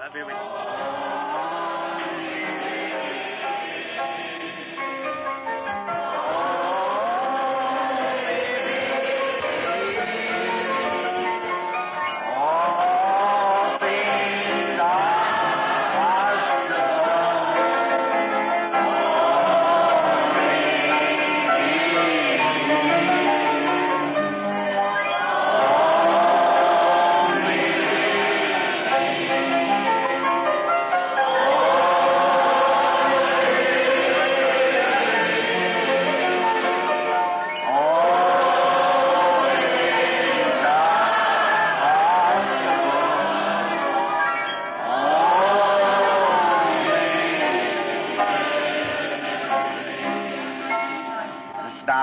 All things are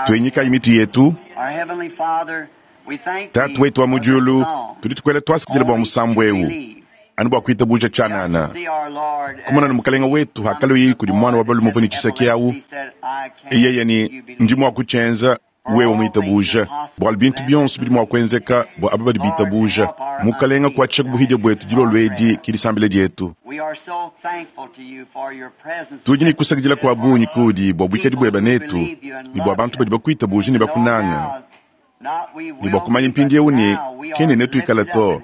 Tuinyikayi mitu yetu. Tatu wetu wa mu diulu, tudi tukuela tuasakidila bua musambu eu anu bua kuitabuja tshianana kumona ne mukalenga wetu hakaloyi kudi mwana wa balume uvua ne tshiseki awu yeye ni ndi mua kutshienza wewe muitabuja bualu bintu bionso bidi mua kuenzeka bua aba badi bitabuja. Mukalenga kuatshisha ku buhidia buetu dilolo edi ki disambila dietu. Tudi ne kusakidila kua bungi kudi bua buikadi bueba netu ne bua bantu badi bakuitabuja ne bakunanga ne bua kumanya mpindieu ne kene netuikala to,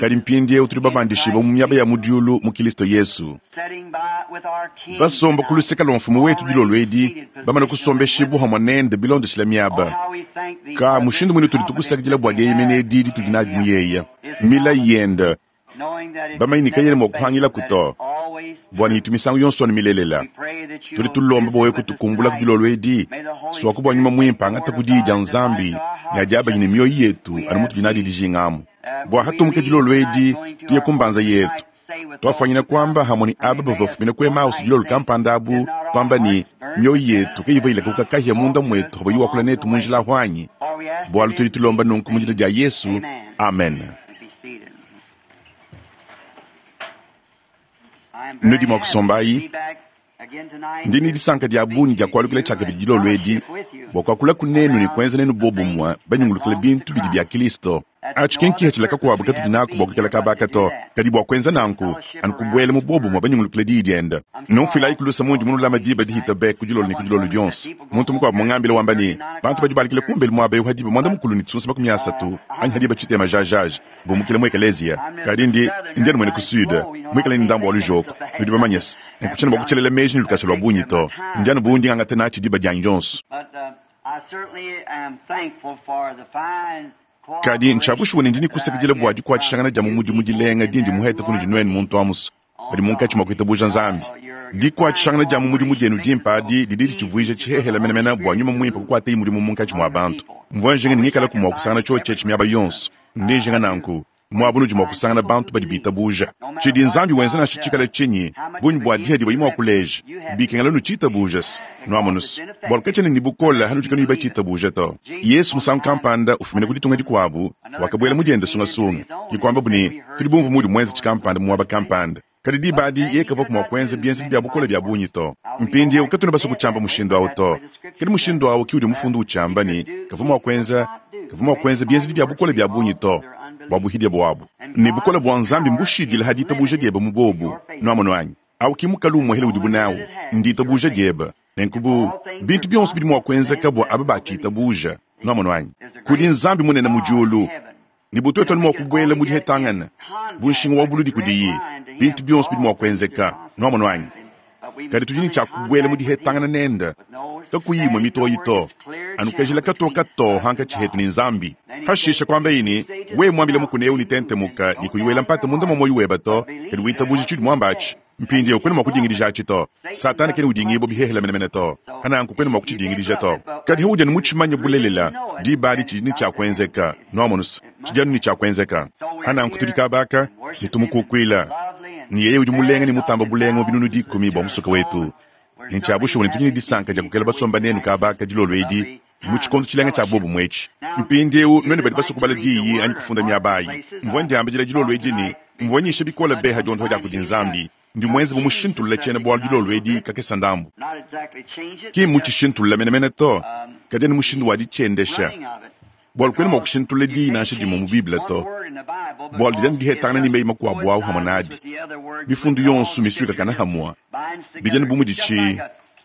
kadi mpindieu tudi babandishibua mu miaba ya mu diulu mu Kilisto Yesu, basomba ku luseke lua mfumu wetu dilolo edi, bamane kusombeshibua hamue nende bilondeshila miaba. Ka mushindu muine tudi tukusakidila bua dieyemena edi ditudi nadi mu yeya milayi yende, bamanye ne kayena mua kuhangilaku to, bua ne itu misangu yonso anu milelela. Tudi tulomba bua wewe kutukumbula ku dilolo edi, suaku bua nyuma muimpe angata ku diyi dia Nzambi ne adiabanye ne mioyo yetu anu mutudi nadi dijinga amu. Bua hatumuke dilolo edi tuye ku mbanza yetu, tuafanyina kuamba hamue ne aba bavua bafumina ku Emmaus dilolo kampanda abu, tuamba ne mioyo yetu kayivua ilakuka kahia munda muetu havua wakula netu mu njila ahu anyi? Bualu tudi tulomba nunku mu dina dia Yesu, amen. Nudi mua kusombayi. Ndi ne disanka dia bungi dia kualukila tshiakabidi dilolo edi bua kuakula ku nenu ne kuenza nenu bobumue banyungulukila bintu bidi bia Kilisto. Atshi ki nkihatshila kakuabu katudi naku bua kuikala kabaka to, kadi bua kuenza nanku anu kubuela mu bobumue banyungulukila diyi diende. Numfuilayi ku luse mundi munulama diba dihita be ku dilolo ne ku dilolo dionso. Muntu mukuabu mungambile wamba ne, bantu badi balukila kumbelu muaba eu ha diba muanda mukulu ne tshisunsa 30 anyi ha diba tshitema jajaja bumukile mu ekeleziya. Kadi ndi ndi anu muena ku sud, muikale ne ndambu wa lujoko. Nudi bamanye se, nenku tshiena mua kutshelela meji ne lukasa lua bungi to. Ndi anu bu ndi ngangata natshi diba dianyi dionso. Kadi ntshia bushuwa ne ndi ne kusakidila bua dikuatshishangana dia mu mudimu dilenga dindi muhete kunudi nuenu muntu amuso badi munkatshi mua kuitabuja Nzambi. Dikuatshishangana dia mu mudimu dienu dimpe adi didi ditshivuija tshihehele menemene bua nyuma muimpe kukuatayi mudimu munkatshi mua bantu. Mvua njinga ne ngikalaku mua kusangana tshiotshi etshi miaba yonso. Ndi njinga nanku muaba unudi mua kusangana bantu badi bitabuja tshidi Nzambi wenza nansha tshikale tshinyi, bungi bua diha divuaye mua kuleja, bikengela nutshitabuja se nuamonu se bualu katshiena ne bukole hanudi kanuyi batshitabuja to. Yesu musangu kampanda ufumina ku ditunga dikuabu wakabuela mu diende sungasunga, ke kuambabu ne, tudi bumvue muudi muenze tshikampanda mu muaba kampanda. Kadi diba adi yeye kavuaku mua kuenza bienzedi bia bukole bia bungi to. Mpindieu katuena basue kutshiamba mushindu au to, kadi mushindu au ke udi mufundu utshiamba ne, kavua mua kuenza, kavua mua kuenza bienzedi bia bukole bia bungi to, bua buhidia buabu. Ne bukole bua Nzambi mbushidile ha ditabuja diebe mu bobu. Nuamonu anyi? Au ki mukalu umuehele udibu nawu, nditabuja diebe. Nenku bu bintu bionso bidi mua kuenzeka bua aba batshitabuja. Nuamonu anyi? Kudi Nzambi munene mu diulu, ne bu tuetu anu mua kubuela mu dihetangana bu nshinga wa buludi kudiyi, bintu bionso bidi mua kuenzeka. Nuamonu anyi? Kadi tudi ne tshia kubuela mu dihetangana nende kakuyi imue mitoyi to, anu kajila katoka to hankatshi hetu ne Nzambi. Pashishe kuambaye ne, wewe muambile mukuna eu ne tentemuka ne kuyi wela mpata munda mua muoyo webe to, kadi witabuja tshiudi muamba atshi. Mpindieu kuena mua kudingidija atshi to. Satana kena udingibua bihehele menemene to, pananku kuena mua kutshidingidija to. Kadi haudi anu mutshimanye bulelela, diba adi tshidi ne tshia kuenzeka. Nuamonu se, tshidi anu ne tshia kuenzeka. Pananku tudi kabaka ne tumukukuila, ne yeye udi mulenga ne mutamba bulenga mu binunu 10 bua musoka wetu. Ne ntshia bushuwa ne tudi ne disanka dia kukela basomba nenu kabaka dilolo edi mu tshikondo tshilenga tshia bobumue etshi. Mpindieu nuenu badi basue kubala diyi anyi kufunda miaba ayi, mvua ndiambidila dilolo edi ne, mvua nyisha bikole be ha diondoha dia kudi Nzambi. Ndi muenze bu mushintulule tshiena-bualu dilolo edi kakesa ndambu. Ki mmutshishintulule menemene to, kadi anu mushindu wa ditshiendesha. Bualu kuena mua kushintulula diyi nansha dimue mu Bible to. Bwalu didi anu dihetangana ne meyi makuabu awu hamwe nadi. Mifundu yonso misuikakane hamwe. Bidi anu bu mudi ci,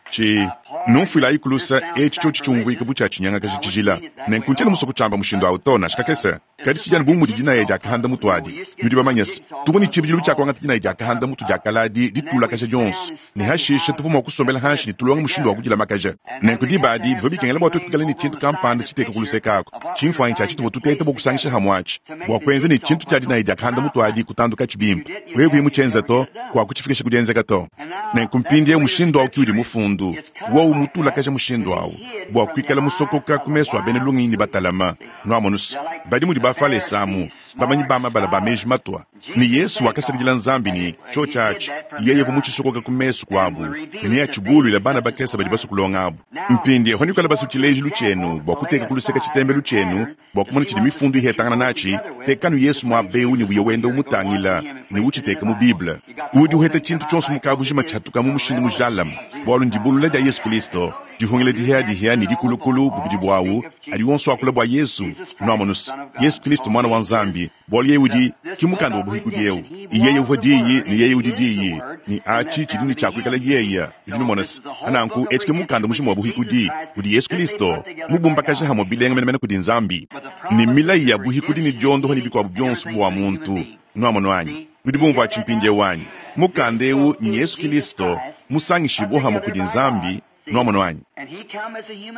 ci, numfuilayi ku lusa, eci cyoci cyumvwika bu cya cinyangakaja cijila. Nenku ncyena muswe kucyamba mushindu awu to, nansha kakese. Kadi cidi anu bu mudi dinaya dya kahanda mutu adi. Nudi bamanye's, tuvwa ne cibidilu cya kwangata dinaya dya kahanda mutu dya kale adi ditulakaja dyonso, ne hashishe tuvwa mwa kusombela hanshi ne tulonga mushindu wa kudilamakaja. Nenku diba adi bivwa bikengela bwa twetu kwikala ne cintu kampanda citeka ku luseke aku, cimfwanyi cya cituvwa tuteta bwa kusangisha hamwe aci, bwa kwenza ne cintu cya dinaya dya kahanda mutu adi kutandukaci bimpe. Wewe kuyi mucyenza to, kwakucifikisha ku dyenzeka to. Nenku mpindyewu mushindu awu ki udi Mufundu, wowu mutulakaja mushindu awu, bwa kwikala musokoka ku mesu a bena lungenyi ne batalama. Nwamonu's, badi mudi Bafalese amu, bamanyi ba mabala ba meji matwa. Ne Yesu wakasakidila Nzambi ne, cyoci aci, Yeye uvwa mucisokoka ku mesu kwabu, ne neacibulwile bana bakese badi baswe kulonga abu. Mpindyewu panwikala baswe cileejilu cyenu bwa kuteeka ku luseke citembelu cyenu, bwa kumona cidi Mifundu ihetangana naci, tekanu Yesu mwaba ewu ne uye wenda umutangila ne uciteka mu Bible. Udi uheta cintu cyonso mu kabujima cihatuka mu mushindu mujalame, bwalu ndibulula dya Yesu Kilisto, dihungila dihiadihia ne dikulukulu bubidi bwawu, adi wonso akula bwa Yesu, nwamonu's, Yesu Kilisto Mwana wa Nzambi, bwalu Yeye udi, ki mukanda wa buhikudi ewu. Yeye uvwa Diyi ne Yeye udi Diyi, ne aci cidi ne cya kwikala Yeye. Nudi numona's? Pa nanku eci ke mukanda mujima wa buhikudi, udi Yesu Kilisto mubumbakaja hamwe bilenga menemene kudi Nzambi, ne milayi ya buhikudi ne dyondoha ne bikwabu byonso bwa muntu. Nwamonu anyi? Nudi bumvwa aci mpindyewu anyi? Mukanda ewu n'Yesu Kilisto musangishibwe hamwe kudi Nzambi. Nwamonu anyi?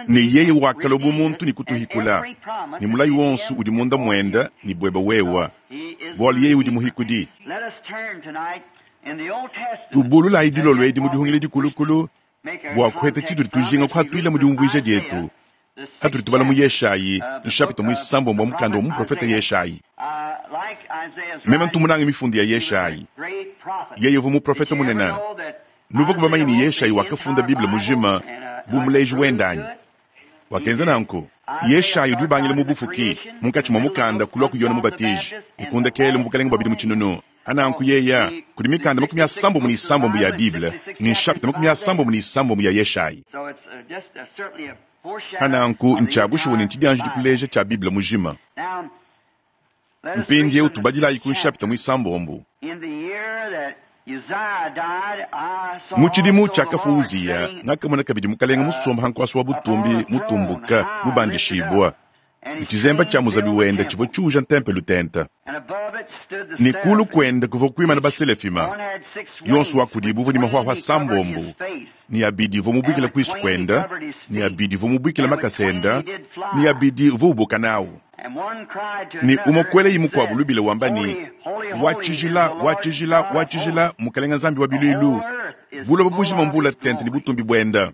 Ne Yeye wakalwa bu muntu ne kutuhikula, ne mulayi wonso udi munda mwende ne bwebe wewe, bwalu Yeye udi Muhikudi. Tubululayi dilolo edi mu dihungila dikulukulu bwa kuheta citudi tujinga kuhatwila mu dyumvwija dyetu hatudi tubala mu Yeshayi, nshapita mwisambombo wa mukanda wa muprofeta Yeshayi. Meme ntu munange mifundu ya Yeshayi. Yeye uvwa muprofeta munene. Nuvwaku bamanye ne Yeshayi wakafunda Bible mujima bu muleji wende anyi? Wakenza nanku. Yeshayi udi ubangila mu bufuki, munkatshi mwa mukanda kulwa ku Yone Mubatiji, ne ku ndekelu mu bukalenge bwa bidimu tshinunu. Pa nanku yeya, kudi mikanda 36 ya Bible ne nshapita 36 ya Yeshayi. Pa nanku ntshia bushuwa ne ntshidianjidi kuleja tshia Bible mujima. Mpindiewu tubadilayi ku nshapita muisambombo. Mu tshidimu tshiakafua Uziya, ngakamona kabidi Mukalenge musomba ha nkuasa wa butumbi mutumbuka, mubandishibua. Ne tshizemba tshia muzabi wende tshivua tshiuja ntempelo tente. Ne kulu kuende kuvua kuimana baselefima, yonso wa kudibu uvua ne mahuahua asambombo, ne abidi uvua mubuikile kuisu kuende, ne abidi uvua mubuikile makasa ende, ne abidi uvua ubuka nawu. Ne umue kuelayi mukuabu lubila wamba ne, Wa tshijila, wa tshijila, wa tshijila, Mukalenge Nzambi wa biluilu, buloba bujima mbula tente ne butumbi buende.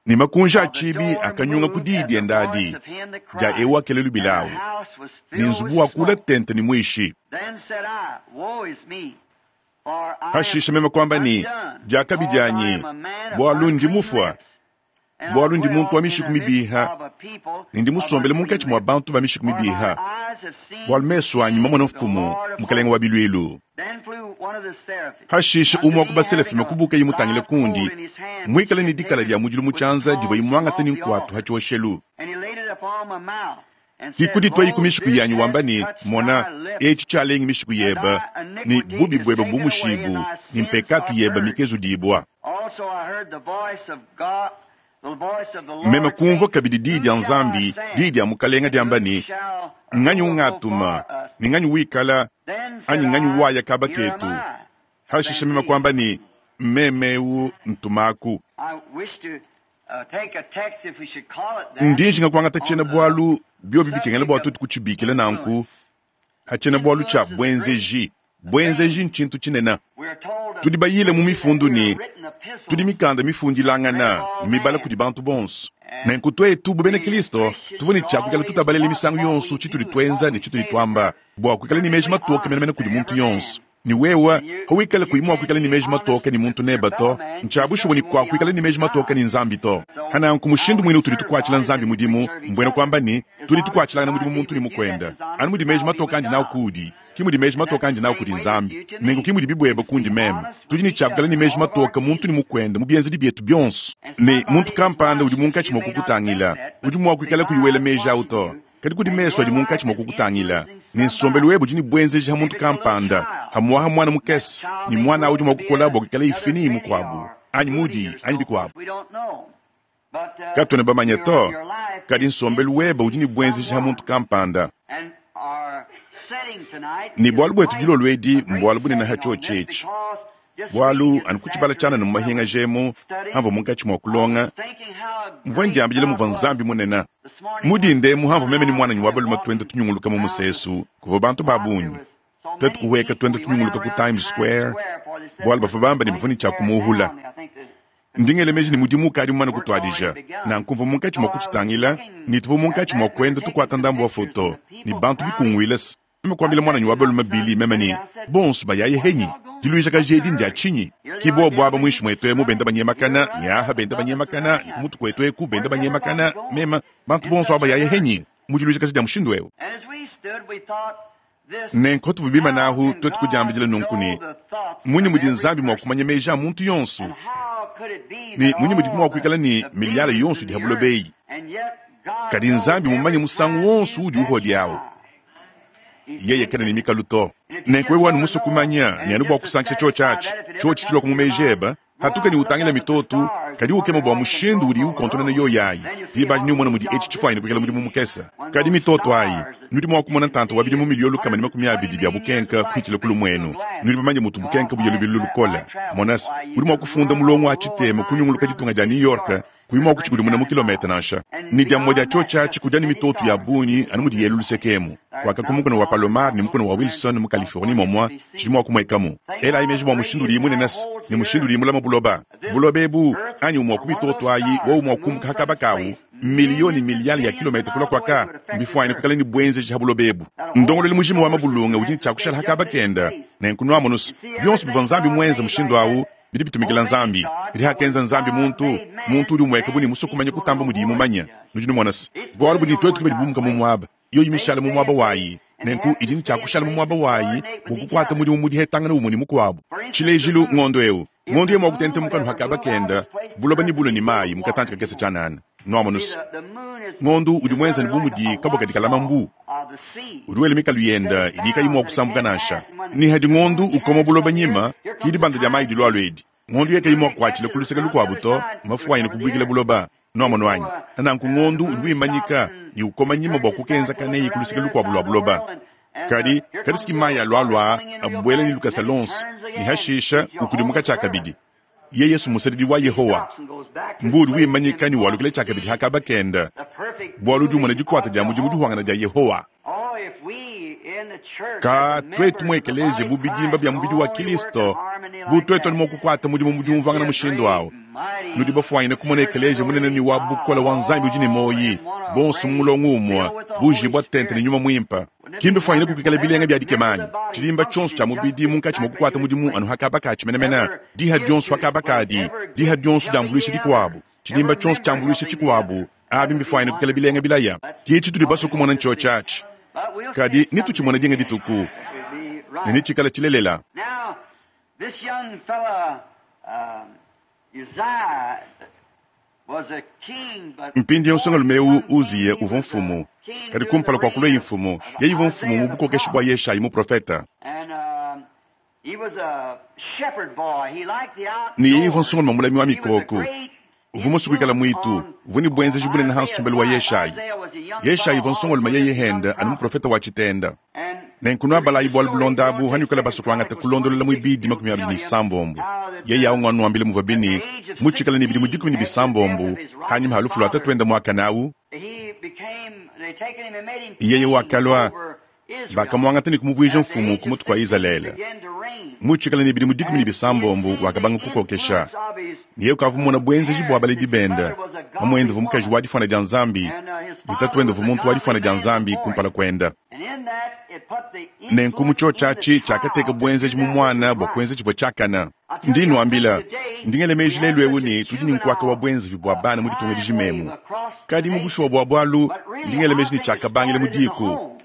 Ne makunji a tshibi akanyunga ku diyi diende adi dia eu wakela lubila awu, ne nzubu wakula tente ne muishi. Pashishe meme kuamba ne, Diakabi dianyi, bualu ndi mufua, bualu ndi muntu wa mishiku mibiha, ne ndi musombele munkatshi mua bantu ba mishiku mibiha, bualu mesu anyi mamona Mfumu, Mukalenge wa biluilu. Hashishe umue wa ku baselafima kubukaye mutangile kundi, muikale ne dikala dia mudilu mu tshianza divuaye muangate ne nkuatu ha tshioshelu. Kikudituayi ku mishiku yanyi wamba ne, Mona, etshi tshialengi mishiku yebe, ne bubi buebe bumushibu, ne mpekatu yebe mikezudibua. Meme kumvua kabidi diyi dia Nzambi, diyi dia Mukalenga diamba ne, Nganyi ungatuma, ne nganyi wikala, anyi nganyi waya kaba ketu? Hashishe meme kuamba ne, Mmeme eu, ntumaku. Ndi njinga kuangata tshiena-bualu, biobi bikengela bua tuetu kutshibikila nanku, ha tshiena-bualu tshia buenzeji. Buenzeji ntshintu tshinene. Tudi bayile mu mifundu ne tudi mikanda mifundilangana ne mibala kudi bantu bonso. Nenku tuetu bu bena Kristo tuvua ne tshia kuikala tutabalela misangu yonso tshitudi tuenza ne tshitudi tuamba bua kuikala ne meji matoke menemene kudi muntu yonso. Ne wewe, pawikala kuyi mua kuikala ne meji matoke ne muntu nebe to, ntshia bushuwa ne kuakuikala ne meji matoke ne Nzambi to. Pa nanku mushindu muine utudi tukuatshila Nzambi mudimu, mbuena kuamba ne, tudi tukuatshilangana mudimu muntu ne mukuende. Anu mudi meji matoke andi nawu kuudi, ki mudi meji matoke andi nawu kudi Nzambi, nenku ki mudibi buebe kundi meme. Tudi ne tshia kuikala ne meji matoke muntu ne mukuende mu bienzedi bietu bionso. Ne muntu kampanda udi munkatshi mua kukutangila, udi mua kuikala kuyi wela meji au to, kadi kudi mesu adi munkatshi mua kukutangila. Ne nsombelu webe udi ne buenzeji ha muntu kampanda, hamuaha muana mukese, ne muana awu udi mua kukola bua kuikala ifini mukuabu, anyi mudi, anyi bikuabu. Katuena bamanye to, kadi nsombelu webe udi ne buenzeji ha muntu kampanda. Ne bualu buetu dilolo edi mbualu bunene ha tshiotshi etshi. Bualu anu ku tshibala tshianana mu mahingaja emu, hamvua munkatshi mua kulonga, mvua ndiambidila muvua Nzambi munene. Mu dinda emu hamvua meme ne muananyi wa balume tuenda tunyunguluka mu musesu, kuvua bantu ba bungi. Tuetu kuhueka tuenda tunyunguluka ku Times Square, bualu bavua bamba ne bavua ne tshia kumuhula. Ndi ngela meji ne mudimu ukadi mumane kutuadija. Nanku mvua munkatshi mua kutshitangila, ne tuvua munkatshi mua kuenda tukuata ndambu wa foto, ne bantu bikunguile. Meme kuambila muananyi wa balume Billy meme ne, Bonso bayaye henyi? Diluijakaji edi ndia tshinyi? Ki bobu aba muinshi muetu emu benda banyemakana, ne aha benda banyemakana, ne ku mutu kuetu eku benda banyemakana, meme, bantu bonso aba bayaye henyi mu diluijakaji dia mushindu eu? Nenku patuvua bimane ahu, tuetu kudiambidila nunku ne, Mmunyi mudi Nzambi mua kumanya meji a muntu yonso? Ne mmunyi mudibi mua kuikala ne miliyale yonso idi ha buloba eyi? Kadi Nzambi mmumanye musangu wonso uudi uhodiawu. Yeye kena ne mikalu to. Nenku wewe anu musue kumanya, ne anu bua kusankisha tshiotshi atshi, tshiotshi tshilua mu meji ebe, hatuka ne utangila mitoto, kadi ukema bua mushindu udiyi ukontonona yoyi ayi. Diba adi neumone mudi etshi tshifuanyine kuikala mudimu mukese. Kadi mitoto ayi, nudi mua kumona ntanta wa bidimu miliyo 120 bia bukenka kuhitshila ku lumuenu. Nudi bamanye mutu bukenka buya lubilu lukole. Mona se, udi mua kufunda mulongo wa tshitema kunyunguluka ditunga dia New York, kuyi mua kutshikudimuna mu kilometa nansha. Ne dia mumue dia tshiotshi atshi kudi anu mitoto ya bungi anu mudi yelu luseke emu, kuaka ku mukuna wa Palomar ne mukuna wa Wilson mu Californie momua tshidi mua kumuekamu. Elayi meji bua mushindu udiyi munene ne mushindu udiyi mulama buloba. Buloba ebu, anyi umue wa ku mitoto ayi wowu mua kumbuka ha kaba kawu, miliyo ne miliyale ya kilometa kula kuaka, mbifuanyine kuikala ne buenzeji ha buloba ebu. Ndongoluelu mujima wa mabulunge udi ne tshia kushala ha kaba kenda. Nenku nuamonu's, bionso bivua Nzambi muenze mushindu awu, bidi bitumikila Nzambi. Kadi hakenza Nzambi muntu, muntu udi umueka bu ne musue kumanya kutamba mudiye mumanye. Nudi numona se, bualu budi ne tuetu ke badi bumuka mu muaba, yoyi mishale mu muaba wayi. Nenku idi ne tshia kushala mu muaba wayi bua kukuata mudimu mu dihetangana umue ne mukuabu. Tshilejilu, ngondo eu, ngondo yeye mua kutentemuka anu hakaba kenda, buloba nebulue ne mayi mu katantshi kakese tshianana. Nuamonu se, ngondo udi muenza ne bu mudi kabua kadi kalama mbu, udi wela mikalu yenda idi kayi mua kusambuka nansha. Ne hadi ngondo ukoma buloba nyima, ki dibanda dia mayi dilualua edi. Ngondo yeye kayi mua kukuatshila ku luseke lukuabu to, mafuanyine kubuikila buloba. Nuamonu anyi? Nanku ngondo udi wimanyika ne ukoma nyima bua kukenzakaneyi ku luseke lukuabu lua buloba. Kadi, kadi siki mayi alualua abuela ne lukasa luonso, ne hashisha ukudimuka tshiakabidi. Ye Yesu musadidi wa Yehowa, mbu udi wimanyika ne walukila tshiakabidi ha kaba kenda, bualu udi umona dikuata dia mudimu dihuangana dia Yehowa. Ka tuetu mu ekeleziya bu bidimba bia mubidi wa Kilisto, bu tuetu anu mua kukuata mudimu mu diumvuangana mushindu awu. Nudi bafuanyine kumona ekeleziya munene ne wa bukole wa Nzambi udi ne muoyi, bonso mu mulongo umue, bujibua tente ne Nyuma Muimpe. Ki mbifuanyine kuikala bilenga bia dikema anyi? Tshidimba tshionso tshia mubidi munkatshi mua kukuata mudimu anu ha kaba katshi menemene, diha dionso ha kaba kadi, diha dionso diambuluisha dikuabu, tshidimba tshionso tshiambuluisha tshikuabu, abi mbifuanyine kuikala bilenga bilaya. Ki tshitudi basue kumona ntshiotshi atshi. Kadi netutshimone dinga dituku, ne netshikale tshilelela. Mpindieu nsongalume eu Uziya uvua mfumu, kadi kumpala kua kuluaye mfumu, yeye uvua mfumu mu bukokeshi bua Yeshayi muprofete. Ne yeye uvua nsongalume mulami wa mikoko, uvua musue kuikala muitu, uvua ne buenzeji bunene ha nsombelu wa Yeshayi. Yeshayi uvua nsongalume yeye henda anu muprofete wa tshitenda. Nenku nuabalayi bualu bulonda abu hanuikala basue kuangata kulondolola muibidi 26. Yeye au nguanuambile muvua bini mutshikale ne bidimu 16 hanyima ha lufu lua tatuende muakane au. Yeye wakalua, bakamuangata ne kumuvuija mfumu ku mutu kua Izalele. Mutshikale ne bidimu 17 wakabanga kukokesha. Ne yeye ukavua mumona buenzeji bua baledi bende. Mamuende uvua mukaji wa difuana dia Nzambi, ne tatuende uvua muntu wa difuana dia Nzambi kumpala kuende. Nenku mu tshiotshi atshi tshiakateka buenzeji mu muana bua kuenza tshivua tshiakane. Ndi nnuambila, ndi ngela meji lelu eu ne tudi ne nkuaka wa buenzeji bua bana mu ditunga dijima emu. Kadi mu bushuwa bua bualu, ndi ngela meji ne tshiakabangila mu diku.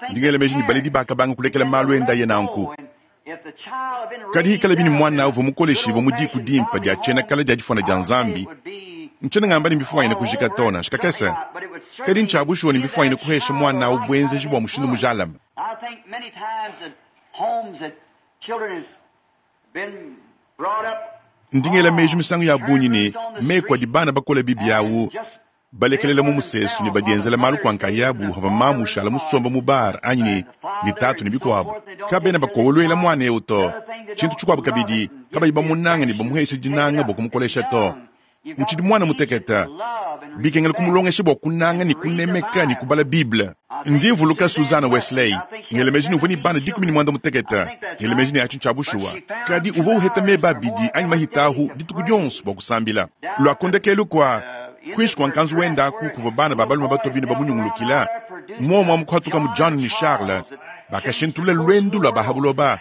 Ndi ngela meji ne baledi bakabanga kulekela malu enda aya nanku. Kadi hikalabi ne muana uvua mukoleshibue mu diku dimpe dia tshiena kale dia difuana dia Nzambi, ntshiena ngamba ne mbifuanyine kujika to, nansha kakese. Kadi ntshia bushuwa ne mbifwanyine kuhesha mwana awu bwenzeji bwa mushindu mujalame. Ndi ngela meji misangu ya bungi ne, meku adi bana bakole bibi awu balekelela mu musesu ne badienzela malu kwa nkayabu pavua mamu ushala musomba mu bar anyi ne, ne tatu ne bikuabu. Kabena bakowoluela muana eu to. Tshintu tshikuabu kabidi, kabayi bamunanga ne bamuhesha dinanga bua kumukolesha to. Utshidi muana mutekete. Bikengela kumulongesha bua kunanga ne kunemeka ne kubala Bible. Ndi mvuluka Susanna Wesley, ngela meji ne uvua ne bana 16, ngela meji ne atshi ntshia bushuwa. Kadi uvua uheta meba abidi anyi mahita ahu dituku dionso bua kusambila. Lua ku ndekelu kua kuinshi kua nkanzu wenda aku kuvua bana ba balume batua bine bamunyungulukila. Muomu amu kuhatukamu John ne Charles, bakashintulula luendu lua ba ha buloba,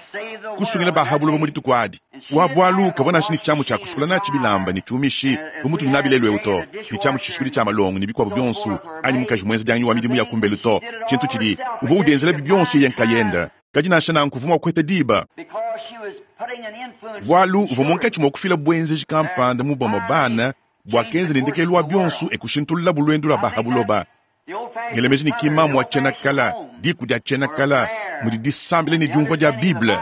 kusungila ba ha buloba mu dituku adi. Wa bualu kavua nansha ne tshiamu tshia kusukula natshi bilamba ne tshiumishi bu mutudi nabi lelu eu to, ne tshiamu tshisukudi tshia malongo ne bikuabu bionso, anyi mukaji muenzedianganyi wa midimu ya kumbelu to. Tshintu tshidi uvua udienzelabi bionso yeye nkayende. Kadi nansha nanku uvua mua kuheta diba, bualu uvua munkatshi mua kufila buenzeji kampanda mu bamue bana buakenza ne ndekelu wa bionso e kushintululabu luendu lua ba ha buloba. Ngela meji ne ki mamu wa tshiena kala, diku dia tshiena kala, mudi disambila ne diumvua dia Bible.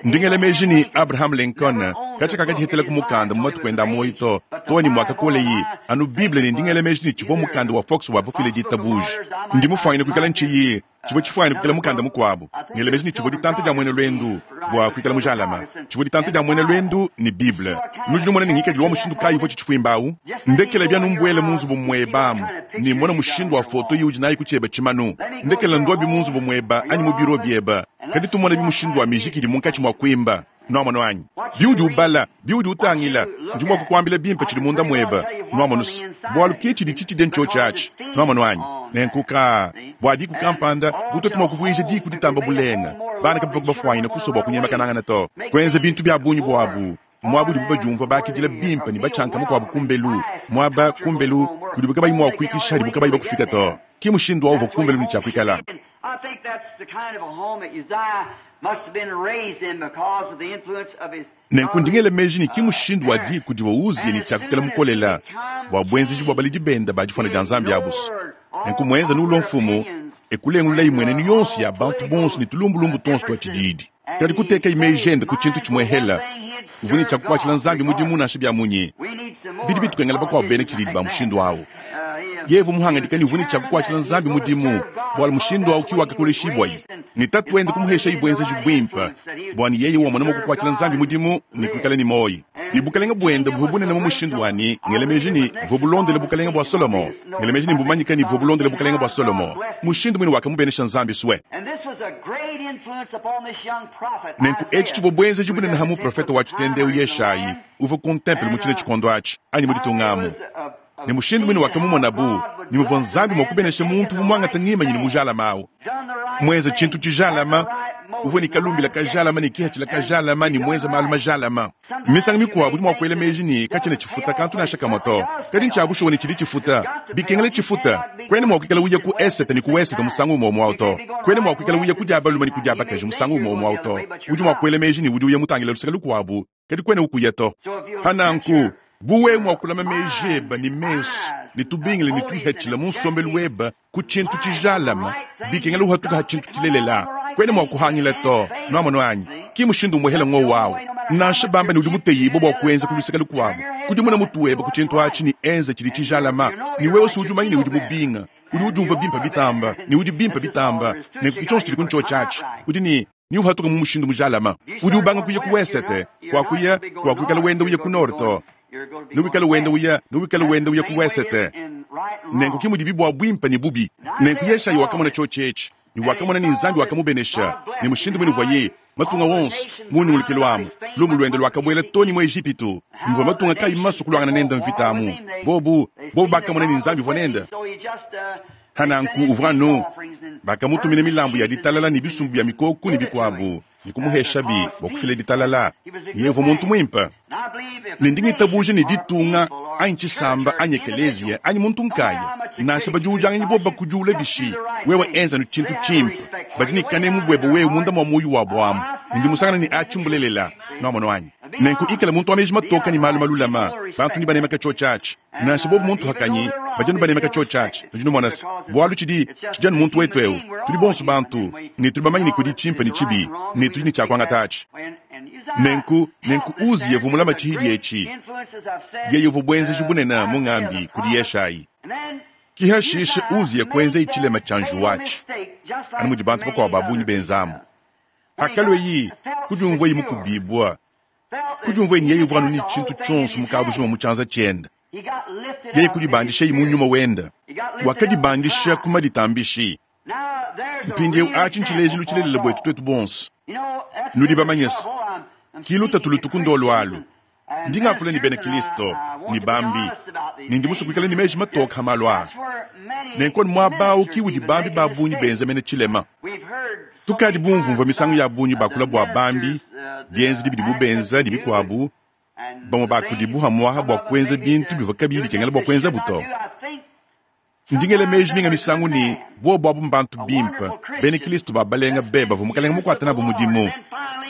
Ndi ngela meji ne Abraham Lincoln katshia kakadihetela ku mukanda mu matuku ende a muoyo to, too ne muakakoleyi anu Bible ne ndi ngela meji ne tshivua mukanda wa Fox wa bufile ditabuja. Ndi mufuanyine kuikala ntshiyi tshivua tshifuanyine kuikala mukanda mukuabu. Ngela meji ne tshivua ditanta dia muena luendu bua kuikala mujalama. Tshivua ditanta dia muena luendu ne Bible. Nudi numona ne ngikadilu wa mushindu kayi uvua tshitshifuimba awu? Ndekela bia numbuela mu nzubu mueba amu ne mona mushindu wa foto iwudi nayi ku tshieba tshimanu. Ndekela nduabi mu nzubu mueba anyi mu biro bieba, kadi tumona bi mushindu wa mijiki idi munkatshi mua kuimba. Nuamonu anyi? Biudi ubala, biudi utangila, ndi mua kukuambila bimpe tshidi munda mueba. Nuamonu's, bualu ke tshidi tshitshide ntshiotshi atshi. Nuamonu anyi? Nenku kaa, bua diku kampanda, bu tuetu mua kuvuija diku ditamba bulenga, bana kabavua bafuanyine kusua bua kunyemekanangana to. Kuenza bintu bia bungi buabu, muaba udibu badiumvua bakidila bimpe ne batshianka mukuabu kumbelu, muaba, kumbelu, kudibu kabayi mua kuikisha hadibu kabayi bakufika to. Ke mushindu wa uvua kumbelu ne tshia kuikala. Nenku ndi ngela meji ne ki mushindu wa diku divua Uziya ne tshia kuikala mukolela bua buenzeji bua baledi bende ba difuana dia Nzambi abu's. Nenku muenza nulua mfumu, e kulengululayi mmuenenu yonso ya bantu bonso ne tulumbulumbu tuonso tua tshididi. Kadi kutekayi meji ende ku tshintu tshimuehela, uvua ne tshia kukuatshila Nzambi mudimu nansha bia munyi. Bidi bitukengela bakuabu bena tshididi ba mushindu au. Yeye uvua muhangadika ne uvua ne tshia kukuatshila Nzambi mudimu, bualu mushindu au ki wakakoleshibuaye ne tatuende kumuheshayi buenzeji buimpe bua ne yeye wamona mua kukuatshila Nzambi mudimu ne kuikala ne muoyo. Ne bukalenge buende buvua bunene mu mushindu wa ne, ngela meji ne, buvua bulondele bukalenge bua Solomo. Ngela meji ne, mbumanyike ne, buvua bulondele bukalenge bua Solomo. Mushindu muine wakamubenesha Nzambi sue. Nenku etshi tshivua buenzeji bunene ha muprofete wa tshitende eu Yeshayi, uvua ku ntempelo mu tshine tshikondo atshi, anyi mu ditunga amu. Ne mushindu muine wakamumonabu, ne muvua Nzambi mua kubenesha muntu uvua muangate ngimanyinu mujalame au, muenze tshintu tshijalame, uvua ne kalumbila kajalame ne kihatshila kajalame ne muenze malu majalame. Misangu mikuabu udi mua kuela meji ne, katshiena tshifuta kantu nansha kamue to, kadi ntshia bushuwa ne tshidi tshifuta. Bikengela tshifuta. Kuena mua kuikala uya ku esete ne ku wesete musangu umue umue au to. Kuena mua kuikala uya ku dia balume ne ku dia bakaji musangu umue umue au to. Udi mua kuela meji ne, udi uya mutangile luseke lukuabu, kadi kuena ukuya to. Pa nanku, bu wewe mua kulama meji ebe ne mesu ne tubingila ne tuihatshila mu nsombelu webe ku tshintu tshijalame, bikengela uhatuka ha tshintu tshilelela, kuena mua kuhangila to. Nuamonu anyi? Ki mushindu umuehela ngowu au. Nansha bamba ne udi muteyibue bua kuenza ku luseke lukuabu, kudimuna mutu webe ku tshintu atshi ne enza tshidi tshijalama, ne wewe si udi umanya ne udi mubinga, udi udiumvua bimpe bitamba, ne udi bimpe bitamba, nenku ki tshionso tshidi ku ntshiotshi atshi. Udi ne ne uhatuka mu mushindu mujalame. Udi ubanga kuya ku wesete, kuakuya kuakuikala wenda uya ku nord to, newikale wenda uya, newikale wenda uya ku wesete. Nenku ki mudibi bua buimpe ne bubi. Nenku Yeshaya wakamona tshiotshi etshi, ne wakamona ne Nzambi wakamubenesha, ne mushindu muine uvuaye, matunga wonso, mu nyungulukilu amu, lumu luende luakabuela too ne mu Ejipitu, muvua matunga kayi masue kuluangana nende mvita amu. Bobu, bobu bakamona ne Nzambi uvua nende. Pa nanku uvua anu, bakamutumina milambu ya ditalala ne bisumbu bia mikoko ne bikuabu, ne kumuheshabi bua kufila ditalala. Yeye uvua muntu muimpe. Ne ndi ngitabuja ne ditunga anyi tshisamba anyi ekeleziya anyi muntu nkaya, nansha badiudianganyi bobu bakudiula bishi, wewe enza anu tshintu tshimpe. Badi ne kanemu buebe wewe munda mua muoyo wabu amu, ne ndi musangane ne atshi mbulelela. Nuamonu anyi? Nenku ikala muntu wa meji matoke ne malu malulama, bantu nebanemeke tshiotshi atshi. Nansha bobu muntu hakanyi, Badi anu banemeka tshiotshi atshi, nudi numona's, bualu tshidi, tshidi anu muntu wetu ewu. Tudi bonso bantu, ne tudi bamanye ne kudi tshimpe ne tshibi, ne tudi ne tshia kuangata atshi. Nenku, nenku Uziya uvua mulame tshihidi etshi. Yeye uvua buenzeji bunene mu ngambi kudi Yeshayi. Ki hashishe Uziya kuenzaye tshilema tshia njiwu atshi, anu mudi bantu bakuabu ba bungi benzamu. Hakalueyi kudiumvueyi mukubibua, kudiumvueyi ne yeye uvua anu ne tshintu tshionso mu kabujima mu tshianza tshiende, yeye kudibandishayi mu nyuma wende. Wakadibandisha ku maditambishi. Mpindieu atshi ntshilejilu tshilelela buetu tuetu bonso. Nudi bamanye se, ki lutatu lutu ku ndolo alu. Ndi ngakula ne bena Kristo ne bambi, ne ndi musue kuikala ne meji matoke ha malu aa. Nenku anu muaba au ki udi bambi ba bungi benza mene tshilema. Tukadi bumvumvua misangu ya bungi bakula bua bambi, bienzedi bidibu benza ne bikuabu, bamue ba kudibu pamu'apa bua kuenza bintu bivua kabiyi bikengela bua kuenzabu to. Ndi ngela meji minga misangu ne, buobu abu mbantu bimpe, bena Kristo ba balenga be bavua Mukalenge mukuate nabu mudimu.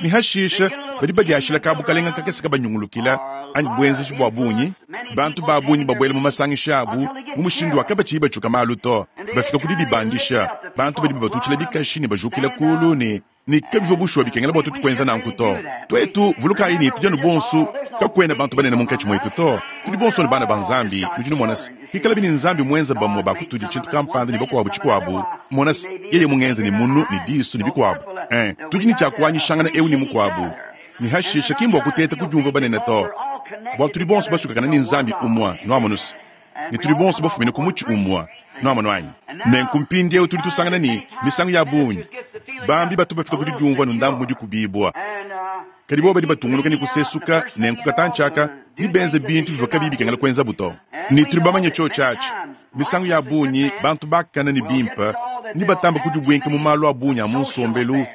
Ne hashishe badi badiashila ka bukalenge kakese kabanyungulukila anyi buenzeji bua bungi, bantu ba bungi babuela mu masangisha abu mu mushindu wa kabatshiyi batshiuka malu to, bafika ku didibandisha, bantu badi babatutshila bikashi ne bajukila kulu ne Ne kabivua bushuwa bikengela bua tuetu kuenza nanku to. Tuetu, vulukayi ne, tudi anu bonsu, kakuena bantu banene munkatshi muetu to. Tudi bonsu anu bana ba Nzambi. Nudi numona se, pikalabi ne Nzambi muenze bamue ba kutudi tshintu kampanda ne bakuabu tshikuabu, mona se, yeye mungenze ne munu ne disu ne bikuabu. Ee, tudi ne tshia kuanyishangana eu ne mukuabu. Ne hashishe, ki mbua kuteta kudiumvua banene to, bualu tudi bonso basukakane ne Nzambi umue. Nuamonu se, ne tudi bonso bafumine ku mutshi umue. Nuamonu anyi? Nenku mpindieu tudi tusangana ne, misangu ya bungi, bambi batu bafika ku didiumvua anu ndambu mu dikubibua. Kadi bobu badi batungunuka ne kusesuka, nenku katantshi aka nebenze bintu bivua kabiyi bikengela kuenzabu to. Ne tudi bamanye tshiotshi atshi. Misangu ya bungi, bantu bakane ne bimpe nebatambe kudibuinka mu malu a bungi a mu nsombelu.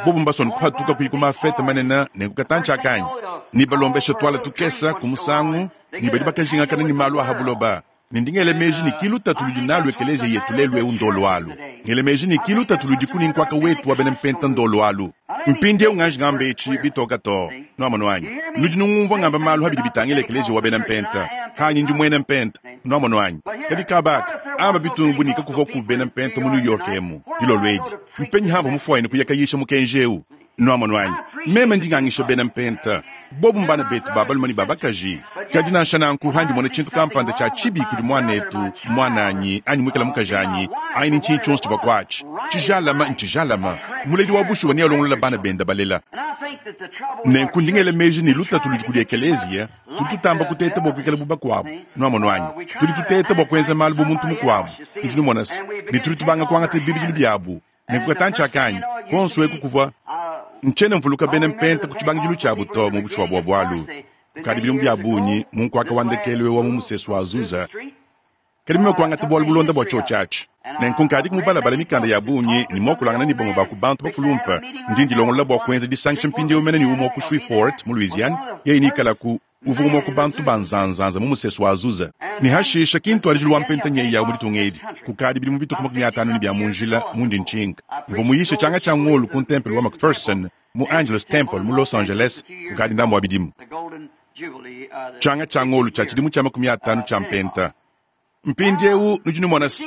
Bobu mbasue anu kuhatuka kuyi ku mafete manene, nenku katantshi aka anyi nebalombeshe tuala tukese ku musangu, ne badi bakajingakana ne malu a ha buloba. Ne ndi ngela meji ne ki lutatu ludi nalu ekeleziya yetu lelu eu ndolo alu. Ngela meji ne ki lutatu ludiku ne nkuaka wetu wa bena mpenta ndolo alu. Mpindieu nganji ngamba etshi bitoka too. Nuamonu anyi? Nudi nungumvua ngamba malu ha bidi bitangila ekeleziya wa bena mpenta. Hanyi ndi muena mpenta. Nuamonu anyi? Kadi kaba aka, amba bitungu bu ne kakuvua ku bena mpenta mu New York emu, dilolo edi. Mpenyi hamvua mufuanyine kuya kayisha mukenji eu? Nuamonu anyi? Meme ndi ngangisha bena mpenta. Bobu mbana betu ba balume ne ba bakaji. Kadi nansha nanku, handi mona tshintu kampanda tshia tshibi kudi muanetu, muananyi, anyi muikala mukajanyi, anyi ne ntshinyi tshionso tshivua kuatshi, tshijalama ntshijalama. Muledi wa bushuwa nealongolola bana bende balela. Nenku ndi ngela meji ne lutatu ludi kudi ekeleziya, tudi tutamba kuteta bua kuikala bu bakuabu. Nuamonu anyi? Tudi tuteta bua kuenza malu bu muntu mukuabu. Nudi numona se, ne tudi tubanga kuangata bibidilu biabu. Nenku katantshi aka anyi kuonso eku kuvua ntshiena mvuluka bena mpenta ku tshibangidilu tshiabu to mu bushuwa bua bualu kukadi bidimu bia bungi mu nkuaka wa ndekelu eu wa mu musesu wa Azusa, kadi meme kuangata bualu bulonda bua tshiotshi atshi. Nenku nkadiku mubalabale mikanda ya bungi ne muakulangana ne bamue ba ku bantu bakulumpe. Ndi ndilongolola bua kuenza disangisha mpindieu mene ne umue wa ku Shreveport mu Louisiane, yeye neikalaku. Uvua umue wa ku bantu ba nzanzanza mu musesu wa Azusa, ne hashisha ki ntuadijilu wa mpenta nyeyi yawu mu ditunga edi. Kukadi bidimu bitue ku 50 ne bia mu njila mundi ntshinka, mvua muyishe tshianga tshia ngolo ku ntempelo wa McPherson mu Angelus Temple mu Los Angeles kukadi ndambu wa bidimu. Tshianga tshia ngolo tshia tshidimu tshia 50 tshia mpenta. Mpindieu nudi numona se,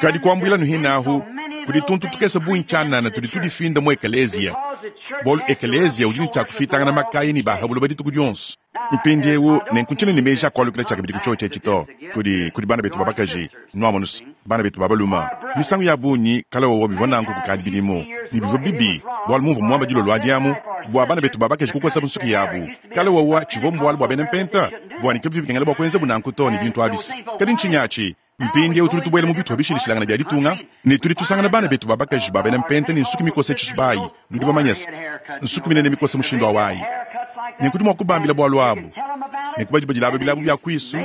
kadi kuambuila nuhine ahu kudi tuntu tukese bungi tshianana tudi tudifinda mu ekeleziya, bualu ekeleziya udi ne tshia kufitangana makaya ne ba ha buloba dituku dionso. Mpindieu nenku ntshiena ne meji a kualukila tshiakabidi ku tshiotshi etshi to, kudi, kudi bana betu ba bakaji, nuamonu se, bana betu ba balume. Misangu ya bungi kale wowo bivua nanku kukadi bidimu, ne bivua bibi, bualu mumvua muamba dilolo adi amu bua bana betu ba bakaji kukosabu nsuki yabu. Kale wowa tshivua mbualu bua bena mpenta, bua ne kabivua bikengela bua kuenzabu nanku to ne bintu abis. Kadi ntshinyi atshi? Mpindieu tudi tubuela mu bitupa bishilashilangane bia ditunga ne tudi tusangana bana betu ba bakaji ba bena mpenta ne nsuki mikose tshisubayi. Nudi bamanye se, nsuki minene mikose mushindu awu ayi. Nenku tudi mua kubambila bualu abu. Nenku badi badilaba bilabu bia kuisu,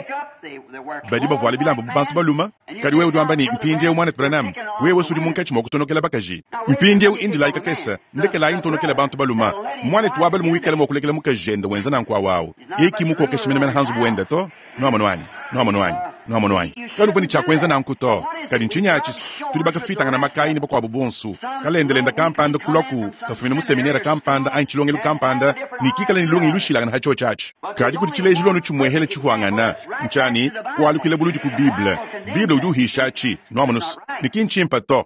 badi bavuala bilamba bu bantu balume. Kadi wewe udi wamba ne, Mpindieu, Muanetu Branham, wewe s'udi munkatshi mua kutonokela bakaji. Mpindieu indilayi kakese, ndekelayi ntonokele bantu balume. Muanetu wa balume wikala mua kulekela mukajende wenza nanku awu awu, yeye ki mukokeshe menemene ha nzubu wende to. Nuamonu anyi? Nuamonu anyi? Nwamonu anyi? Kanuvua ne tshia kuenza nanku to. Kadi ntshinyi atshi? Tudi bakafiitangana makayi ne bakuabu bonsu. Kalendelenda kampanda kulaku kafumina mu seminere kampanda anyi tshilongelu kampanda ne kikale ne lungenyi lushilangane ha tshiotshi atshi. Kadi kudi tshilejilu anu tshimuehele tshihuangana, ntshiani kualukila buludi ku Bible. Bible udi uhisha atshi, nwamonu's, ne ki ntshimpe to.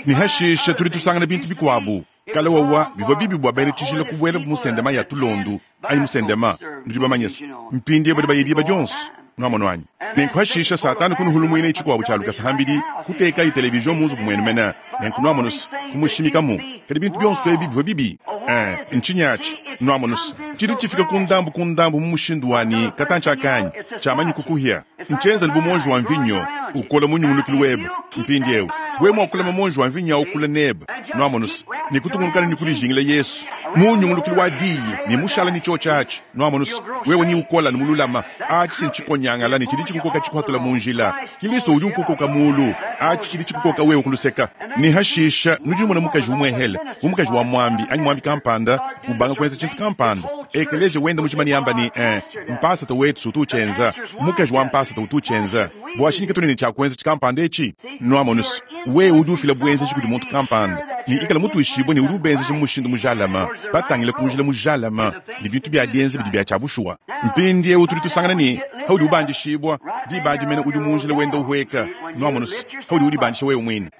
Ne hashishe tudi tusangana bintu bikuabu. Kale wawa bivua bibi bua bena tshijila kubuela mu sendema ya tulondu anyi mu sendema, nudi bamanye se, mpindieu badi baya diba dionso. Nwamonu anyi? Nenku hashishe Satana kunuhulumuina tshikuabu tshia lukasa hambidi, kutekayi television mu nzubu muenu mene. Nenku nwamonu's, kumushimikamu. Kadi bintu bionso ebi bivua bibi. Ee, ntshinyi atshi? Nwamonu's, tshidi tshifika ku ndambu ku ndambu mu mushindu wa ne katantshi akanyi, tshiamanyi kukuhia. Ntshienza anu bu muonji wa mvinyo ukola mu nyungulukilu webe. Mpindieu, wewe mua kulama muonji wa mvinyo au kule nebe, nwamonu's, ne kutungunuka ne kudijingila Yesu mu nyungulukilu wa diyi ne mushala ne tshiotshi atshi, nwamonu's, wewe ni ukola ne mululama. Atshi si ntshikonyangala ne tshidi tshikukoka tshikuhatula mu njila. Kilisto udi ukukoka mulu. Atshi tshidi tshikukoka wewe ku luseka. Ne hashisha nudi numona mukaji umuehele, bu mukaji wa muambi anyi muambi kampanda, ubanga kuenza tshintu kampanda. Ekeleziya wenda mujima neamba ne, Ee, mpasata wetu utu utshienza. Mukaji wa mpasata utu utshienza. Bua tshinyi katuena ne tshia kuenza tshikampanda etshi? Nwamonu's, wewe udi ufila buenzeji kudi muntu kampanda, ne ikala mutuishibue ne udi ubenzeja mu mushindu mujalame, batangile ku njila mujalame, ne bintu bia dienza bidi bia tshia bushuwa. Mpindieu tudi tusangana ne, paudi ubandishibua, diba adi mene udi mu njila wenda uhueka. Nwamonu's, paudi udibandisha wewe muine.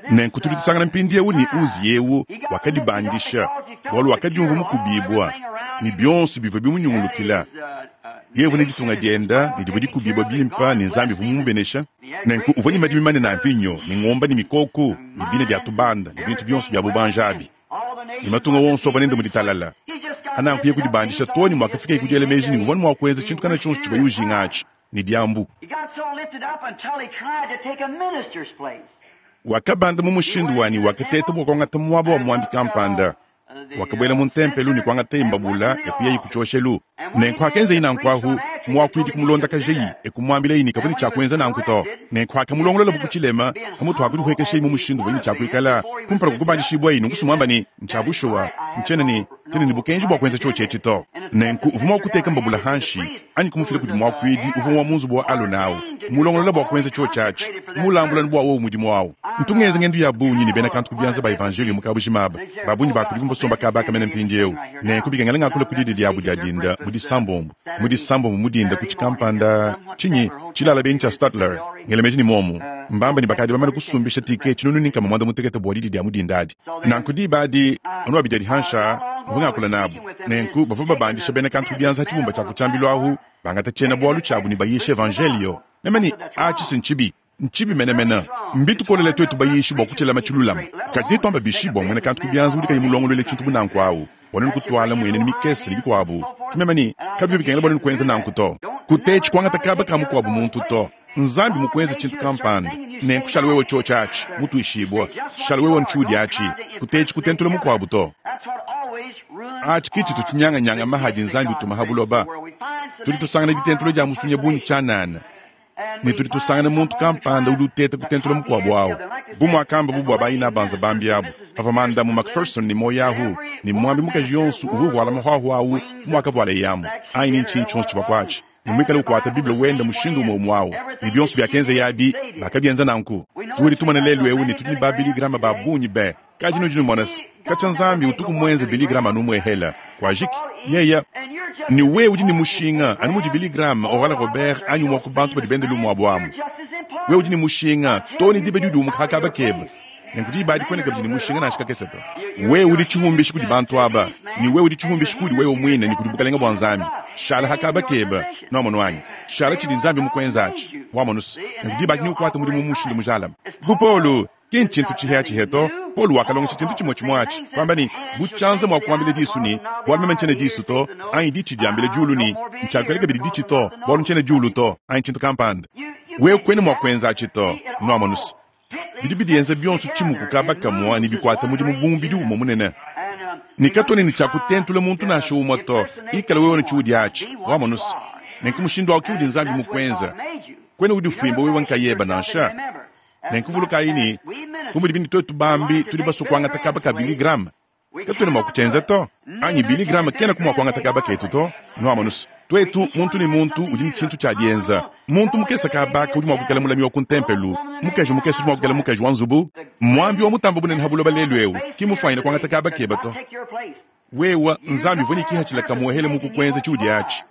Nenku tudi tusangana mpindieu ne Uziya eu wakadibandisha bualu wakadiumvua mukubibua ne bionso bivua bimunyungulukila. Yeye uvua ne ditunga dienda ne divua dikubibua bimpe ne Nzambi uvua mumubenesha. Nenku uvua ne madimi manene a mvinyo ne ngombe ne mikoko ne bina bia tubanda ne bintu bionso bia bubanji abi. Ne matunga wonso avua nende mu ditalala. Nanku yeye kudibandisha too ne muakafikaye ku diela meji ne uvua mua kuenza tshintu kana tshionso tshivuaye ujinga atshi ne diambu. Wakabanda mu mushindu wa ne wakateta bua kuangata muaba wa muambi kampanda. Wakabuela mu ntempelo ne kuangataye mbabula e kuyaye ku tshioshelu. Nenku hakenzaye nanku ahu, muakuidi kumulondakajayi e kumuambilaye ne kavua ne tshia kuenza nanku to. Nenku hakamulongololabu ku tshilema, pamutu ha kudihuekeshaye mu mushindu uvuaye ne tshia kuikala kumpala kua kubandishibuaye, nunku sumuamba ne, Ntshia bushuwa, ntshiena ne tshiena ne bukenji bua kuenza tshiotshi etshi to. Nenku uvua mua kuteka mbabula hanshi anyi kumufila kudi muakuidi uvua wa mu nzubu wa Alona au, mulongolola bua kuenza tshiotshi atshi, mulambula anu bua wowu mudimu au. Ntu ngenza ngendu ya bungi ne bena kantu ku bianza ba evanjeliyo mu kabujima aba. Ba bungi ba kudibu mbasomba kaba aka mene mpindieu. Nenku bikengela ngakule ku didi diabu dia dinda mu Disambombo, mu Disambombo mu dinda ku tshikampanda, tshinyi, tshilala benyi tshia Statler, ngela meji ne muomu. Mbambe ne bakadi bamane kusumbisha tike 160 bua didi dia mu dinda adi. Nanku diba adi, anu abidi adi hanshi aa, mvua ngakula nabu. Nenku bavua babandisha bena kantu ku bianza ha tshibumba tshia ku tshiambilu ahu, bangata tshiena-bualu tshiabu ne bayisha evanjeliyo. Meme ne, Atshi si ntshibi. Ntshibi menemene. Mbitukolele tuetu bayishi bua kutshilama tshilulame. Kadi netuambe bishi bua muena kantu ku bianza udi kayi mulongoluele tshintu bu nanku au, bua nuenu kutuala muenenu mikese ne bikuabu? Ke meme ne, Kabivua bikengela bua nuenu kuenza nanku to. Kutetshi kuangata kaba ka mukuabu muntu to. Nzambi mukuenze tshintu kampanda, nenku shala wewe tshiotshi atshi, mutuishibue. Shala wewe ntshiudi atshi. Kutetshi kutentula mukuabu to. Atshi ke tshitu tshinyanganyanga maha adi Nzambi utuma ha buloba. Tudi tusangana ditentula dia musunya bungi tshianana, ne tudi tusangana muntu kampanda udi uteta kutentula mukuabu au. Bu muakambabu bua bainabanza bambi abu, pavua Mandamu McPherson ne muoyo ahu, ne muambi mukaji yonso uvua uvuala mahuahua au bu muakavualaye amu, anyi ne ntshinyi tshionso tshivua kuatshi, ne muikale ukuata Bible wende mushindu umue umue au, ne bionso biakenzeye abi, bakabienza nanku. Tudi tumona lelu eu ne tudi ne ba Billy Graham ba bungi be, kadi nudi numona se, katshia Nzambi utuku muenze Billy Graham anu umuehela, kuajiki. Yeya. Ne wewe udi ne mushinga anu mudi Billy Graham, Oral Robert anyi umue wa ku bantu badi bende lumu abu amu. Wewe udi ne mushinga too ne diba diudi umuka ha kaba kebe. Nenku diba adi kuena kabidi ne mushinga nansha kakese to. Wewe udi tshihumbishi kudi bantu aba, ne wewe udi tshihumbishi kudi wewe muine ne kudi bukalenge bua Nzambi. Shala ha kaba kebe, nuamonu anyi? Shala tshidi Nzambi mukuenza atshi, wamonu's. Nenku diba adi neukuate mudimu mu mushindu mujalame. Bu Paulo, ki ntshintu tshihiatshihia to. Paulo wakalongesha tshintu tshimue tshimue atshi, kuamba ne, Bu tshianza mua kuambila disu ne, Bualu meme ntshiena disu to, anyi ditshi diambila diulu ne, Ntshiakuela kabidi ditshi to, bualu ntshiena diulu to, anyi tshintu kampanda. Wewe kuena mua kuenza atshi to, nuamonu's. Bidi bidienza bionso tshimuku kaba kamue ne bikuata mudimu bu mubidi umue munene. Ne katuena ne tshia kutentula muntu nansha umue to. Ikala wewe ne tshiudi atshi, wamonu's. Nenku mushindu au ke udi Nzambi mukuenza. Kuena udifuimba wewe nkayebe nansha. Nenku vulukayi ne, bu mudibi ne tuetu bambi tudi basue kuangata kaba ka Billy Graham, katuena mua kutshienza to, anyi Billy Graham kenaku mua kuangata kaba ketu to. Nuamonu's. Twetu, muntu ne muntu, udi ne tshintu tshia dienza. Muntu mukese kaaba udi mua kuikala mulami wa ku ntempelu, mukaji mukese udi mua kuikala mukaji wa nzubu. Muambi wa mutamba bunene ha buloba lelu eu ki mufwanyine kuangata kaaba keba to. Wewa, Nzambi uvua ne kihachila kamuehele mu kukwenza tshiudi atshi.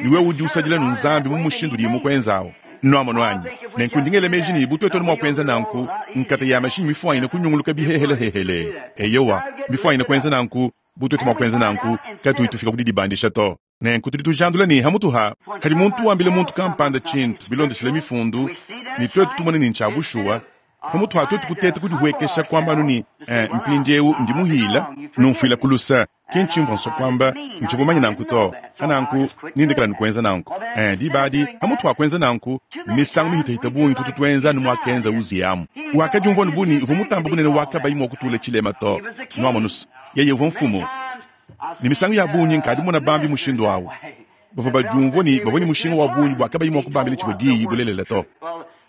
Ne wewe udi usadila nu Nzambi mu mushindu udiye mukwenzawu. Nwamonu anyi? Nenku ndi ngela meji ne bu twetu anu mua kuenza nanku, nkata ya mashinyi mifwanyine kunyunguluka bihehelehehele. Eyowa, mifwanyine kuenza nanku, bu twetu mua kuenza nanku, katuyi tufika ku didibandisha to. Nenku tudi tujandula ne hamutu ha hadi muntu wambila muntu kampanda tshintu bilondeshile mifundu, ne twetu tumone ne ntshia bushuwa, pamutu ha twetu kuteta kudihuekesha kuamba anu ne, Eh, mpindieu ndi muhila, numfuila ku lusa, ki ntshimvua nsua kuamba, ntshivua mumanye nanku to. Pa nanku, nindekela nukuenza nanku. Eh, diba adi, pamutu ha kuenza nanku, misangu mihitahita bungi tutu tuenza anu muakenza Uziya amu. Wakadiumvua anu bu ne uvua mutamba bunene wa kabayi mua kutula tshilema to. Nuamonus, yeye uvua mfumu. Ne misangu ya bungi nkadi mona bambi mushindu au. Bavua badiumvua ne bavua ne mushinga wa bungi bua kabayi mua kubambila tshivua diyi bulelela to.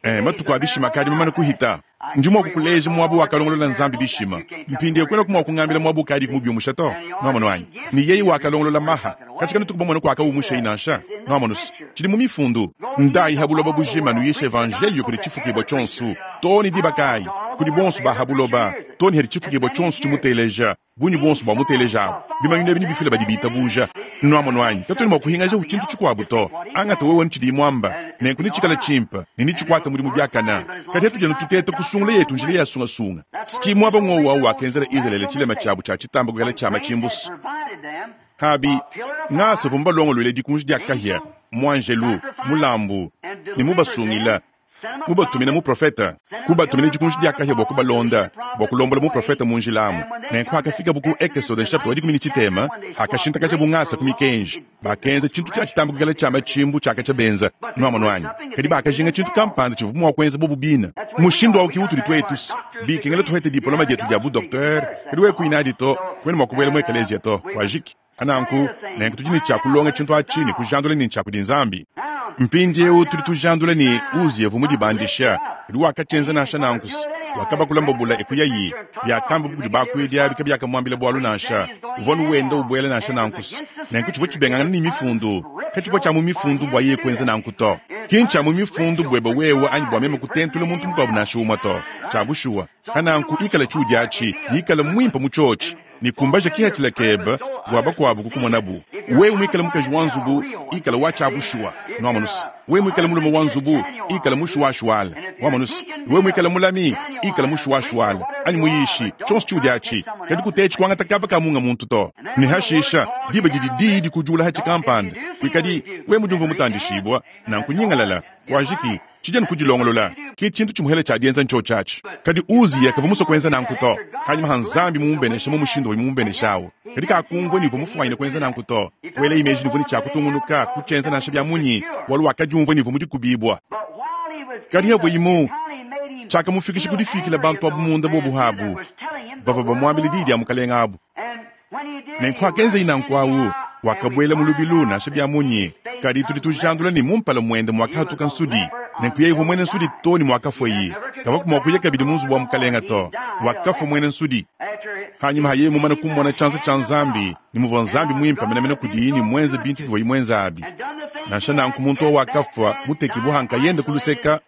Eh, matuku a bishima akadi mamane kuhita. Ndi mua kukuleja muaba wakalongolola Nzambi bishima. Mpindieu kuenaku mua kungambila muaba ukadiku mubiumusha to. Nuamonu anyi? Ne yeye wakalongolola maha. Katshi kanutuku bamone kuakaumushayi nansha. Nuamonus, tshidi mu mifundu. Ndayi ha buloba bujima nuyishe evanjeliyo kudi tshifukibua tshionso, too ne diba kayi? Kudi bonso ba ha buloba, too ne hadi tshifukibua tshionso tshimuteleja. Bungi buonso bua muteleja abu, bimanyinu ebi nebifile badi bitabuja. Nuamonu anyi? Katuena mua kuhingajaku tshintu tshikuabu to. Angata wewe anu tshidiyi muamba, nenku netshikale tshimpe ne netshikuate mudimu biakane. Kadi hatudi anu tuteta kusungula yetu njila ya sungasunga. Ski muaba ng'wowu au wakenzela Izalele tshilema tshiabu tshia tshitamba kuikala tshia matshimbusu. Habi, ngasa uvua mubalongoluele dikunji dia kahia, muanjelu, mulambu, ne mubasungila. Kubatumina muprofete, kubatumina dikunji dia kahia bua kubalonda, bua kulombola muprofete mu njila amu. Nenku hakafikabu ku Ekesode nshapita wa dikumi ne tshitema, hakashintakajabu ngasa ku mikenji, bakenza tshintu tshia tshitamba kuikala tshia matshimbu tshiakatshia benza. Nuamonu anyi? Kadi bakajinga tshintu kampanda tshivua mua kuenza bobu bine. Mushindu au ki utudi tuetu bikengela tuhete dipoloma dietu dia bu docteur, kadi wewe kuyi nadi to, kuena mua kubuela mu ekeleziya to. Kuajiki. Pananku, nenku tudi ne tshia kulonga tshintu atshi ne kujandula ne ntshia kudi Nzambi. Mpindieu tudi tujandula ne Uziya uvua mudibandisha, kadi wakatshienza nansha nanku. Wakabakula mbabula e kuyayi. Biakambabu kudi bakuidi abi kabiakamuambila bualu nansha. Uvua anu wenda ubuela nansha nanku. Nenku tshivua tshibengangana ne Mifundu. Katshivua tshia mu Mifundu bua yeye kuenza nanku to. Ki ntshia mu Mifundu buebe wewe anyi bua meme kutentula muntu mukuabu nansha umue to. Tshia bushuwa. Pananku ikala tshiudi atshi, ne ikala muimpe mu tshiotshi, ne kumbaja kihatshila kebe bua bakuabu kukumonabu. Wewe muikale mukaji wa nzubu, ikala wa tshia bushuwa. Nuamonus. Wewe muikale mulume wa nzubu, ikala mushuwashuwala. Wamonus. Wewe muikale mulami, ikala mushuwashuwala, anyi muyishi, tshionso tshiudi atshi. Kadi kutetshi kuangata kaba ka munga muntu to. Ne hashisha, diba didi diyi dikujula hatshi kampanda, kuikadi wewe mudiumvue mutandishibua, nanku nyingalala, kuajiki. Tshidi anu kudilongolola, ke tshintu tshimuhele tshia dienza ntshiotshi atshi. Kadi Uziya kavua musue kuenza nanku to. Panyima ha Nzambi mumubenesha mu mushindu uvua mumubenesha au, kadi kakumvua ne uvua mufuanyine kuenza nanku to. Kuelaye meji ne uvua ne tshia kutungunuka kutshienza nansha bia munyi, bualu wakadiumvua ne uvua mu dikubibua. Kadi havuayi mu, tshiakamufikisha ku difikila bantu abu munda bobu abu bavua bamuambila diyi dia mukalenge abu. Nenku hakenzaye nanku awu, wakabuela mu lubilu nansha bia munyi, kadi tudi tujandula ne mu mpala muende muakahatuka nsudi. Nenku yeye uvua muena nsudi to ne muakafuaye. Kavua mua kuya kabidi mu nzubu wa mukalenge to, wakafua muena nsudi. Hanyima ha yeye mumane kumona tshianza tshia Nzambi ne muvua Nzambi muimpe menemene kudiye ne muenze bintu bivuaye muenze abi, nansha nanku muntu au wakafua mutekibue ha nkayende ku luseka,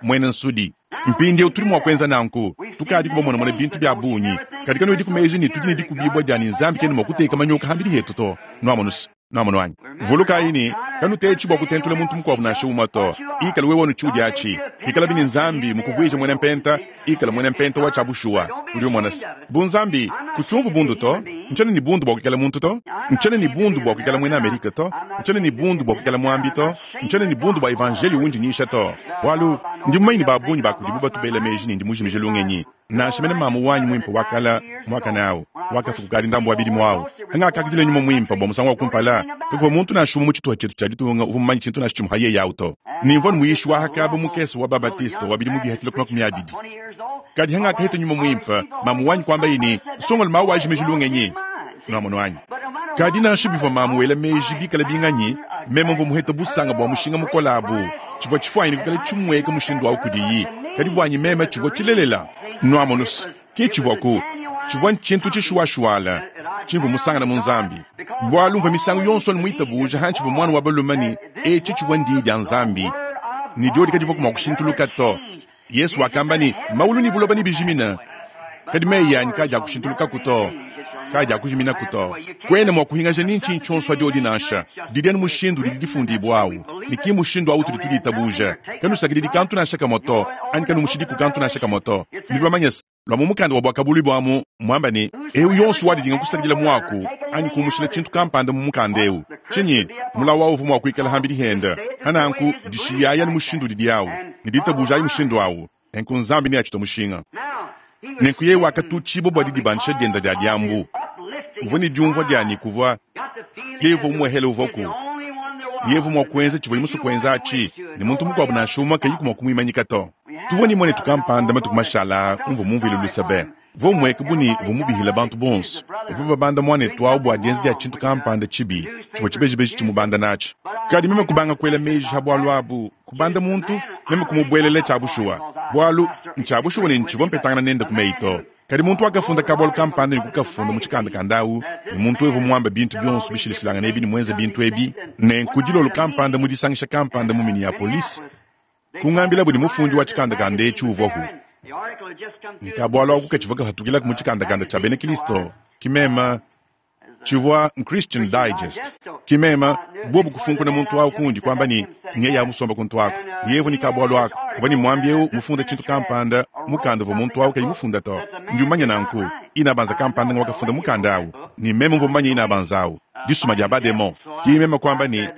muena nsudi. Mpindieu tudi mua kuenza nanku. Tukadiku bamonamone bintu bia bungi, kadi kanuediku meji ne tudi ne dikubibua dia ne Nzambi kena mua kuteka manyoka hambidi hetu to. Nuamonus? Nuamonu anyi? Vulukayi ne, kanutetshi bua kutentula muntu mukuabu nansha umue to. Ikala wewe anu tshiudi atshi. Pikalabi ne Nzambi mukuvuije muena mpenta, ikala muena mpenta wa tshia bushuwa. Udi umona se, bu Nzambi, kutshiumvu bundu to. Ntshiena ne bundu bua kuikala muntu to. Ntshiena ne bundu bua kuikala muena Amerike to. Ntshiena ne bundu bua kuikala muambi to. Ntshiena ne bundu bua evanjeliyo undi nyisha to. Bualu, ndi mumanye ne ba bungi ba kudibu batu bela meji ne ndi mujimije lungenyi. Nansha mene mamu wanyi muimpe wa kale, muakane au, wakafua kukadi ndambu wa bidimu au. Hangakakidila nyuma muimpe bua musangu wa kumpala, kakuvua muntu nansha umue mu tshituha tshietu tshia ditunga uvua mumanye tshintu nansha tshimue ha yeye au to. Ne mvua muyishi wa hakaba mukese wa ba-Baptiste wa bidimu bihitile ku 20. Kadi hangakaheta nyuma muimpe, mamu wanyi kuambaye ne, Nsongalume au wajimiji lungenyi. Nuamonu anyi? Kadi nansha bivua mamu wela meji bikale binganyi, meme mvua muhete busanga bua mushinga mukole abu. Tshivua tshifuanyine kuikala tshimueka mushindu au kudiyi, kadi buanyi meme tshivua tshilelela. Nuamonus, ke tshivuaku. Tshivua ntshintu tshishuwashuwala tshimvua musangane mu Nzambi. Bualu mvua misangu yonso anu muitabuja hantshivua muana wa balume ne etshi tshivua ndiyi dia Nzambi, ne diodi kadivua mua kushintuluka to. Yesu wakamba ne, Maulu ne buloba nebijimine, kadi meyi anyi kadiakushintulukaku to, kadiakujiminaku to. Kuena mua kuhingaja ni ntshinyi tshionso adiodi nansha. Didi anu mushindu udidi difundibua au, ne ki mushindu au utudi tuditabuja. Kanusakididi kantu nansha kamue to, anyi kanumushidiku kantu nansha kamue to. Nudi bamanye se, lua mu mukanda wa Buakabuluibua amu muamba ne, Eu yonso wadidinga kusakidila muaku anyi kumushila tshintu kampanda mu mukanda eu, tshinyi mulawu au uvua mua kuikala hambidi hende. Pananku, dishiyayi anu mushindu udidi au, ne ditabujayi mushindu au, nenku Nzambi neatshitue mushinga. Nenku yeye wakatutshibua bua didibandisha diende dia diambu. Uvua ne diumvua dia ne kuvua yeye uvua umuehele uvuaku, ne yeye uvua mua kuenza tshivuaye musue kuenza atshi, ne muntu mukuabu nansha umue kayiku mua kumuimanyika to. Tuvua ne muanetu kampanda matuku mashala aa umvua mumvuile luse be. Uvua umueka bu ne uvua mubihile bantu bonso. Bavua babanda muanetu au bua dienza dia tshintu kampanda tshibi tshivua tshibejibeji tshimubanda natshi. Kadi meme kubanga kuela meji pa bualu abu, kubanda muntu, meme kumubuelela tshia bushuwa. Bualu ntshia bushuwa ne ntshivua mpetangana nende ku meyi to. Kadi muntu wakafunda kabualu kampanda ne kukafunda mu tshikandakanda au, ne muntu eu uvua muambe bintu bionso bishilashilangane ebi ne muenze bintu ebi. Nenku dilolo kampanda mu disangisha kampanda mu Minneapolis, kungambilabu ne mufundi wa tshikandakanda etshi uvuaku, ne kabualu aku katshivua kapatukilaku mu tshikandakanda tshia bena Kristo, ki meme tshivua n'Christian Digest, ki meme bobu kufunkuna muntu au kundi kuamba ne nyeye amusomba kuntu aku, yevu ne kabualu aku uvua ne muambi eu mufunda tshintu kampanda mukanda uvua muntu au kayi mufunda to. Ndi umanya nanku inabanza kampanda ngwakafunda mukanda au, ne meme mvua mumanye inabanza au disuma dia bademon. Ki meme kuamba ne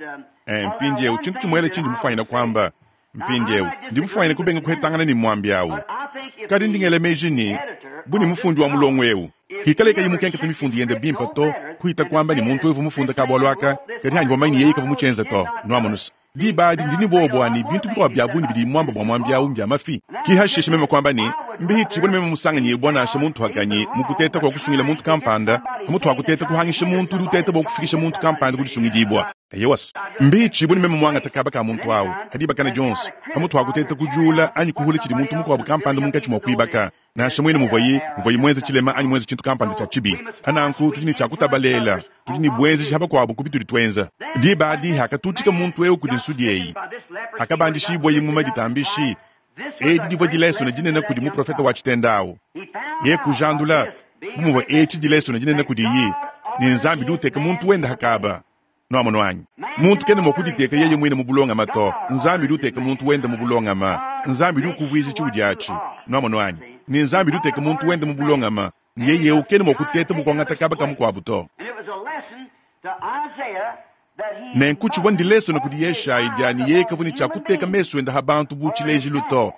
mpindieu tshintu tshimuele tshindi mufuanyine kuamba mpindieu, ndi mufuanyine kubenga kuhetangana ne muambi au. Kadi ndi ngela meji ne, bu ne mufundi wa mulongo eu hikale kayi mukenkete mifundu yende bimpe to, kuhita kuamba ne muntu eu mufunda kabualu aka, kadi hanyi vamanye yeye kavua mutshienze to. Nuamonusa diba adi ndi ne buowa bua ne bintu bikuabu bia bungi bidi muamba bua muambi au mbia mafi. Ki hashishe meme kuamba ne, mbihitshibue ne meme musanganyibua nansha muntu hakanyi mu kuteta kua kusungila muntu kampanda, pamutu ha kuteta kuhangisha muntu udi uteta bua kufikisha muntu kampanda ku disungidibua. Eyowa, mbihitshibue ne meme muangata kaba ka muntu au ha dibakana dionso, pamutu ha kuteta kujula anyi kuhula tshidi muntu mukuabu kampanda munkatshi mua kuibaka, nansha muine muvuaye muvuaye muenze tshilema anyi muenze tshintu kampanda tshia tshibi. Pananku tudi ne tshia kutabalela, tudi ne buenzeji ha bakuabu ku bitudi tuenza. Diba adi hakatutika muntu eu kudi nsudi eyi, hakabandishibuaye mu maditambishi, edi divua dilesona dinene kudi muprofete wa tshitenda au. Ye kujandula bu muvua etshi dilesona dinene kudiyi, ne Nzambi udi uteka muntu wende hakaba. Nuamonu anyi? Muntu kena mua kuditeka yeye muine mu bulongama to. Nzambi udi uteka muntu wende mu bulongama. Nzambi udi ukuvuija tshiudi atshi. Nuamonu anyi? Ne Nzambi udi uteka muntu wende mu bulongama, ne yeye eu kena mua kuteta bua kuangata kaba ka mukuabu to. Nenku tshivua ndilesona kudi Yeshayi dia ne yeye kavua ne tshia kuteka mesu ende ha bantu bu tshilejilu to.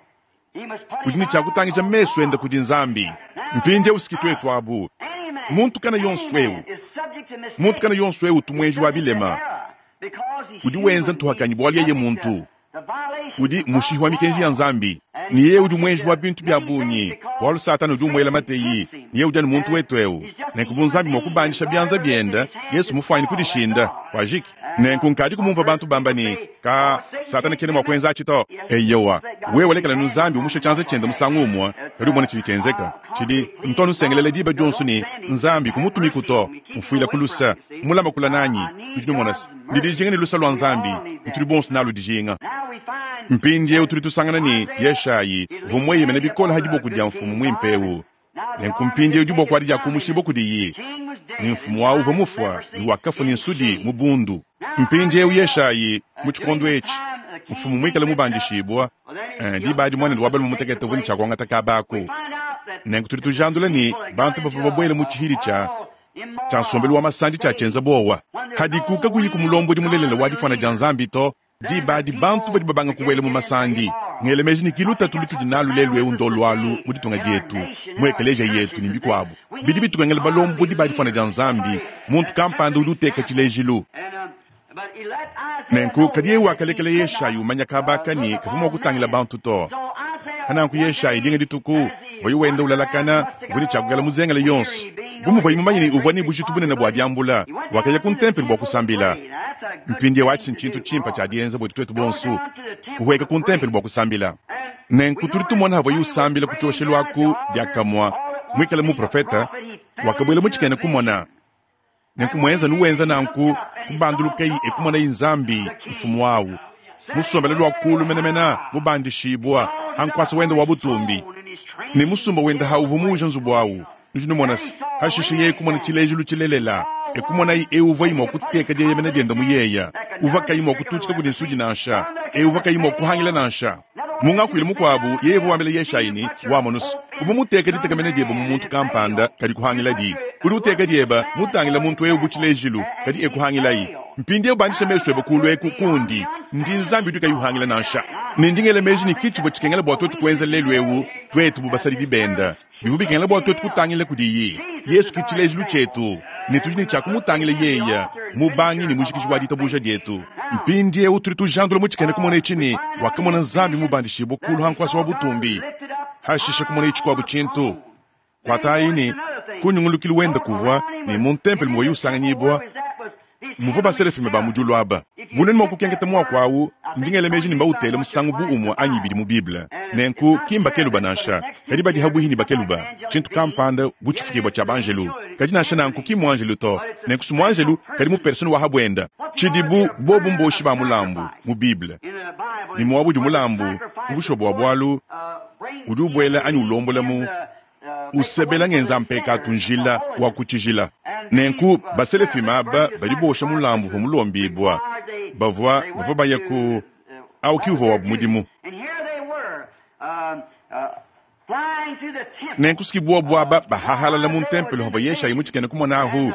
Udi ne tshia kutangija mesu ende kudi Nzambi. Mpindieu siki tuetu abu. Muntu kana yonso eu, muntu kana yonso eu utu muenji wa bilema, udi wenza ntuhakanyi bualu yeye muntu udi mushihi wa mikenji ya Nzambi, ne yeye udi muenji wa bintu bia bungi, bualu Satana udi umuela mateyi, ne yeye udi anu muntu wetu eu. Nenku bu Nzambi mua kubandisha bianza biende, Yesu mufuanyine kudishinda, wajiki. Nenku nkadi kumumvua bantu bamba ne, ka Satana kena mua kuenza atshi to. Eyowa, wewe lekela nu Nzambi umusha tshianza tshiende musangu umue, kadi umone tshidi tshienzeka. Tshidi ntu anusengelela diba dionso ne, Nzambi kumutumiku to, mfuila ku lusa, mulama kula nanyi. Nudi numona se, ndi dijinga ne lusa lua Nzambi, ne tudi bonso nalu dijinga. Mpindieu tudi tusangana ne, Yeshayi uvua mueyemene bikole ha diboko dia mfumu muimpe eu. Nenku mpindieu diboko adi diakumushibua kudiyi, ne mfumu au uvua mufua ne wakafua ne nsudi mu bundu. Mpindieu Yeshayi, mu tshikondo etshi, mfumu muikale mubandishibua, diba adi muanende wa balume mutekete uvua ne tshia kuangata kaba aku. Nenku tudi tujandula ne, bantu bavua babuele mu tshihidi tshia tshia nsombelu wa masandi tshia tshienza buowa. Hadiku kakuyiku mulombodi mulelela wa difuana dia Nzambi to, diba adi bantu badi babanga kubuela mu masandi. Ngela meji ne ki lutatu lutudi nalu lelu eu ndolualu mu ditunga dietu, mu ekeleziya yetu ne bikuabu. Bidi bitukengela balombodi ba difuana dia Nzambi, muntu kampanda udi uteka tshilejilu. Nenku kadi yeye wakalekela Yeshayi umanya kaba aka ne kavua mua kutangila bantu to. Pananku Yeshayi dinga dituku uvuaye wenda ulalakana, uvua ne tshia kuikala muzengele yonso. Bu muvuaye mumanye ne uvua ne bujitu bunene bua diambula, wakaya ku ntempelo bua kusambila. Mpindieu atshi ntshintu tshimpe tshia dienza buetu tuetu bonso, kuhueka ku ntempelo bua kusambila. Nenku tudi tumona havuaye usambila ku tshioshelu aku diakamue, muikale muprofete, wakabuela mu tshikena kumona. Nenku mwenza nuwenza nanku, kubandulukayi e kumonayi Nzambi, Mfumu awu, musombele lwa kuulu menemene, mubandishibwa ha nkwasa wende wa butumbi, ne musumba wende ha uvwa muwuja nzubu awu. Nudi numona se, hashishe yeye kumona tshilejilu tshilelela, e kumonayi eu uvwayi mwa kuteka dieyemena diende mu yeya, uvwa kayi mwa kututshika kudi nsudi nansha, eu uvwa kayi mwa kuhangila nansha. Mu ngakuilu mukuabu, yeye uvua wambila Yeshayi ne, Wamonu se, uvua muteke ditekemena diebe mu muntu kampanda, kadi kuhangiladi. Udi uteka diebe mutangila muntu eu bu tshilejilu, kadi e kuhangilayi. Mpindieu bandisha mesu ebe kuulu eku kundi. Ndi Nzambi udi kayi uhangila nansha. Ne ndi ngela meji ne, ki tshivua tshikengela bua tuetu kuenza lelu eu, tuetu bu basadidi bende. Bivua bikengela bua tuetu kutangila kudiyi. Yesu ke tshilejilu tshietu, ne tudi ne tshia kumutangila yeye, mubangi ne mujikiji wa ditabuja dietu. Mpindieu tudi tujandula mu tshikena-kumona etshi ne, wakamona Nzambi mubandishibue kulu ha nkuasa wa butumbi, hashishe kumonaye tshikuabu tshintu. Kuatayi ne, ku nyungulukilu wende kuvua, ne mu ntempelo muvuaye usanganyibua, muvua baselafime ba mu diulu aba. Bu nuenu mua kukenketa muaku au, ndi ngela meji ne mbautele musangu bu umue anyi ibidi mu Bible. Nenku, ki mbakeluba nansha, kadi badi habuihi ne bakeluba, tshintu kampanda bu tshifukibua tshia banjelu. Kadi nansha nanku ki mmuanjelu to. Nenku si muanjelu, kadi mu persone wa ha buenda. Tshidibu bobu mboshi ba mulambu mu Bible, ne muaba udi mulambu, mu bushuwa bua bualu, udi ubuela anyi ulombola mu usebela ngenza mpekatu njila wa ku tshijila. Nenku baselefime aba badi bosha mulambu uvua mulombibua, bavua bavua baya ku au ki uvua wabu mudimu. Nenku si buobu aba bahahalala mu ntempelo havua Yeshayi mu tshikena kumona ahu,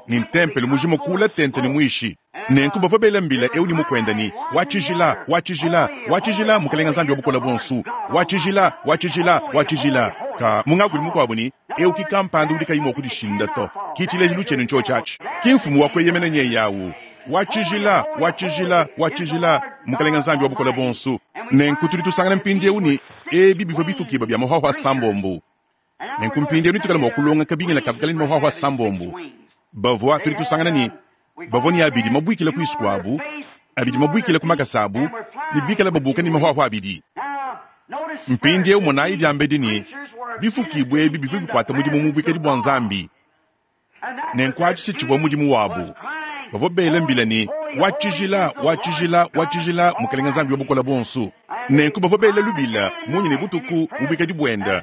ne ntempelo mujima kuula tente ne muishi. Nenku bavua bela mbila eu ne mukuende ne, Wa tshijila, wa tshijila, wa tshijila, Mukelenge Nzambi wa Bukole Buonso, wa tshijila, wa tshijila, wa tshijila. Ka mu ngakuilu mukuabu ne, eu ki kampanda udi kayi mua kudishinda to. Ki tshilejilu tshienu ntshiotshi atshi. Ki mfumu wa kueyemena nyeye au. Wa tshijila, wa tshijila, wa tshijila, Mukelenge Nzambi wa Bukole Buonso. Nenku tudi tusangana mpindieu ne, ebi bivua bifukibua bia mahuahua asambombo. Nenku mpindieu netuikale mua kulonga kabingila ka kuikala ne mahuahua asambombo. Bavua, tudi tusangana ne, bavua ne abidi mabuikila kuisu kuabu, abidi mabuikila ku makasa abu, ne bikale babuka ne mahuahua abidi. Mpindieu monayi diambedi ne, bifukibua ebi bivua bikuata mudimu mu buikadi bua Nzambi. Nenku atshi se tshivua mudimu wabu. Bavua bela mbila ne, Wa tshijila, wa tshijila, wa tshijila, Mukelenge Nzambi wa Bukole Buonso. Nenku bavua bela lubila munya ne butuku mu buikadi buende,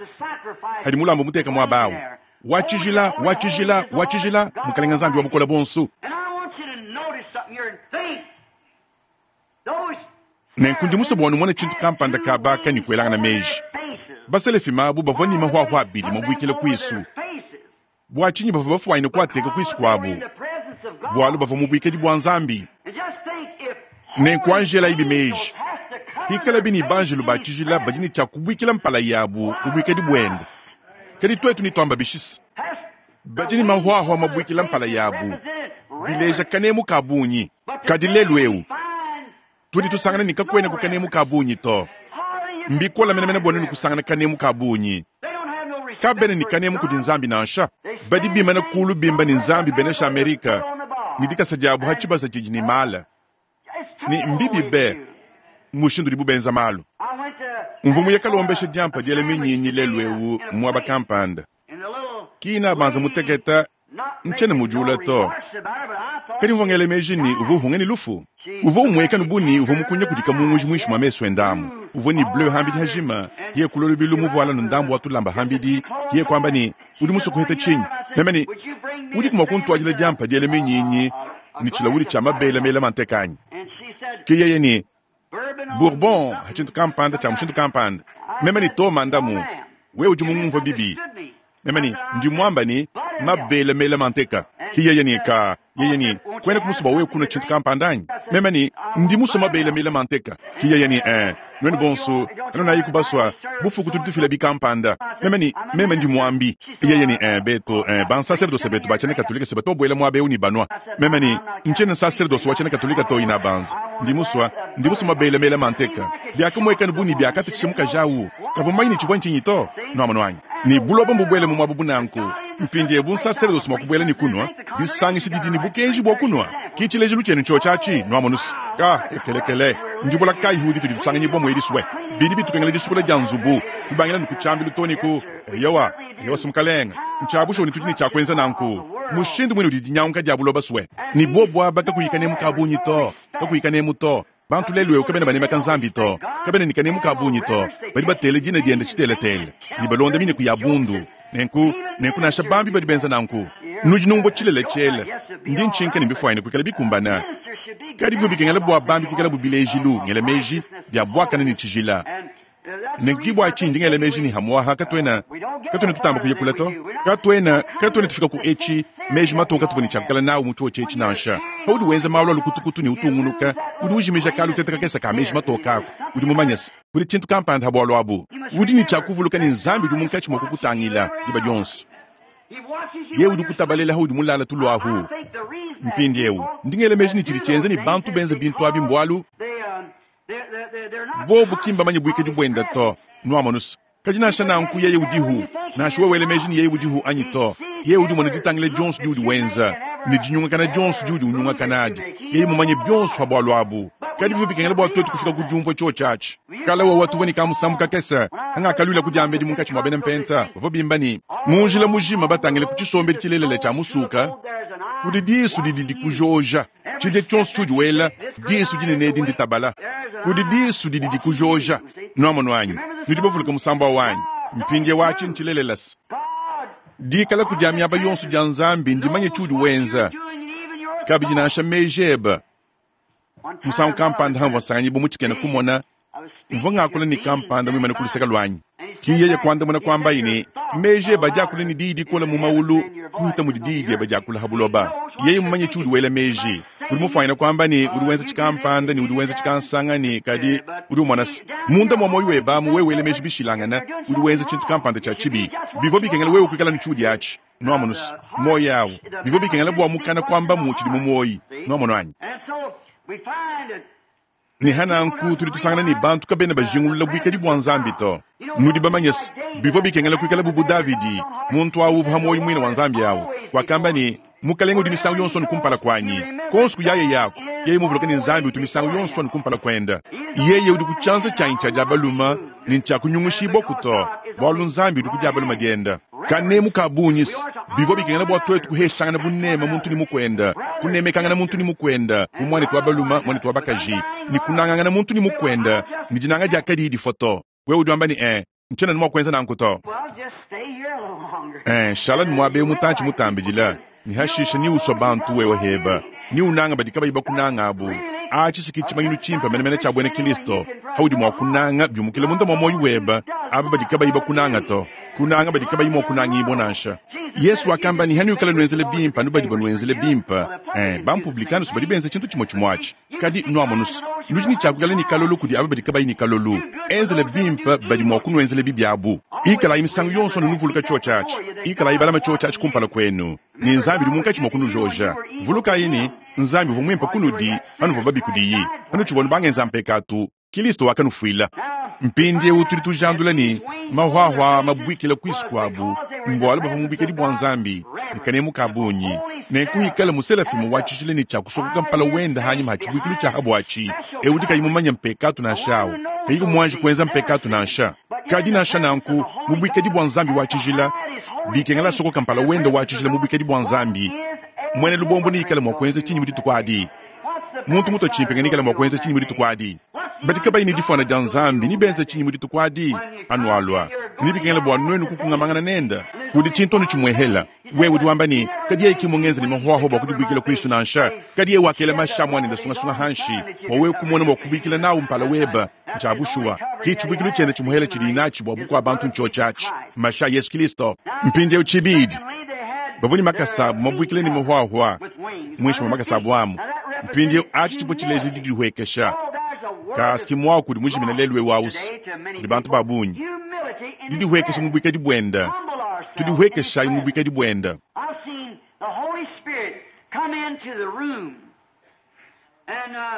hadi mulambu muteka muaba au. Wa tshijila, wa tshijila, wa tshijila, Mukelenge Nzambi wa Bukole Buonso. Nenku ndi musue bua numone tshintu kampanda kaba aka ne kuelangana meji. Baselefima abu bavua ne mahuahua abidi mabuikila kuisu. Bua tshinyi bavua bafuanyine kuateka kuisu kuabu? Bualu bavua mu buikadi bua Nzambi. Nenku anji elayibi meji, pikalabi ne banjelu ba tshijila badi ne tshia kubuikila mpala yabu mu buikadi buende, kadi tuetu netuamba bishi se, badi ne mahuahua mabuikila mpala yabu, bileja kanemu ka bungi? Kadi lelu'eu, tudi tusangana ne kakuenaku kanemu ka bungi to. Mbikole menemene bua nuenu kusangana kanemu ka bungi. Kabena ne kanemu kudi Nzambi nansha. Badi bimana kulu bimba ne Nzambi benesha Amerika ne dikasa diabu ha tshibasa tshidi ne mala. Ne mbibi be mushindu udibu benza malu. Mvua muye kalombesha diampa diela minyinyi lelu eu muaba kampanda. Kina banza muteketa ntshiena mudiula to. Kadi mvua ngela meji ne uvua uhunga ne lufu. Uvua umueka bu ne uvua mukunya kudi kamunguji muinshi mua mesu ende amu. Uvua ne bleu hambidi hajima, yeye kulua lubilu muvuala ne ndambu wa tulamba hambidi, yeye kuamba ne, Udi musue kuheta tshinyi? Meme ne, Udiku mua kuntuadila diampa diela minyinyi ne tshilawudi tshia mabele mela manteka anyi? Ke yeye ne, Bourbon, tshintu kampanda tshia mushindu kampanda. Meme ne, To, mandamu, wewe udi mungumvua bibi. Meme ne, Ndi muamba ne, mabele mela manteka. Ke yeye ne, Ka. Yeye ne, Kuena kumusue bua wewe kunua tshintu kampanda anyi? Meme ne, Ndi musue mabele mela manteka. Ke yeye ne, Ee, nuenu bonso, kanunayiku basua, bufuku tudi tufila bikampanda. Meme ne, Meme ndi muambi. Yeye ne, Ee, betu, ee, bansaserdose betu ba tshiena Katolika se batu babuela muaba eu ne banua. Meme ne, Ntshiena nsaserdose wa tshiena Katolika to, inabanza. Ndi musua, ndi musua mabele mela manteka. Biakamuekana bu ne biakatatshisha mukaji au. Kavua mumanye ne tshivua ntshinyi to. Nuamonu anyi? Ne buloba mbubuele mu muaba bu nanku. Mpindieu bu nsaserdose mua kubuela ne kunua, disangisha didi ne bukenji bua kunua. Ki tshilejilu tshienu ntshiotshi atshi, nuamonu's. Ka, ekelekele, ndibola kayi ditudi tusanganyibua mu edisue? Bidi bitukengela disukula dia nzubu, kubangila ne ku tshiambilu too ne ku, eyowa, eyowa, si mukalenge. Ntshia bushuwa ne tudi ne tshia kuenza nanku. Mushindu mwine udi dinyanguka dia buloba swe. Ne bobu aba kakuyi kanemu ka bungi to, kakuyi kanemu to. Bantu lelu eu kabena banemeka Nzambi to, kabena ne kanemu ka bungi to. Badi batela dina diende tshitelatela ne balonda mineku ya bundu. Nenku, nenku nansha bambi badi benza nanku. Nudi numvua tshilele tshiela. Ndi ntshinka ne mbifuanyine kuikala bikumbana. Kadi bivua bikengela bua bambi kuikalabu bilejilu, ngela meji, bia buakane ne tshijila. Nenku ke bua tshinyi ndi ngela meji ne hamuaha katuena, katuena tutamba kuya kule to. Katuena, katuena tufika ku etshi, meji matoke katuvua ne tshia kuikala nawu mu tshiotshi etshi nansha. Paudi wenza malu a lukutukutu ne utungunuka, udi ujimija kalutete kakese ka meji matoke aku. Udi mumanye se, kudi tshintu kampanda ha bualu abu. Udi ne tshia kuvuluka ne Nzambi udi munkatshi mua kukutangila diba dionso. Yeye udi ukutabalela haudi mulala tulu ahu. Mpindieu, ndi ngela meji ne tshidi tshienza ne bantu benza bintu abi mbualu bobu ki mbamanye buikadi buende to. Nuamonus. Kadi nansha nanku yeye udihu, nansha wewe wela meji ne yeye udihu anyi to, yeye udi umona ditangila dionso diudi wenza ne dinyungakana dionso diudi unyungakana adi. Yeye mumanye bionso pa bualu abu. Kadi bivua bikengela bua tuetu kufika ku diumvua tshiotshi atshi. Kale wewe tuvua ne kamusambu kakese hangakaluila ku diambedi munkatshi mua bena mpenta bavua bimba ne, Mu njila mujima batangile ku tshisombedi tshilelela tshia musuka, kudi disu didi dikujoja. Tshidia tshionso tshiudi wela, disu dinene edi nditabala. Kudi disu didi dikujoja. Nuamonu anyi? Nudi bavuluke musambu au anyi? Mpindieu atshi ntshilelela se, dikalaku dia miaba yonso dia Nzambi ndimanye tshiudi wenza, kabidi nansha meji ebe. Musangu kampanda hamvua nsanganyibua mu tshikena kumona, mvua ngakula ne kampanda muimane ku luseke luanyi. Ki yeye kuandamuna kuambaye ne, Meji ebe adi akula ne diyi dikole mu maulu kuhita mudi diyi diebe diakula ha buloba. Yeye mumanye tshiudi wela meji. Udi mufuanyine kuamba ne, udi wenza tshikampanda ne udi wenza tshikansanga ne kadi udi umona se, munda mua muoyo webe amu wewe wela meji bishilangane, udi wenza tshintu kampanda tshia tshibi. Bivua bikengela wewe kuikala ne tshiudi atshi. Nuamonu se, muoyo awu, bivua bikengela bua mukana kuambamu tshidi mu muoyi. Nuamonu anyi? Ne hananku tudi tusangana ne bantu kabena bajingulula buikadi bua Nzambi to. Nudi bamanye se, bivua bikengela kuikala bu bu Davidi, muntu awu uvua ha muoyo muine wa Nzambi awu, wakamba ne, Mukalenge udi misangu yonso anu kumpala kuanyi. Kuonso kuyaye yaku, yeye muvuluke ne Nzambi utu misangu yonso anu kumpala kuende. Yeye udi ku tshianza tshianyi tshia dia balume ne ntshiakunyungushibua to, bualu Nzambi udi ku dia balume diende. Kanemu ka bungi se, bivua bikengela bua tuetu kuheshangana buneme muntu ne mukuende, kunemekangana muntu ne mukuende bu muanetu wa balume, muanetu wa bakaji, ne kunangangana muntu ne mukuende ne dinanga dia kadiyi difua to. Wewe udi wamba ne, Ee, ntshiena mua kuenza nanku to. Ee, shala ne muaba eu mutantshi mutambidila, ne hashishe ni usua bantu wewe heba, ni unanga badi kabayi bakunanga abu. Atshi si ke tshimanyinu tshimpe menemene tshia buena Kristo, haudi mua kunanga biumukile munda mua muoyo webe aba badi kabayi bakunanga to, kunanga badi kabayi mua kunangibua nansha. Yesu wakamba ne, Hanuikala nuenzela bimpe anu badi banuenzela bimpe, eh, bampublicanus badi benza tshintu tshimue tshimue atshi. Kadi nuamonus, nudi ne tshia kuikala ne kalolu kudi aba badi kabayi ne kalolu. Enzela bimpe badi mua kunuenzela bibi abu. Ikalayi misangu yonso anu nuvuluka tshiotshi atshi. Ikalayi balama tshiotshi atshi kumpala kuenu, ne Nzambi udi munkatshi mua kunujoja. Vulukayi ne, Nzambi uvua muimpe kunudi panuvua babi kudiyi. Panutshivua anu bangenza mpekatu, Kilisto wakanufuila. Mpindieu tudi tujandula ne, mahuahua mabuikila kuisu kuabu mbualu bavua mu buikadi bua Nzambi ne kanemu ka bungi. Nenku ikale muselafimu wa tshijila ne tshia kusokoka mpala wende hanyima ha tshibuikilu tshia habuatshi, eu udi kayi mumanye mpekatu nansha au kayiku muanji kuenza mpekatu nansha. Kadi nansha nanku, mu buikadi bua Nzambi wa tshijila, bikengela asokoka mpala wende wa tshijila mu buikadi bua Nzambi. Muena lubombo neikale mua kuenza tshinyi mu dituku adi? Muntu mutue tshimpenge neikale mua kuenza tshinyi mu dituku adi? Badi kabayi ne difuana dia Nzambi nebenze tshinyi mu dituku adi? Panualua, nebikengele bua nuenu kukungamangana nende. Kudi tshintu anu tshimuehela. Wewe udi wamba ne, Kadi yeye ki mmungenze ne mahuahua bua kudibuikila kuisu nansha. Kadi yeye wakela mashi a muanende sungasunga hanshi, bua wewe kumona mua kubuikila nawu mpala webe. Ntshia bushuwa, ke tshibuikilu tshiende tshimuhela tshidiye natshi bua bukua bantu ntshiotshi atshi, mashi a Yesu Kristo. Mpindieu tshibidi, bavua ne makasa abu mabuikila ne mahuahua muinshi mua makasa abu amu. Mpindieu atshi tshivua tshileja didihuekesha. Kasi muaku udi mujimine lelu eu ausi kudi bantu ba bungi. Didihuekesha mu buikadi buende. Tudihuekeshayi mu buikadi buende.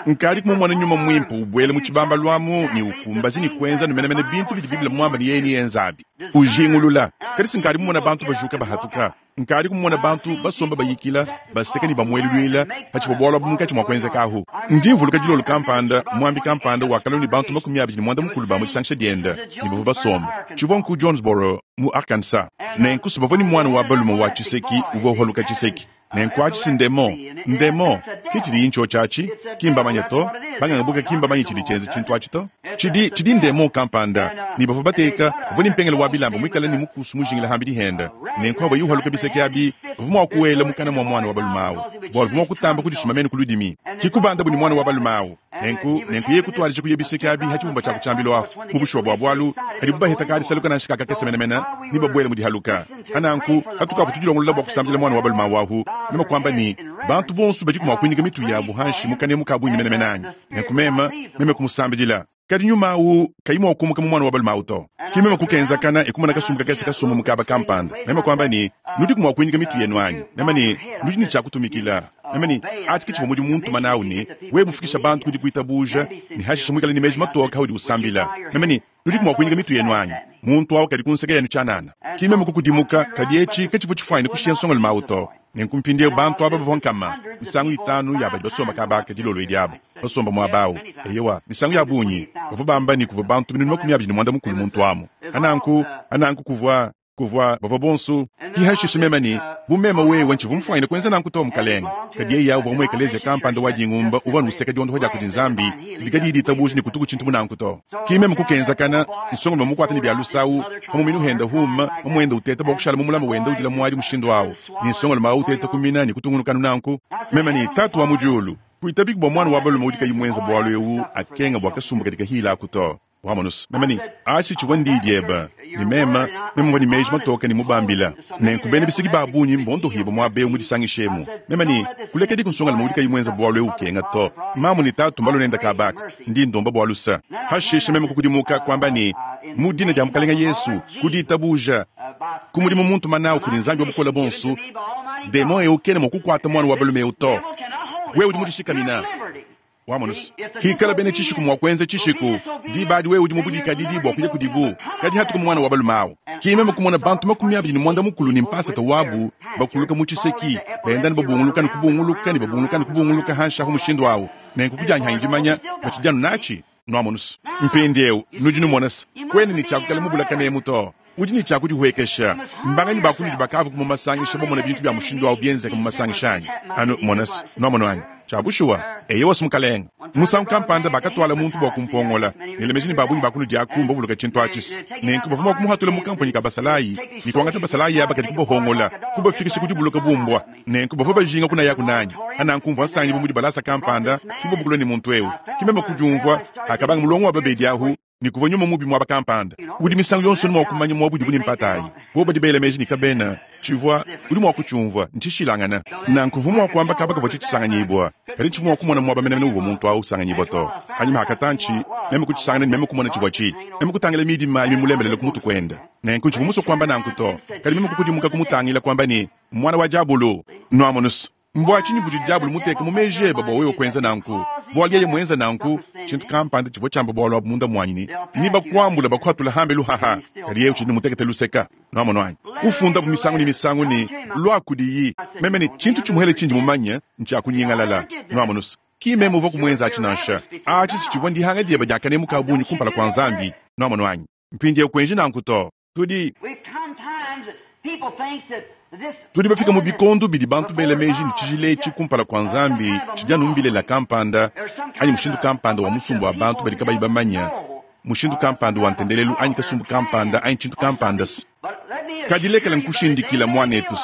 Nkadi mumone nyuma mwimpe ubwela mu tshibambalu amu ne ukumbaja ne kuenza ne menemene bintu bidi Bible mwambe ne yeye neyenzabi. Ujingulula. Kadi si nkadi mumone bantu bajuka bahatuka. Nkadi kumona bantu basomba bayikila, baseka ne bamueluluila patshivua bualu abu munkatshi mua kuenzeka ahu. Ndi mvuluka dilolo kampanda, muambi kampanda wakalua ne bantu 28 ba mu disangisha diende ne bavua basomba. Tshivua nku Jonesboro, mu Arkansas. Nenku si bavua ne muana wa balume wa tshiseki uvua uhaluka tshiseki. Nenku atshi si ndemon. Ndemon, ke tshidiyi ntshiotshi atshi. Ki mbamanye to. Banganga buka ki mbamanye tshidi tshienza tshintu atshi to. Tshidi, tshidi ndemon kampanda. Ne bavua bateka, uvua ne mpengele wa bilamba muikale ne mukusu mujingila hambidi hende. Nenku avua yuhaluka biseki abi, bavua mua kuela mukana mua muana wa balume awu, bualu uvua mua kutamba kudisuma mene ku ludimi. Ki kubandabu ne muana wa balume awu. Nenku, nenku yeye kutuadija kuya biseki abi ha tshibumba tshia ku tshiambilu ahu. Mu bushuwa bua bualu, padibu baheta kadisaluka nansha ka kakese menemene, ne babuele mu dihaluka. Ha nanku, hatukavua tudilongolola bua kusambila muana wa balume awu ahu, meme kuamba ne, Bantu bonso badiku mua kuinyika mitu yabu hanshi mu kanemu ka bungi menemene anyi? Nenku meme, meme kumusambidila. Kadi nyuma awu kayi mua kumuka mu muana wa balume awu to. Ki meme kukenzakana e kumona kasumbu kakese kasomba mu kaba kampanda. Meme kuamba ne, Nudiku mua kuinyika mitu yenu anyi? Meme ne, Nudi ne tshia kutumikila. Meme ne, Atshi ke tshivua mudimu muntuma nawu ne, wewe mufikisha bantu ku dikuitabuja ne hashishe muikale ne meji matoke haudi usambila. Meme ne, Nudiku mua kuinyika mitu yenu anyi? Muntu awu kadi ku nseke yenu tshianana. Ki meme kukudimuka, kadi etshi katshivua tshifuanyine kushiya nsongalume awu to. Nenku mpindieu bantu aba bavua nkama misangu itanu ya badi basomba kaba aka dilolo edi aba, basomba muaba awu. Eyowa, misangu ya bungi bavua bamba ne kuvua bantu 280 muntu amu. Ananku, ananku kuvua, kuvua, bavua bonsu. Ki hashishe meme ne, Bu meme wewe ntshivua mufuanyine kuenza nanku to, Mukalenge. Kadi yeya uvua mu ekeleziya kampanda wa dingumba uvua anu useka diondopa dia kudi Nzambi didi kadiyi ditabuja ne kutuku tshintu bu nanku to. Ki meme kukenzakana, nsongalume mukuate ne bia lusawu pa muminu henda huuma, mamuende uteta bua kushala mumulame wenda udila muadi mushindu awu, ne nsongalume awu uteta kumina ne kutungunuka anu nanku. Meme ne, Tatu wa mu Diulu, kuitabiku bua muana wa balume udi kayi muenze bualu ewu akenga bua kasumbu kadi kahila aku to. Wamonus, meme ne, Atshi tshivua ndiyi diebe, ne meme, meme mvua ne meji matoke ne mubambila. Nenku bena biseki ba bungi mbondohibue muaba eu mu disangisha emu. Meme ne, Kulekediku nsongalume udi kayi muenze bualu eu ukenga to. Mamu ne tatu mbalue nende kaba aka. Ndi ndomba bua lusa. Hashishe meme kukudimuka, kuamba ne, Mu dina dia Mukalenge Yesu, ku ditabuja, ku mudimu muntuma nawu kudi Nzambi wa Bukole Buonso, demon eu kena mua kukuata muana wa balume eu to. Wewe udi mudishikamina. Wamonus, hikala bena tshishiku mua kuenza tshishiku, diba adi wewe udi mu budikadidi bua kuya kudibu. Kadi hatuka muana wa balume awu, ki meme kumona bantu 29 ne mpasata wabu bakuluka mu tshiseki, benda ne babunguluka ne kubunguluka ne babunguluka ne kubunguluka hanshi ahu mushindu awu. Nenku kudianyi hanyi dimanya batshidi anu natshi. Nuamonus, mpindieu nudi numona se, kuena ne tshia kuikala mubulakane emu to. Udi ne tshia kudihuekesha. Mbanganyi ba kunudi bakavua mu masangisha bamona bintu bia mushindu awu bienzeka mu masangisha anyi? Anu mona se, nuamonu anyi? Tshia bushuwa, eyowa se Mukalenge. Musangu kampanda bakatuala muntu bua kumpongola. Ngela meji ne ba bungi ba kunudi aku mbavuluka tshintu atshi se. Nenku bavua mua kumuhatula mu kamponyi ka basalayi ne kuangata basalayi aba kadi kubahongola, kubafikisha ku dibuluka bu mbua. Nenku bavua bajinga kunayaku nanyi. Ananku mvua nsangibua mu dibalasa kampanda, ki bobu kulua ne muntu eu. Ki meme kudiumvua hakabanga mulongo wa babedi ahu ne kuvua nyuma mubi muaba kampanda. Udi misangu yonso mua kumanya muaba udibu ne mpata ayi. Bobu badi bela meji ne kabena tshivua, udi mua kutshiumvua, ntshishilangana. Nanku mvua mua kuamba kaba kavua tshitshisanganyibua, kadi tshivua mua kumona muaba menemene uvua muntu au usanganyibua to. Panyima ha katantshi, meme kutshisangana ne meme kumona tshivua tshi. Meme kutangila midima ayi mimulembelele ku mutu kuende. Nenku ntshivua musue kuamba nanku to, kadi meme kukudimuka kumutangila kuamba ne, Muana wa diabolo! Nuamonus, mbua tshinyi budi diabolo muteke mu meji ebe bua wewe kuenza nanku? Bualu yeye muenza nanku, tshintu kampanda tshivua tshiamba bualu abu munda muanyi ne, Nebakuambule bakuhatula hambelu haha. Kadi yeye utshidi mutekete luseka. Nuamonu anyi? Kufundabu misangu ne misangu ne, Lua kudiyi. Meme ne, Tshintu tshimuhele tshindi mumanye ntshia kunyingalala. Nuamonus, ki meme uvua kumuenza atshi nansha. Atshi si tshivua ndihanga diebe dia kanemu ka bungi kumpala kua Nzambi. Nuamonu anyi? Mpindieu kuenji nanku to. Tudi tudi bafika mu bikondo bidi bantu bela meji ne tshijila etshi kumpala kua Nzambi tshidi anu mbilela kampanda anyi mushindu kampanda wa musumba wa bantu badi kabayi bamanya mushindu kampanda wa ntendelelu anyi kasumbu kampanda anyi tshintu kampanda. Kadi lekela nkushindikila muanetu,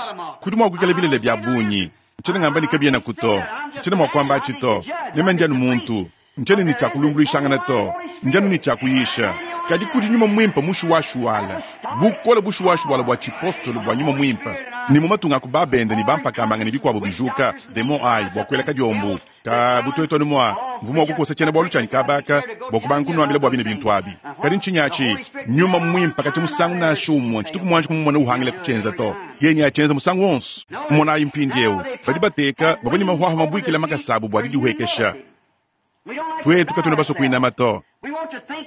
kudi mua kuikala bilele bia bungi. Ntshiena ngamba ne kabienaku to, ntshiena mua kuamba atshi to. Meme ndi anu muntu. Ntshiena ne tshia kulumbuluishangana to, ndi anu ne tshia kuyisha. Kadi kudi Nyuma Muimpe mushuwashuwala, bukole bushuwashuwala bua tshipostolo bua Nyuma Muimpe, ne mu matunga a ku babende ne bampakamanga ne bikuabo bijuka, demon ayi bua kuela kadiombo ka bu tuetu anu mua mvua mua kukosa tshiena-bualu tshianyi kaba aka bua kubanga kunuambila bua bine bintu abi. Kadi ntshinyi atshi? Nyuma Muimpe katshia musangu nansha umue tshituku muanji kumumona uhangila kutshienza to. Yeye neatshienza musangu wonso. Monayi mpindieu, badi bateka bavua ne mahuahua mabuikila makasa abu bua didihuekesha. Twetu katwena baswe kwinama to.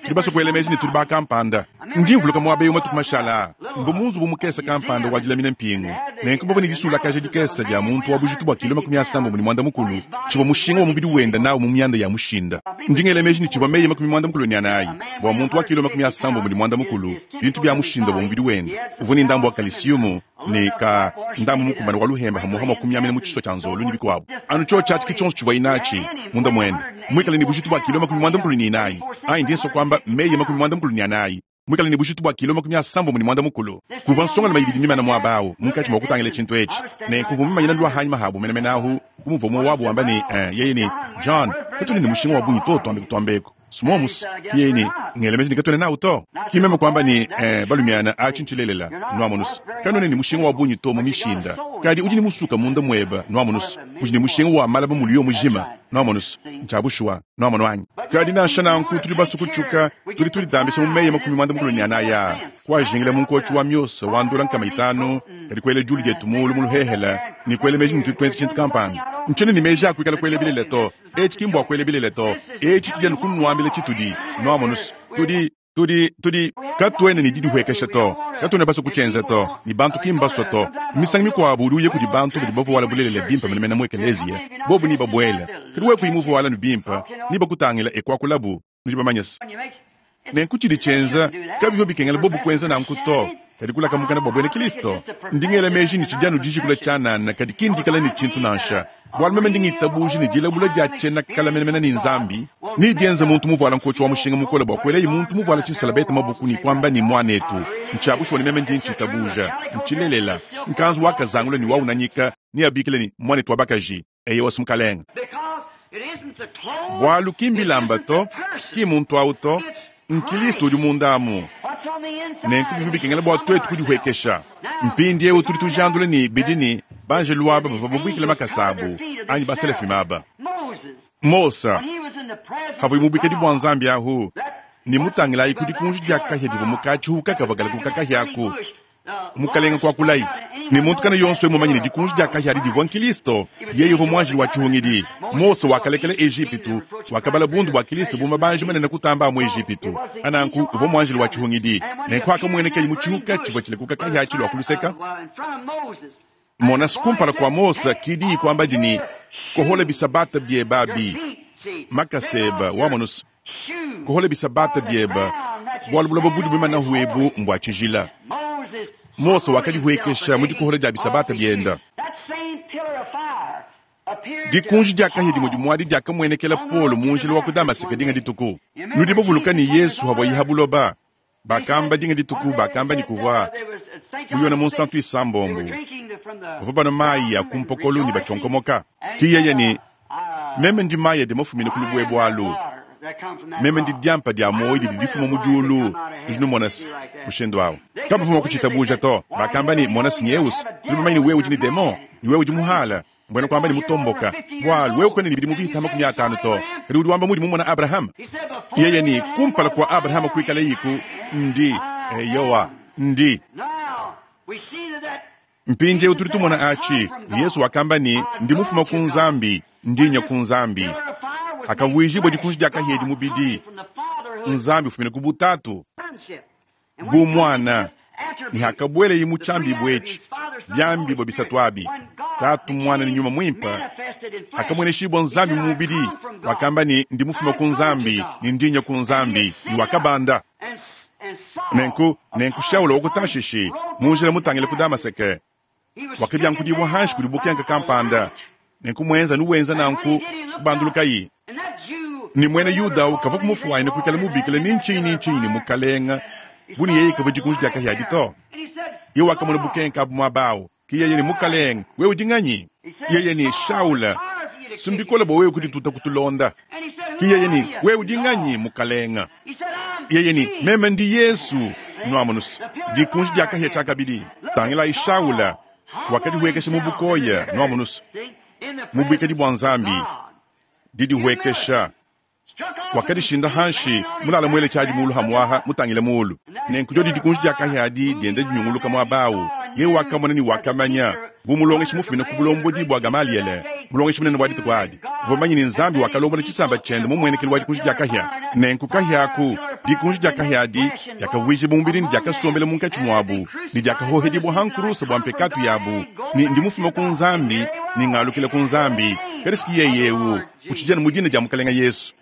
Tudi baswe kwela meji ne tudi bakampanda. Ndi mvuluka mwaba ewu matuku mashala aa, mvwa mu nzubu mukese kampanda wa dilamina mpingu. Nenku bavwa ne disulakaja dikese dya muntu wa bujitu bwa kilo 34, civwa mushinga wa mubidi wenda nawu mu myanda ya mushinda. Ndi ngela meji ne civwa meyi 94 bwa muntu wa kilo 75, bintu bya mushinda bwa mubidi wenda. Uvwa ne ndambu wa kalisiyumu ne ka ndambu mukumbane wa luhemba hamuha mwa kumyamina mu tshiswa tshia nzolu ne bikuabu. Anu tshiotshi atshi ke tshionso tshivuaye natshi munda muende, muikale ne bujitu bua kilo 94, anyi ndi nsua kuamba meyi 94, muikale ne bujitu bua kilo 94. Kuvua nsongalume ibidi mimane muaba au munkatshi mua kutangila tshintu etshi. Nenku mvua mumanyina lua hanyima habu menemene ahu, bu muvua umue wabu wamba ne, Eh, yeye ne, John, katuena ne mushinga wa bungi to, tuambe kutuambeku. Smomus, ki yeye ne, Ngela meji ne katuena nawu to. Ki meme kuamba ne, Eh, balumiana, atshi ntshilelela, nwamonus. Kanuena ne mushinga wa bungi to mu mishinda. Kadi udi ne musuka munda mueba, nwamonus. Udi ne mushinga wa malaba muliyo mujima, nwamonus. Ntshia bushuwa, nwamonu anyi? Kadi nansha nanku tudi basue kutshuka, tudi tuditambisha mu meyi 94 aa, kuajingila mu nkotshi wa miosa wa ndola 500, kadi kuela diulu dietu muulu mu luhehela ne kuela meji ne tudi tuenza tshintu kampanda. Ntshiena ne meji a kuikala kuela bilele to. Etshi ki mbua kuela bilele to. Etshi tshidi anu kunuambila tshitudi. Nwamonus, tudi, tudi, tudi, katuena ne didihuekesha to. Katuena basue kutshienza to, ne bantu ki mbasue to. Misangu mikuabu udi uya kudi bantu badi bavuala bulelela bimpe menemene mu ekeleziya, bobu nebabuele. Kadi wewe kuyi muvuala anu bimpe, nebakutangila e kuakulabu. Nudi bamanye se, nenku tshidi tshienza, kabivua bikengela bobu kuenza nanku to. Kadi kulaka mukana bua buena Kilisto, ndi ngela meji ne tshidi anu dijikula tshianana, kadi ki ndikala ne tshintu nansha. Bualu meme ndi ngitabuja ne dilabula dia tshiena kala menemene ne Nzambi, ne dienza muntu muvuala nkotshi wa mushinga mukole bua kuelaye muntu muvuala tshisalabete mabuku ne kuamba ne, Muanetu, ntshia bushuwa ne meme ndi ntshitabuja, ntshilelela. Nkanzu wa kazangula ne wa unanyika neabikile ne, Muanetu wa bakaji. Eyowa, Mukalenge. Bualu ki mbilamba to, ki mmuntu au to, n'Kilisto udi munda amu. Nenku bivua bikengela bua tuetu kudihuekesha. Mpindieu tudi tujandula ne bidi ne, banjelu aba bavua babuikile makasa abu, anyi baselafima aba. Mose, pavuaye mu buikadi bua Nzambi ahu, ne mutangilayi ku dikunji dia kahia divua mu katshihu kakavua kalakuka kahia aku, Mukalenga kuakulayi ne muntu kana yonso mumanye ne dikunji dia kahia adi divua Nkilisto. Yeye uvua muanjelu wa tshihungidi. Mose wakalekela Ejipitu, wakabala bundu bua Kilisto bu mabanji manene kutamba a mu Ejipitu. Pananku uvua muanjelu wa tshihungidi. Nenku akamuenekaye mu tshihuka tshivua tshilekuka kahia tshilua ku luseka. Mona, kumpala kua Mose ki diyi kuambadi ne, Kohola bisabata bieba abi, makasa eba, wamonus. Kohola bisabata bieba, bualu buloba budi buimanahu ebu mbua tshijila. Mose wakadihuekesha mu dikohola dia bisabata bienda. Dikunji dia kahia dimue dimue adi diakamuenekela Paulo mu njila wa ku Damaseke dinga dituku. Nudi bavuluka ne Yesu havuaye ha buloba, bakamba dinga dituku bakamba ne kuvua mu Yona Munsantu isambombo bavua banua mayi a ku mpokolo ne batshionkomoka. Ki yeye ne, Meme ndi mayi adi mafumine ku lubuebue alu. Meme ndi diampa dia muoyo didi difuma mu diulu. Nudi numona se, mushindu au kabavua mua kutshitabuja to. Bakamba ne, Mona Sineus, tudi bamanye ne wewe udi ne demon, ne wewe udi muhala, mbuena kuamba ne mutomboka, bualu wewe kuena ne bidimu bihita 50 to, kadi udi wamba mudi mumona Abrahama. Yeye ne, Kumpala kua Abrahama kuikalayiku, ndi. Eyowa, ndi. Mpindieu tudi tumona atshi, Yesu wakamba ne, Ndi mufuma ku Nzambi, ndi nya ku Nzambi. Hakavuijibua dikunji dia kahia edi mubidi, Nzambi ufumina ku butatu bu muana, ne hakabuelaye mu tshiambibua etshi, biambibua bisatu abi, Tatu, Muana ne Nyuma Muimpe, hakamueneshibua Nzambi mu mubidi, wakamba ne, Ndi mufuma ku Nzambi, ne ndi nya ku Nzambi, ne wakabanda. Nenku, nenku Shaula wa ku Tashishi, mu njila mutangile ku Damaseke, wakabiankudibua hanshi kudi bukenka kampanda. Nenku muenza anu wenza nanku, kubandulukayi. Ne muena Yuda au kavua kumufuanyina kuikala mubikila ni ntshinyi ni ntshinyi ne mukalenga, bu ne yeye kavua dikunji dia kahia adi to. Yeye wakamona bukenka abu muaba au. Ke yeye ne, Mukalenge, wewe udi nganyi? Yeye ne, Shaula, si mbikole bua wewe kudituta kutulonda. Ke yeye ne, Wewe udi nganyi, Mukalenge? Yeye ne, Meme ndi Yesu. Nuamonus, dikunji dia kahia tshiakabidi. Tangilayi Shaula, wakadihuekesha mu bukoya, nuamonus, mu buikadi bua Nzambi, didihuekesha. Wakadishinda hanshi, mulala muele tshiadi mulu hamuaha, mutangile mulu. Nenku diodi dikunji dia kahia adi dienda dinyunguluka muaba au, yeye wakamona ne wakamanya, bu mulongeshi mufumine ku bulombodi bua Gamaliele. Mulongeshi munene wa dituku adi uvua mumanye ne, Nzambi wakalombola tshisamba tshiende mu mmuenekelu wa dikunji dia kahia. Nenku kahia aku, dikunji dia kahia adi, diakavuijibua mubidi ne diakasombela munkatshi muabu, ne diakahohedibua ha nkuruse bua mpekatu yabu, ne ndi mufume ku Nzambi ne ngalukila ku Nzambi. Kadi si yeye eu utshidi anu mu dina dia Mukalenge Yesu.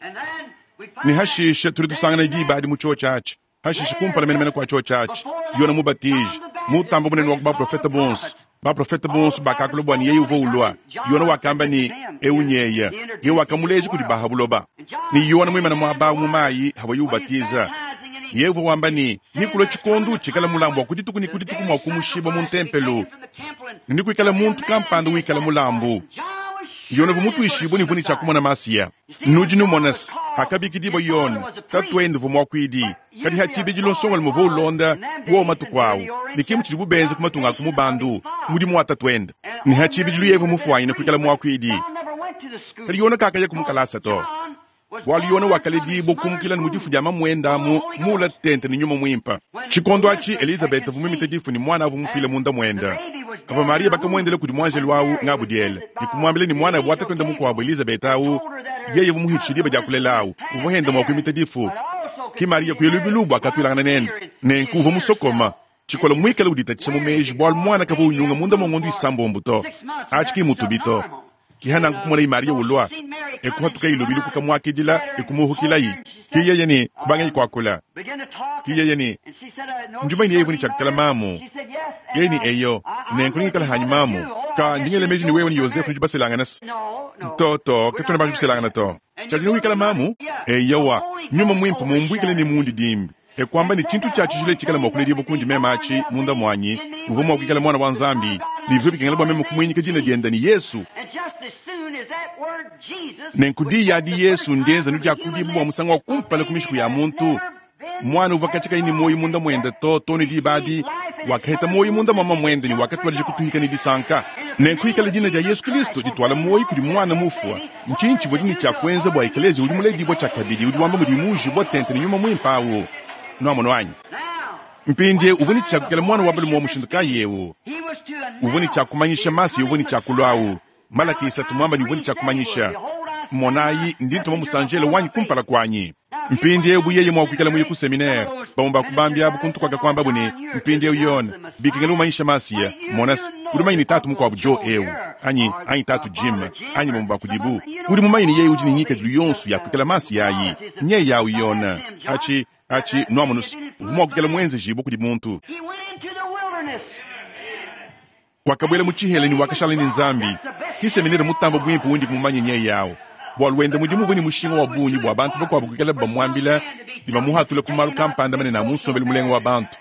Ne hashishe tudi tusangana diba adi mu tshiotshi atshi. Hashishe kumpala menemene kua tshiotshi atshi, Yone Mubatiji, mutamba bunene wa ku baprofete bonso, baprofete bonso bakakula bua ne yeye uvua ulua. Yone wakamba ne, Eu nyeye. Yeye wakamuleja kudi ba ha buloba. Ne Yone muimane muaba au mu mayi havuaye ubatiza, ne yeye uvua wamba ne, Nekulue tshikondo tshikala mulambu wa ku dituku ne ku dituku mua kumushibua mu ntempelo, ne nekuikale muntu kampanda wikala mulambu. Yone uvua mutuishibue ne uvua ne tshia kumona Masiya. Nudi numona se, hakabikidibua Yone, tatuende uvua muakuidi, kadi ha tshibidilu nsongalume uvua ulonda wowo matuku awu, ne ke mutshidibu benza ku matunga a ku mubandu, mudimu wa tatuende. Ne ha tshibidilu yeye uvua mufuanyine kuikala muakuidi. Kadi Yone kakayaku mu kalasa to, bualu Yone wakaledibua kumukila ne mu difu dia mamuende amu muula tente ne Nyuma Muimpe. Tshikondo atshi Elizabeta uvua muimite difu ne muana uvua mufuile munda muende. Pavua Mariya bakamuendela kudi muanjelu au Ngabudiele ne kumuambila ne muanabu wa tatuende mukuabu Elizabeta au yeye uvua muhitshishe diba dia kulela au uvua henda mua kuimita difu. Ke Mariya kuya lubilu bua katuilangana nende. Nenku uvua musokoma tshikola muikale uditatshisha mu meji bualu muana kavua unyunga munda mua ngondo isambombo to. Atshi ki mutubi to. Ke nanku kumonayi Mariya ulua, e kuhatukayi lubilu kukamuakidila e kumuhukilayi. Ke yeye ne kubangayi kuakula. Ke yeye ne, Ndi mumanye ne yeye uvua ne tshia kuikala mamu. Yeye ne, Eyo, nenku nengikale hanyi mamu. Ka ndi ngela meji ne wewe ne Yozefe nudi baselangane se. To, to, katuena banji kuselangana to. Kadi newikale mamu? Eyowa, Nyuma Muimpe mumbuikile ne mundidimbi. E kuamba ne tshintu tshia tshijila tshikala mua kuledibua kundi meme atshi munda muanyi, uvua mua kuikala Muana wa Nzambi, ne bivua bikengela bua meme kumuinyika dina diende ne, Yesu. Nenku diyi adi Yesu ndienza nudiakudibua bua musangu wa kumpala ku mishiku ya muntu. Muana uvua katshia kayi ne muoyo munda muende to, too ne diba adi, wakaheta muoyo munda mua mamuende ne wakatuadija kutuhika ne disanka. Nenku ikala dina dia Yesu Kilisto dituala muoyo kudi muana mufua, ntshinyi tshivua ne tshia kuenza bua ekeleziya udi muledibua tshiakabidi udi wamba mudiye muujibua tente ne Nyuma Muimpe awu? Nuamonu anyi? Mpindieu uvua ne tshia kuikala muana wa balume wa mushindu kayi eu? Uvua ne tshia kumanyisha Masiya uvua ne tshia kulua awu. Malaki isatu muamba ne uvua ne tshia kumanyisha, Monayi, ndi ntuma musanjelo wanyi kumpala kuanyi. Mpindieu bu yeye mua kuikala muye ku seminere, bamue ba ku bambi abu kuntu kuakakuambabu ne, Mpindieu Yone, bikengela umanyisha Masiya. Mona se, udi mumanye ne tatu mukuabu Joe eu, anyi, anyi tatu Jim, anyi bamue ba kudibu, udi mumanye ne yeye udi ne ngikadilu yonso ya kuikala Masiya ayi. Nyeye au Yone. Atshi, atshi, nuamonu se, uvua mua kuikala muenzejibue kudi muntu. Wakabuela mu tshihela ne wakashala ne Nzambi. Ki seminere mutambe buimpe undi mumanye nyeye au. Bualu wende mudimu uvua ne mushinga wa bungi bua bantu bakuabu kuikalabu bamuambila ne bamuhatula ku malu kampanda manene a mu nsombelu mulenga wa bantu.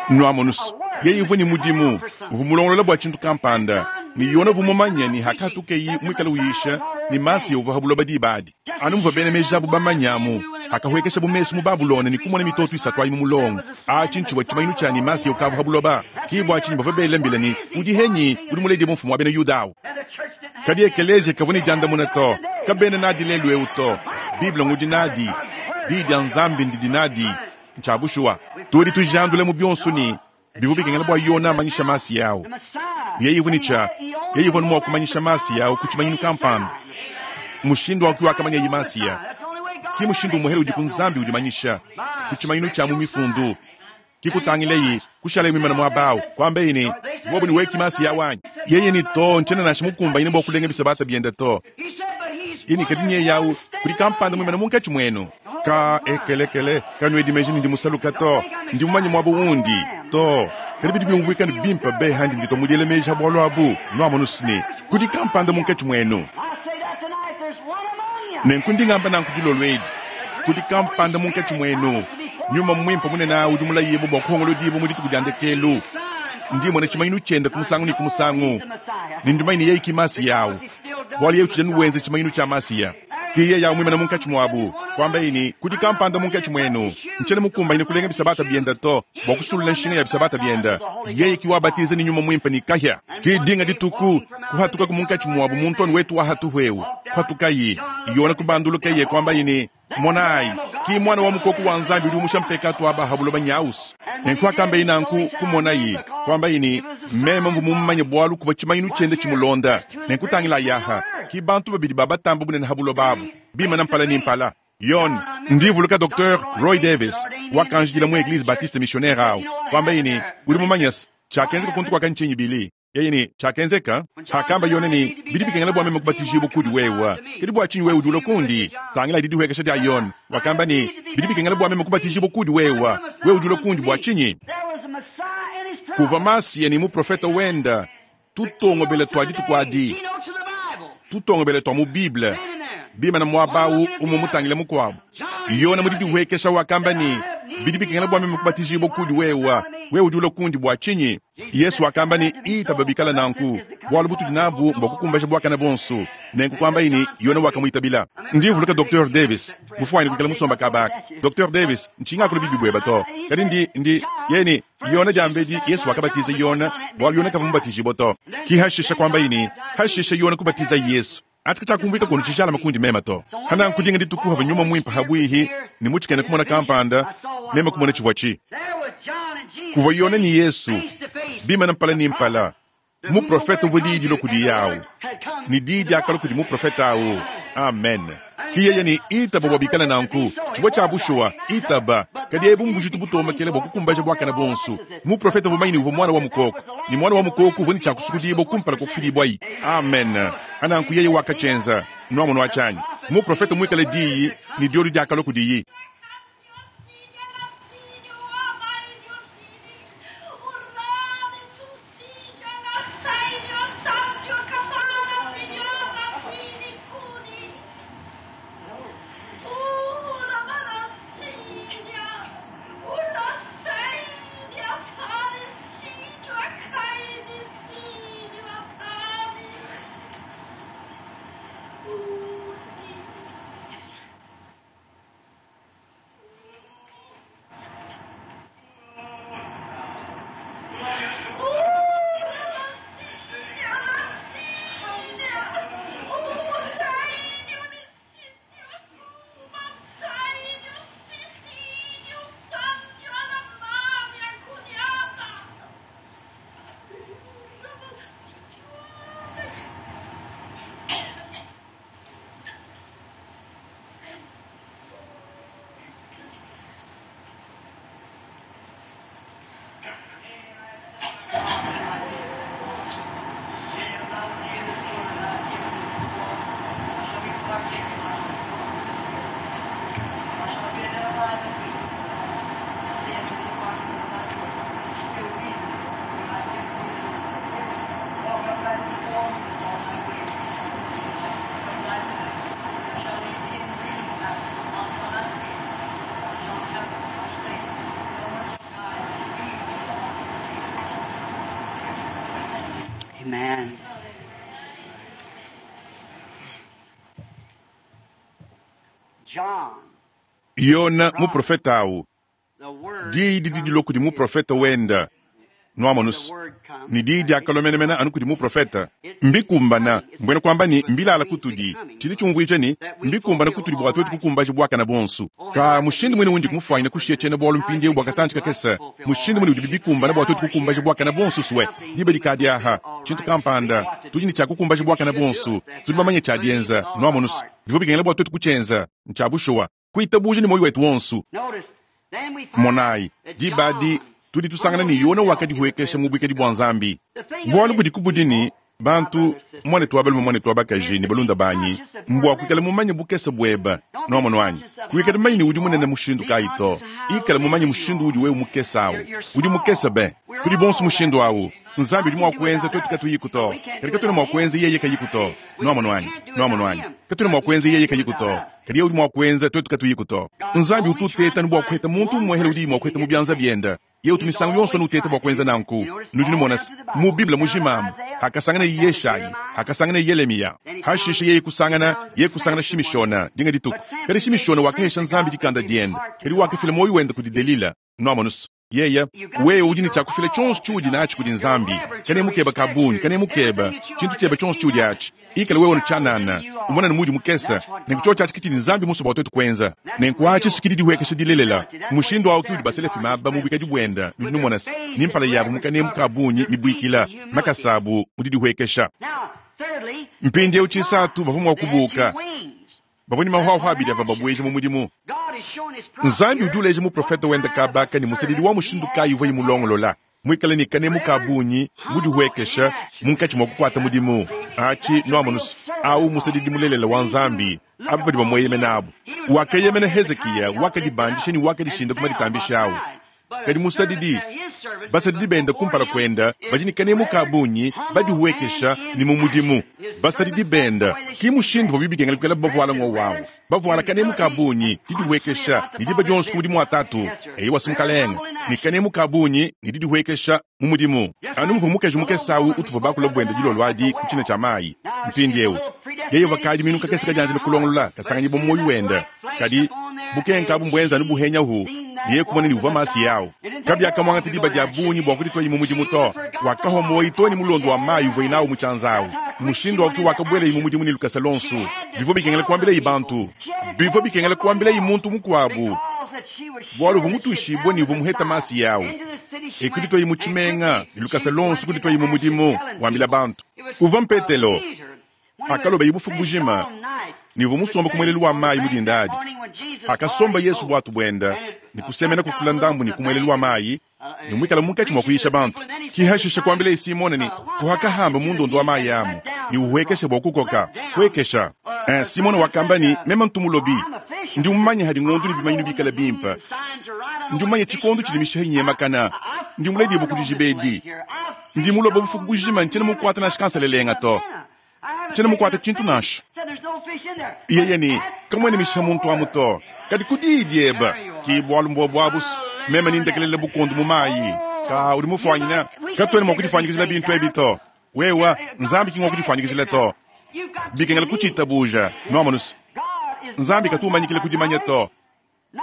Nuamonu se, yeye uvua ne mudimu, uvua mulongolola bua tshintu kampanda, ne Yona uvua mumanye ne hakatukeyi muikale uyisha ne Masiya uvua ha buloba diba adi. Anu muvua bena meji abu bamanye amu, hakahuekeshabu mesu mu Babulona ne kumona mitoto isatu ayi mu mulongo, atshi ntshivua tshimanyinu tshia ne Masiya ukavua ha buloba. Ke bua tshinyi bavua bela mbila ne, Udi henyi udi muledibue mfumu wa bena Yuda au? Kadi ekeleziya kavua ne diandamuna to. Kabena nadi lelu eu to. Bible ngudi nadi. Diyi dia Nzambi ndidi nadi. Ntshia bushuwa. Tudi tujandula mu bionso ne, bivua bikengela bua Yona amanyisha Masiya au. Yeye uvua ne tshia, yeye uvua mua kumanyisha Masiya au ku tshimanyinu kampanda. Mushindu wa wakamanyaye Masiya ki mushindu umuehele udi ku Nzambi udimanyisha ku tshimanyinu tshia mu Mifundu. Ki kutangileyi, kushalaye muimane muaba au, kuambaye ne, Bobu ne weki Masiya wanyi. Yeye ne, To, ntshiena nansha mukumbanyine bua kulenga bisabata biende to. Yeye ne, Kadi nyeye au, kudi kampanda muimane munkatshi muenu. Ka ekelekele, kanuedi meji ne ndi musaluka to, ndi mumanye muaba undi to. Kadi bidi biumvuika ne bimpe be handi nditua mu diela meji ha bualu abu, nuamonu ne, kudi kampanda munkatshi muenu. Nenku ndi ngamba nanku dilolo edi, kudi kampanda munkatshi muenu, Nyuma Muimpe munene udi mulayibue bua kuhongolodibua mu dituku dia ndekelu. Ndi mmona tshimanyinu tshiende ku musangu ne ku musangu, ne ndi mumanye ne yeye ki Masiya au, bualu yeye utshidi anu wenza tshimanyinu tshia Masiya. Ke yeye au muimane munkatshi muabu, kuambaye ne, Kudi kampanda munkatshi muenu, ntshiena mukumbanyine kulenga bisabata biende to, bua kusulula nshinga ya bisabata biende. Yeye ki wabatiza ne Nyuma Muimpe ne kahia. Ke dinga dituku, kuhatukaku munkatshi muabu muntu anu wetu wa hatuhu eu, kuhatukaye, Yone kubandulukaye, kuambaye ne, Monayi, ki Muana wa Mukoko wa Nzambi udi umusha mpekatu wa ba ha buloba nyawusu. Nenku hakambaye nanku, kumonaye, kuambaye ne, Meme mvua mumumanye bualu kuvua tshimanyinu tshiende tshimulonda. Nenku tangilayi aha. Ki bantu babidi ba batamba bunene ha buloba abu, bimana mpala ne mpala. Yone, ndi mvuluka Docteur Roy Davis, wakanjidila mu Eglise Baptiste Missionnaire awu, kwambaye ne, Udi mumanye se, tshiakenzeka kuntu kuaka ntshinyi, Billy? Yeye ne, Tshiakenzeka? Hakamba Yone ne, Bidi bikengela bua meme kubatijibua kudi wewe, kadi bua tshinyi wewe udi ulua kundi? Tangila didihuekesha dia Yone. Wakamba ne, Bidi bikengela bua meme kubatijibua kudi wewe, wewe udi ulua kundi bua tshinyi? Kuvua Masiya ne muprofete wende, tutongobela tua dituku adi, tutongobela tua mu Bible, bimana muaba au umue mutangile mukuabu. Yone mu didihuekesha wakamba ne, Bidi bikengela bua meme kubatijibua kudi wewe, wewe udi ulua kundi bua tshinyi? Yesu wakamba ne, Itaba bikala nanku, bualu butudi nabu mbua kukumbaja buakane buonso. Nenku kuambaye ne, Yone wakamuitabila. Ndi mvuluka Docteur Davis, mufuanyine kuikala musomba kaba aka. Docteur Davis, ntshinga akula bibi bueba to, kadi ndi, ndi, yeye ne, Yone diambedi, Yesu wakabatiza Yone, bualu Yone kavua mubatijibue to. Ki hashishe kuambaye ne, hashishe Yone kubatiza Yesu. Atshi katshiakumvuika kunu tshijalame kundi meme to. Hananku dinga dituku havua Nyuma Muimpe habuihi ne mu tshikena kumona kampanda, meme kumona tshivua tshi. Kuvua Yone ne Yesu, bimana mpala ne mpala. Muprofete uvua diyi dilua kudiye awu, ne diyi diakalua kudi muprofete awu. Amen. Ki yeye ne, Itaba bua bikale nanku. Tshivua tshia bushuwa, itaba. Kadi ebu mbujitu butomekela bua kukumbaja buakane buonso. Muprofete uvua mumanye ne uvua Muana wa mukoko, ne Muana wa mukoko uvua ne tshia kusukudibua kumpala kua kufidibuayi. Amen. Ananku yeye wakatshienza. Nuamonu atshi anyi? Muprofete muikale Diyi, ne diodi diakalua kudiyi. Amen. John, Yona muprofete awu, the word diyi didi dilua kudi muprofete wenda. Nuamonus, the word comes. ne diyi diakalua menemene anu kudi muprofete. Mbikumbana, mbuena kuamba ne mbilala kutudi. Tshidi tshiumvuija ne mbikumbana kutudi bua tuetu kukumbaja buakane buonso. Ka mushindu muine undi kumufuanyina kushiya tshiena bualu mpindieu bua katantshi kakese, mushindu muine udibi bikumbana bua tuetu kukumbaja buakane buonso sue diba dikadi aha tshintu kampanda tudi ne tshia kukumbaja buakane buonso, tudi bamanye tshia dienza. Nuamonus, bivua bikengela bua tuetu kutshienza, ntshia bushuwa kuitabuja ne muoyo wetu wonso. Notice, then we find Monayi, that diba adi John tudi tusangana ne Yona wakadihuekesha mu buikadi bua Nzambi. Bualu budi kubudi ne bantu, muanetu wa balume, muanetu wa bakaji ne balunda banyi, mbua kuikala mumanye bukese bueba. Nuamonu anyi? Kuikala mumanye ne udi munene mushindu kayi to. Ikala mumanye mushindu udi wewe mukese awu. Udi mukese be. Tudi bonso mushindu awu. Nzambi udi mua kuenza tuetu katuyiku to. Kadi katuena mua kuenza yeye kayiku to. Nuamonu anyi? Nuamonu anyi? Katuena mua kuenza yeye kayiku to. Kadi yeye udi mua kuenza tuetu katuyiku to. Nzambi utu uteta ne bua kuheta muntu umuehele udi mua kuheta mu bianza biende. Yeye utu misangu yonso nuteta bua kuenza nanku. Nudi numona se, mu Bible mujima hakasangana Yeshayi, hakasangana Yelemiya, hashishe yeye kusangana, yeye kusangana Shimishona dinga dituku. Kadi Shimishona wakahesha Nzambi dikanda diende, kadi wakafila moyo wende kudi Delila. Nuamonus, yeye wewe udi ne tshia kufila tshionso tshiudi natshi kudi Nzambi. Kane mukeba kabunyi, kane mukeba tshintu tshiebe tshionso tshiudi atshi. Ikala wewe nutshianana, umona ne mudi mukese, nenku tshio tshiatshi kitshidi Nzambi musue bua tuetu kuenza. Nenku atshi sikidi dihuekesha dilelela. Mushindu awu ki udi baselefi maba mu buikadi buenda, nudi numona se, ni mpala yabu mukanemu kabunyi mibuikila, makasa abu mu didihuekesha. Now, Mpindieu tshisatu bavua mua kubuuka, bavua ne mahuahua abidi avua babueja mu mudimu. Nzambi udi uleja muprofete wende kabaka ne musadidi wa mushindu kayi uvuaye mulongolola, muikale ne kanemu ka bungi, mudihuekesha munkatshi mua kukuata mudimu. Atshi nuamonus au musadidi mulelela wa Nzambi, aba badi bamueyemena abu. Wakeyemena Hezikiya, wakadibandisha ne wakadishinda ku maditambisha au. Kadi musadidi, basadidi bende kumpala kuenda badi ne kanemu ka bungi, badihuekesha ne mu mudimu. Basadidi bende ki mushindu uvua bikengela kuikala bavuala ngowawu, bavuala kanemu ka bungi, didihuekesha ne diba dionso ku mudimu wa tatu. Eyowa mukalenga, ne kanemu ka bungi ne didihuekesha mu mudimu. Anu muvua mukaji mukese au utuvua bakula buende dilolo adi ku tshina tshia mayi. Mpindieu yeye uvua minu kakese kadianjila kulongolola kasanganyibua mu muoyo wende, kadi bukenka abu mbuenza anu buhenyahu yeye kumona ne uvua masi yawu. Kabiakamuangata diba dia bungi bua kudituayi mu mudimu to. Wakahwa muoyo to ne mulondo wa mayi uvuaye nawu mu tshianza awu. Mushindu wake wakabuelayi mu mudimu ne lukasa lonso. Bivua bikengela kuambilayi bantu, bivua bikengela kuambilayi muntu mukuabu, bualu uvua mutuishibue ne uvua muheta masi yawu. E kudituayi mu tshimenga ne lukasa lonso kudituayi mu mudimu wambila bantu. Uvua Mpetelo akaloba bufuku bujima ne uvua musomba ku muelelu wa mayi mu dinda adi. Akasomba Yesu buatu buenda ne kusemena kukula ndambu ne ku muelelu wa mayi ne muikala munkatshi mua kuyisha bantu. Kihashisha kuambila Simone ne kuhakahamba mundondo wa mayi amu ne uhuekesha bua kukoka huekesha. Simone wakamba ne meme ntumulobi, ndi mumanye hadi ngondu ne bimanyinu bikala bimpe, ndi mumanye tshikondo tshidi mishiha inyemakana, ndi muledibu kudi jibedi, ndi muloba bufuku bujima ntshiena mukuata nansha kansalelenga to, ntshiena mukuata tshintu nansha. Yeye ne kamwene mishiha muntu amu to, kadi ku diyi diebe ki bualu mbuobu abusu meme nindekelela bukondu mu mayi. Ka udi mufuanyina katuena mua kudifanyikijila bintu ebi to. Wewa Nzambi ki ngua kudifanyikijila to, bikengela kutshitabuja nuamonus. Nzambi katumanyikile kudimanya to,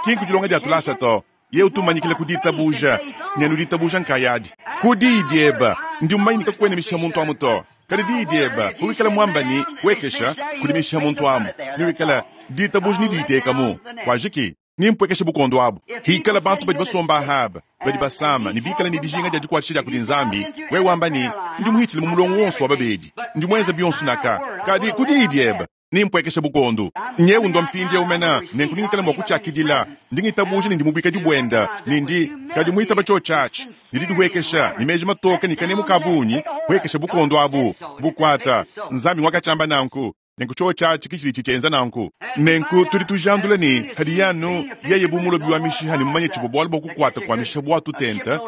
ki nkudilonga dia tulasa to, ye utumanyikile kuditabuja ne nuditabuja nkayadi. Ku diyi diebe ndi mumanyike kakuena mishiha muntu amu to, kadi diyi diebe kuwikala muambani wekesha kudi mishiha muntu amu niwikala ditabuja ni diitekamu kwajiki nimpwekeshe bukondo abu. Hikala bantu badi basomba ahaba badi basama ne bikala ne dijinga dia dikuatshisha dia kudi Nzambi, wewe wamba ne ndi muhitshile mu mulongo wonso wa babedi, ndi muenza bionso naka, kadi ku diyi diebe nimpwekeshe bukondo. Nyewu ndo mpindieu mena nenku ningikala mua kutshiakidila, ndi ngitabuja ne ndi mubikadi buenda ne ndi kadi muitaba tshio tshiatshi ne didihuekesha ne meji matoka ne kanemu ka bungi huekesha bukondo abu bukuata. Nzambi ngwakatshiamba nanku nenku tshio tshiatshi kitshidi tshitshienza nanku. Nenku tudi tujandula ne hadi yanu yeye bu mulobi wa mishiha ne mumanye tshivua bualu bua kukuata kua mishiha bua tutenta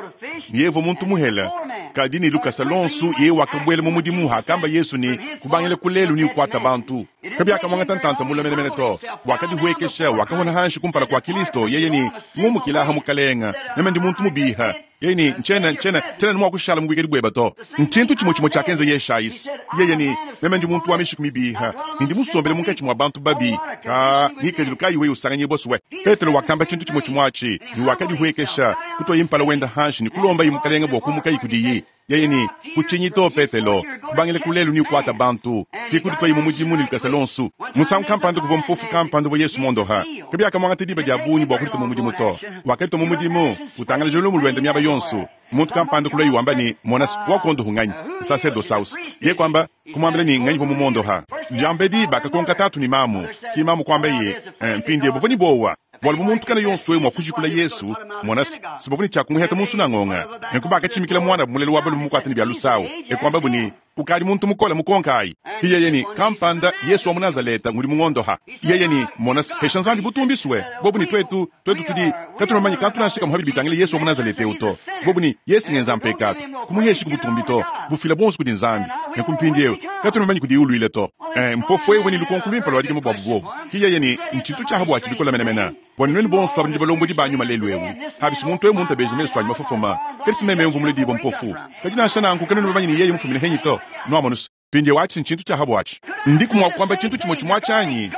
ne yeye uvua muntu muhela, kadi ne lukasa lonso yeye wakabuela mu mudimu hakamba Yesu ne kubangila ku lelu ne ukuata bantu. Kabiakamuangata ntanta mula menemene to, wakadihuekesha wakahona hanshi kumpala kua Kristo. Yeye ne ngumukilaha mukalenga, meme ndi muntu mubiha. Yeye ne ntshiena ntshiena tshiena ne mua kushala mu buikadi bueba to. Ntshintu tshimue tshimue tshiakenza Yeshayisi. Yeye ne meme ndi muntu wa mishiku mibiha ne ndi musombele munkatshi mua bantu babi. Ka ngikadilu kayi wewe usanganyibua suwe. Petelo wakamba tshintu tshimue tshimue atshi ne wakadihuekesha kutuaye mpala wenda hanshi ne kulombaye mukalenga bua kumukayi kudiyi. Yeye ne kutshinyi to Petelo, kubangila ku lelu ne ukuata bantu ki kudituayi mu mudimu ne lukasa lonso. Musangu kampanda kuvua mpofu kampanda wa Yesu mondoha. Kabiakamuangata diba dia bungi bua kuditua mu mudimu to. Wakaditua mu mudimu utangalaja lumu luende miaba yonso. Muntu kampanda kulua wamba ne monas wakondohu nganyi sacerdosaus. Ye kwamba kumwambila ne nganyi vua mumondoha. Diambedi bakakonka tatu ne mamu, ki mamu kwamba ye mpindie buvua ne bowa bualu bu muntu kana yonso we mua kujikula Yesu monas sibavu ne tshiakumuheta munsu na ngonga. Nenku bakatshimikila mwana mulelo wa balume mukuata ne bia lusawu ekwamba bu ne ukadi muntu mukola mukonkayi. Yeye ni kampanda Yesu wa mu Nazaleta ngudi mungondoha. Yeye ni monas hesha Nzambi butumbiswe bobu ni twetu twetu tudi katunamanye katunashika muhabi bitangile Yesu wa mu Nazaleta uto bobu ni Yesu ngenza mpekatu kumuheshi kubutumbi to bufila bonso kudi Nzambi nenku mpindiewu katunamanye kudi ulwile to. Mpofu ewe ni lukonko lwimpe lwadike mu bwabu bobu ki yeye ni ntshintu tshiaha bua tshibikola menemene bua nwenu bonso abandi balombodi banyu malelu ewu habisi muntu ewu muntu abeje mesu anyu mafofoma kadi simeme mvu muledibo mpofu kadi nansha nanku kanenu bamanyi ni yeye mufumine henyi to nuamonus pindie watshi ntshintu tshiaha bwatshi ndiku mua kuamba tshintu tshimue tshimue tshianyi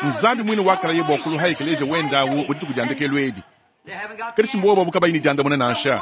Nzambi mwine wakala ye bua kuluha ekelesia wendawu mu dituku dia ndekelu edi kadi simbowa babu kabayi ne diandamuna nansha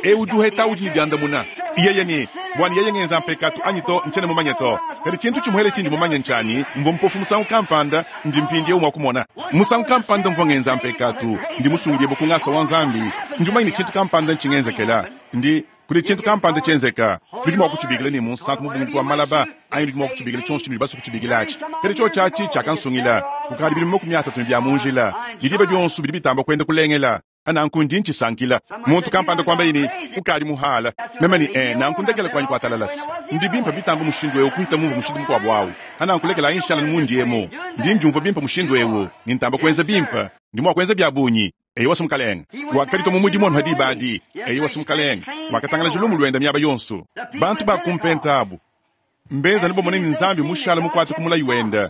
ewu duheta udi ne diandamuna yeye ni bwani yeye ngenza mpekatu anyi to ntshiena mumanye to kadi tshintu tshimuhele tshindi mumanye ntshianyi mvua mpofu musangu kampanda ndi mpindiewu mua kumona musangu kampanda mvua ngenza mpekatu ndi musungidie bu ku ngasa wa Nzambi ndi mumanye ne tshintu kampanda ntshingenzekela ndi. Kudi tshintu kampanda tshienzeka. Nudi mua kutshibikila ne munsantu mubungidi wa malaba, anyi nudi mua kutshibikila tshionso tshinudi basue kutshibikila atshi. Kadi tshiotshi atshi tshiakansungila kukadi bidimu 30 bia mu njila, ne diba dionso bidi bitamba kuenda kulengela. Nanku ndi ntshisankila. Muntu kampanda kuambaye ne, Ukadi muhala. Meme ne, Ee, nanku ndekela kuanyi kuatalalasi. Ndi bimpe bitambe mushindu eu kuhita mumvua mushindu mukuabu au. Nanku lekelayi nshala mundi emu. Ndi ndiumvua bimpe mushindu eu, ne ntamba kuenza bimpe. Ndi mua kuenza bia bungi. Eyowa mukalenge. Wakaditua mu mudimu anu ha diba adi. Eyowa mukalenge. Wakatangalaja lumu luende miaba yonso. Bantu ba ku Mpenta abu mbenza anu bamone ne Nzambi mushala mukuate ku mulayi wende.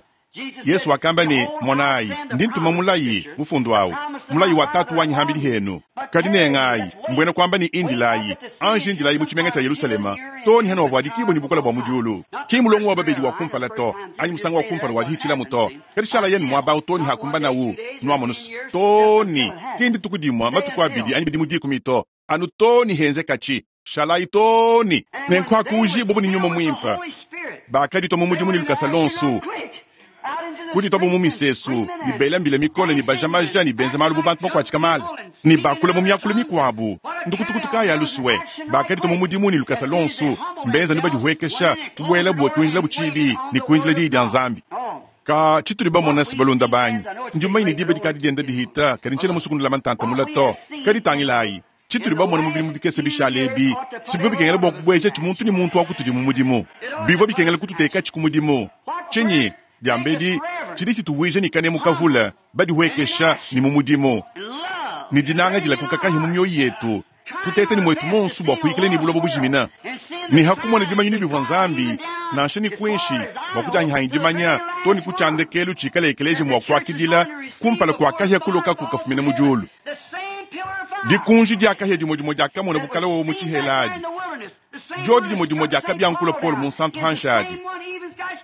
Yesu wakamba ne, Monayi, ndi ntuma mulayi, mufundu awu, mulayi wa Tatu wanyi hambidi henu. Kadi nengayi, mbuena kuamba ne indilayi, anji indilayi mu tshimenga tshia Yelusalema, too ne hanuavuadikibua ne bukole bua mu diulu. Ki mulongo wa babedi wa kumpala to, anyi musangu wa kumpala wa dihitshilamu to, kadi shala yenu muaba awu too ne hakumbanawu, nuamonusu, too ne, ki ndituku dimue, matuku abidi anyi bidimu dikumi to, anu too ne henzekatshi. Shalayi too ne nenkuakuujibua ne Nyuma Muimpe. Bakaditua mu mudimu ne lukasa luonso, kudituabu mu misesu ne bela mbila mikole ne baja maja ne benza malu bu bantu bakuatshika mala ne bakula mu miakulu mikuabu. Ndukutukutu kayi alusue? Bakaditua mu mudimu ne lukasa luonso, mbenza ne badihuekesha, kubuelabu kuinjilabu tshibi ne kuindila diyi dia Nzambi. Ka tshitudi bamona si balunda banyi, ndi mumanye ne diba dikadi dienda dihita, kadi ntshiena musue kunulama ntanta mule to. Kadi tangilayi tshitudi bamona mu bidimu bikese bishale ebi, si bivua bikengela bua kubuejatshi muntu ne muntu wa kutudi mu mudimu. Bivua bikengela kututekatshi ku mudimu. Tshinyi? Diambedi, tshidi tshituvuija ne kanemu kavule, badihuekesha ne mu mudimu, ne dinanga dilakuka kahia mu mioyo yetu, tuteta ne muetu monso bua kuikala ne buloba bujimina. Ne hakumona bimanyinu bivua Nzambi, nansha ne kuinshi, bua kudianyihanyi dimanya, to ne ku tshiandekelu tshikala ekeleziya mua kuakidila kumpala kua kahia kulokaku kafumina mu diulu. Dikunji dia kahia dimue dimue diakamona bukala wowo mu tshihela adi, diodi dimue dimue diakabiankula Paul munsantu hanshi adi,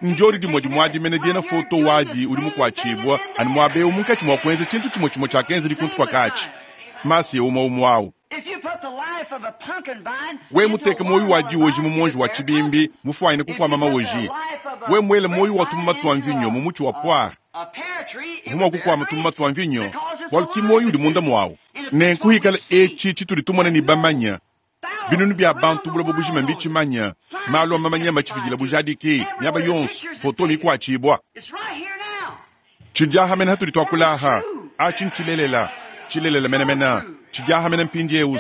ndiodi dimue dimue adi mene diena foto wadi udi mukuatshibua anu muaba eu munkatshi mua kuenza tshintu tshimue tshimue tshiakenza dikuntu kua katshi masiya umue umue au. We muteke muoyo wa dioji mu muonji wa tshibimbi mufuanyine kukuama maoji, we muele muoyo wa tumuma tua mvinyo mu mutshi wa poire, uvua mua kukuama tumuma tua mvinyo bualu ki muoyo udi munda muawu. Nenku hikala etshi tshitudi tumona ne bamanya, binunu bia bantu buloba bujima mbitshimanya, malu a mamanya matshifidila bujadiki miaba yonso, foto mikuatshibua. Tshidiaha mene hatudi tuakula aha, atshi ntshilelela, tshilelela menemene, tshidiaha mene mpindieu.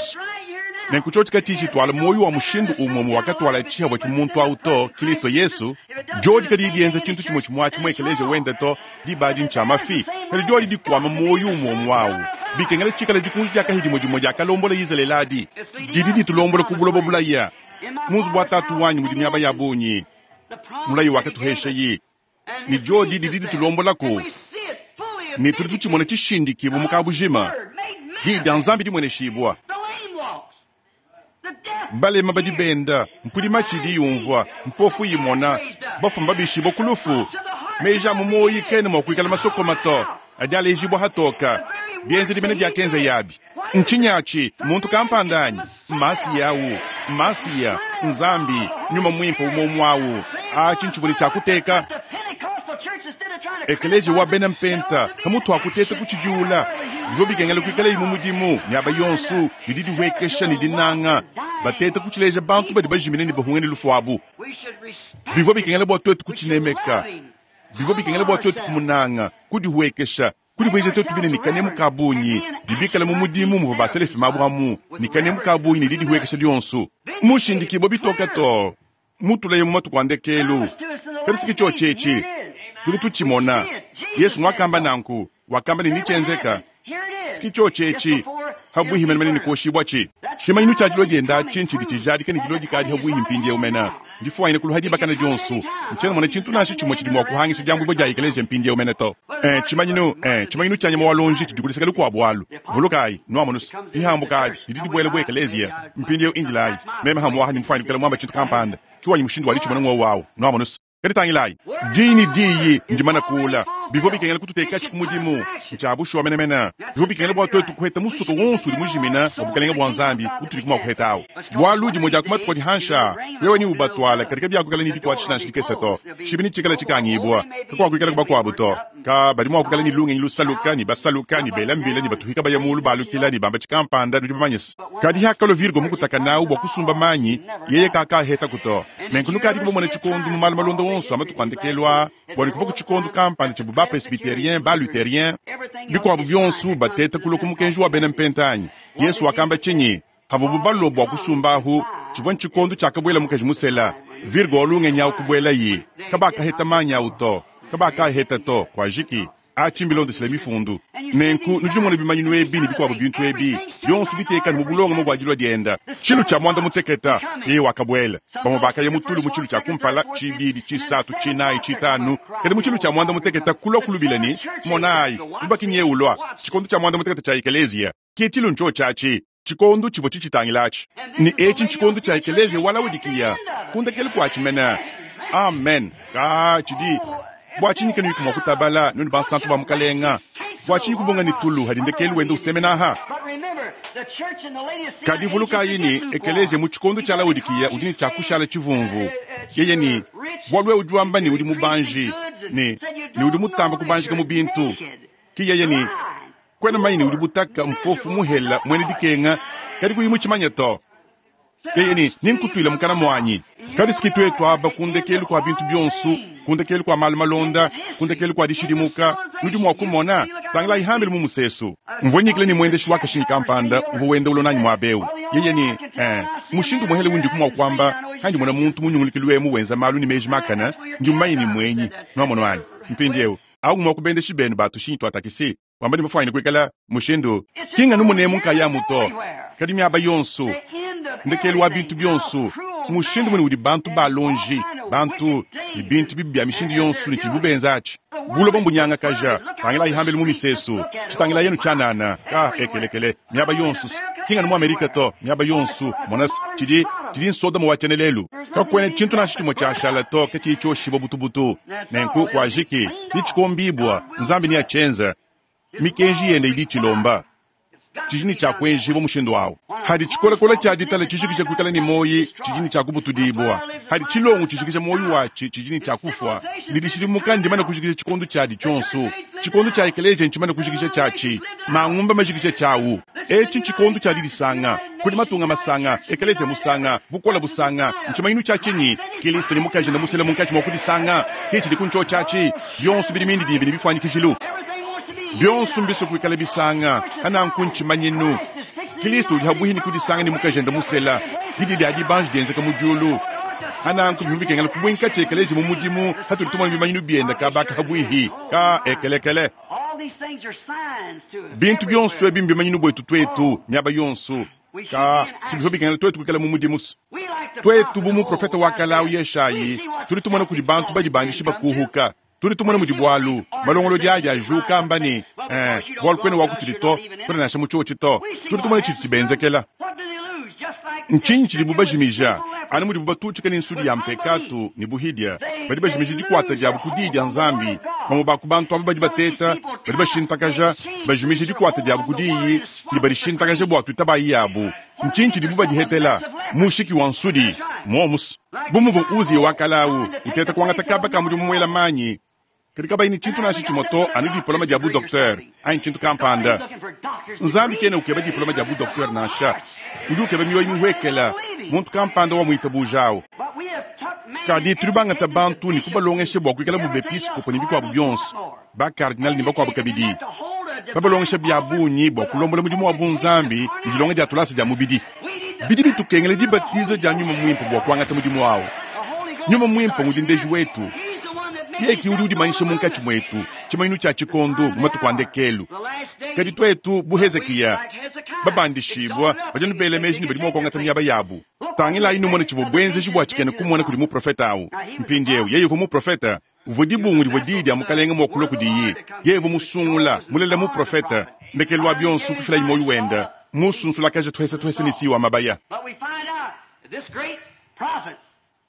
Nenku tshiotshi katshii tshituala muoyo wa mushindu umue wakatuala tshihavua tshi muntu au to, Kristo Yesu, diodi kadiyi dienza tshintu tshimue tshimue atshi mu ekeleziya wende to, diba adi ntshia mafi, kadi diodi dikuama muoyo umue umue au. Bikengela tshikala dikunji dia kahia dimue dimue diakalombola Izalele adi, didi ditulombola ku buloba bulaya. Mu nzubu wa Tatu wanyi mudi miaba ya bungi, mulayi wakatuheshayi, ne diodi didi ditulombolaku, ne tudi tutshimona tshishindikibua mu kabujima, diyi dia Nzambi dimueneshibua. Balema badi benda, mpudi matshi idi yumvua, mpofu imona, bafue mbabishibua ku lufu. Meji a mu muoyo kena mua kuikala masokoma to, adi alejibua hatoka. Bienzedi mene biakenza yabi. Ntshinyi atshi? Muntu kampanda anyi? Masiya au, Masiya, Nzambi, Nyuma Muimpe umue umue au. Atshi ntshivua ne tshia kuteka ekeleziya wa bena Mpenta pamutu wa kuteta kutshidiula. Bivua bikengela kuikalayi mu mudimu miaba yonso ne didihuekesha ne dinanga, bateta kutshileja bantu badi bajimine ne bahunge ne lufu abu. Bivua bikengela bua tuetu kutshinemeka, bivua bikengela bua tuetu kumunanga, kudihuekesha, kudivuija tuetu bine ne kanemu ka bungi, ne bikale mu mudimu muvua baselefima abu amu ne kanemu ka bungi ne didihuekesha dionso. Mushindikibua bitoke too mutulaye mu matuku a ndekelu. Kadi si tshiotshi etshi tudi tutshimona. Yesu nguakamba nanku, wakamba ne nitshienzeka. Si tshiotshi etshi habuihi menemene ne kuoshibua tshi. Tshimanyinu tshia dilua dienda atshi ntshidi tshijadika ne dilua dikadi habuihi mpindieu mene. Ndifuanyine kuluha dibakana dionso. Ntshiena mona tshintu nansha tshimue tshidi mua kuhangisha diambuibua dia ekeleziya mpindieu mene to. Tshimanyinu, tshimanyinu tshia nyama wa luonji tshidi ku luseke lukuabu alu. Vulukayi, nuamonusu, dihambuka adi didi dibuela bu ekeleziya. Mpindieu indilayi, meme hamuaha ne mufuanyine kuikala muamba tshintu kampanda, ki wanyi mushindu wa ditshimona ngowu awu, nuamonusu. Kadi tangilayi, diyi ne diyi ndimana kuula. Bivua bikengela kututekatshi ku mudimu. Ntshia bushuwa menemene. Bivua bikengela bua tuetu kuheta musuka wonso udi mujimina wa Bukalenge bua Nzambi utudi mua kuheta awu. Bualu dimue dia ku matuku adi hanshi aa, wewe neubatwale, kadi kabiakuikala ne dikuatshisha nansha dikese to. Tshibi netshikale tshikangibua, kakuakuikala bakuabu to. Ka badi mua kuikala ne lungenyi lusaluka, ne basaluka, ne bela mbila, ne batuhika baya mulu balukila, ne bamba tshikampanda, nudi bamanye se. Kadi hakalua Virgo mukutaka nawu bua kusumba manyi, yeye kakahetaku to. Nenku nukadi kubamona tshikondu mu malu malonda wonso a matuku a ndekelu aa, bua ne kuva ku tshikondu kampanda tshibu ba presbyterien, ba lutherien, bikuabu bionso bateta kulua ku mukenji wa bena mpenta anyi. Yesu wakamba tshinyi? Havubu balua bua kusumbahu, tshivua ntshikondo tshiakabuela mukaji musela. Virgo wa lungenyi awu kubuelayi, kabakaheta manyi awu to, kabakaheta to, kuajiki. Atshi mbilondeshile mifundu. Nenku nudi numona bimanyinu ebi ne bikuabu bintu ebi bionso bitekane mu bulongame bua dilua dienda. Tshilu tshia muanda muteketa, yeye wakabuela. Bamue bakaya mu tulu mu tshilu tshia kumpala, tshibidi, tshisatu, tshinayi, tshitanu, kadi mu tshilu tshia muanda muteketa kulua kulubila ne, Monayi, mubaki nyeye ulua. Tshikondo tshia muanda muteketa tshia ekeleziya ke tshilu ntshiotshi atshi. Tshikondo tshivua tshitshitangila atshi. Ne etshi ntshikondo tshia ekeleziya wa Laodikiya, ku ndekelu kuatshi mene. Amen. Ka tshidi bua tshinyi kanuyiku mua kutabala, nuenu bansantu ba Mukalenga? Bua tshinyi kubunga ne tulu hadi ndekelu wenda usemena aha? Kadi vulukayi ne, ekeleziya mu tshikondo tshia Laodikiya udi ne tshia kushala tshivumvu. Yeye ne, bualu wewe udi wamba ne udi mubanji, ne, ne udi mutamba kubanjika mu bintu. Ki yeye ne, kuena mumanye ne udi butaka, mpofu, muhela, muena dikenga, kadi kuyi mutshimanye to. Yeye ne, nenkutuile mukana muanyi. Kadi siki tuetu aba ku ndekelu kua bintu bionso, ku ndekelu kua malu malonda, ku ndekelu kua dishidimuka, nudi mua kumona, tangilayi hambelu mu musesu. Mvua nyikila ne muendeshi wa kashinyi kampanda uvua wenda ulua nanyi muaba eu. Yeye ne, mushindu muhele undiku mua kuamba, handi mona muntu munyungulukilu emu wenza malu ne meji makane, ndi mumanye ne muenyi. Nuamono anyi? Mpindieu, au ngumue wa ku bendeshi benu ba tushinyi tua takisi, wamba ne mafuanyine kuikala mushindu ki nganu munemu nkayamu to, kadi miaba yonso, ndekelu wa bintu bionso, mushindu mune udi bantu balonji, bantu ne bintu bibi bia mishindu yonso ne tshidibu benza atshi. Buloba mbunyangakaja, tangilayi hambelu mu misesu, tshitangilayi anu tshianana, ka ekelekele, miaba yonso, ki nganu mu Amerika to, miaba yonso, mona se, tshidi, tshidi nsodoma wa tshiena lelu. Kakuena tshintu nansha tshimue tshiashala to, katshiyi tshioshibua butubutu. Nenku kuajiki, netshikombibua, Nzambi neatshienze. Mikenji yende idi itshilomba. Tshidi ne tshia kuenjibua mushindu awu. Hadi tshikolakola tshia ditala tshijikija kuikala ne muoyi, tshidi ne tshia kubutudibua. Hadi tshilongo tshijikija muoyi watshi, tshidi ne tshia kufua. Ne dishidimuka ndimane kujikija tshikondo tshiadi tshionso. Tshikondo tshia ekeleziya ntshimane kujikija tshiatshi. Mangumba majikija tshiawu. Etshi ntshikondo tshia didisanga. Kudi matunga masanga, ekeleziya musanga, bukole busanga. Ntshimanyinu tshia tshinyi? Kilisto ne mukajende musela munkatshi mua kudisanga. Ke tshidi ku ntshio tshiatshi. Bionso bidi mindidimbi ne bifuanyikijilu. Bionso mbisue kuikala bisanga. Hananku ntshimanyinu. Kilisto udi habuihi ne kudisanga ne mukajende musela. Didi dia dibanji dienzeka mu diulu. Hananku bivua bikengela kubuinka ekeleziya mu mudimu hatudi tumona bimanyinu bienda kabaka habuihi ka ekelekele. Bintu bionso ebi mbimanyinu buetu tuetu miaba yonso. Ka si bivua bikengela tuetu kuikala mu mudimu. Tuetu bu muprofete wa kale au Yeshayi, tudi tumona kudi bantu badibandishi bakuhuka. Tudi tumona mudi bualu malongolodi adi ajuka amba ne, bualu kuena wa kutudi to, kuena nansha mu tshiotshi to. Tudi tumona tshidi tshibenzekela. Ntshinyi tshidibu bajimija? Anu mudibu batutshika ne nsudi ya mpekatu ne buhidia, badi bajimija dikuata diabu ku diyi dia Nzambi. Bamue ba ku bantu aba badi bateta, badi bashintakaja, bajimija dikuata diabu ku diyi ne badishintakaja bua tuitabayi yabu. Ntshinyi tshidibu badihetela? Mushiki wa nsudi muomus. Bu muvua Uziya wa kale au uteta kuangata kaba ka mudimu muela manyi, kadi kabayi ne tshintu nansha tshimue to, anu diploma dia bu-doktere anyi tshintu kampanda. Nzambi kena ukeba diploma dia bu-doktere nansha. Udi ukeba mioyo mihuekela, muntu kampanda wa muitabuja au. Kadi tudi bangata bantu ne kubalongesha bua kuikala bu bepiskopo ne bikuabu bionso, ba-kardinale ne bakuabu kabidi, babalongesha bia bungi bua kulombola mudimu wa bunzambi ne dilonga dia tulasa dia mubidi. Bidi bitukengela dibatiza dia Nyuma Muimpe bua kuangata mudimu au. Nyuma Muimpe ngudi ndeji wetu. Yeye ke udi udimanyisha munkatshi muetu, tshimanyinu tshia tshikondo mu matuku a ndekelu. Kadi tuetu, bu Hezikiya, babandishibua, badi anu bela meji ne badi mua kuangata miaba yabu. Tangilayi numone tshivua buenzeji bua tshikena kumona kudi muprofete au. Mpindieu, yeye uvua muprofete, uvua dibungu divua diyi dia Mukalenge mua kulua kudiye. Yeye uvua musungula, mulela muprofete. Ndekelu wa bionso kufilaye muoyo wende, musunsulakaja tuhese tuhese ne siwa mabaya.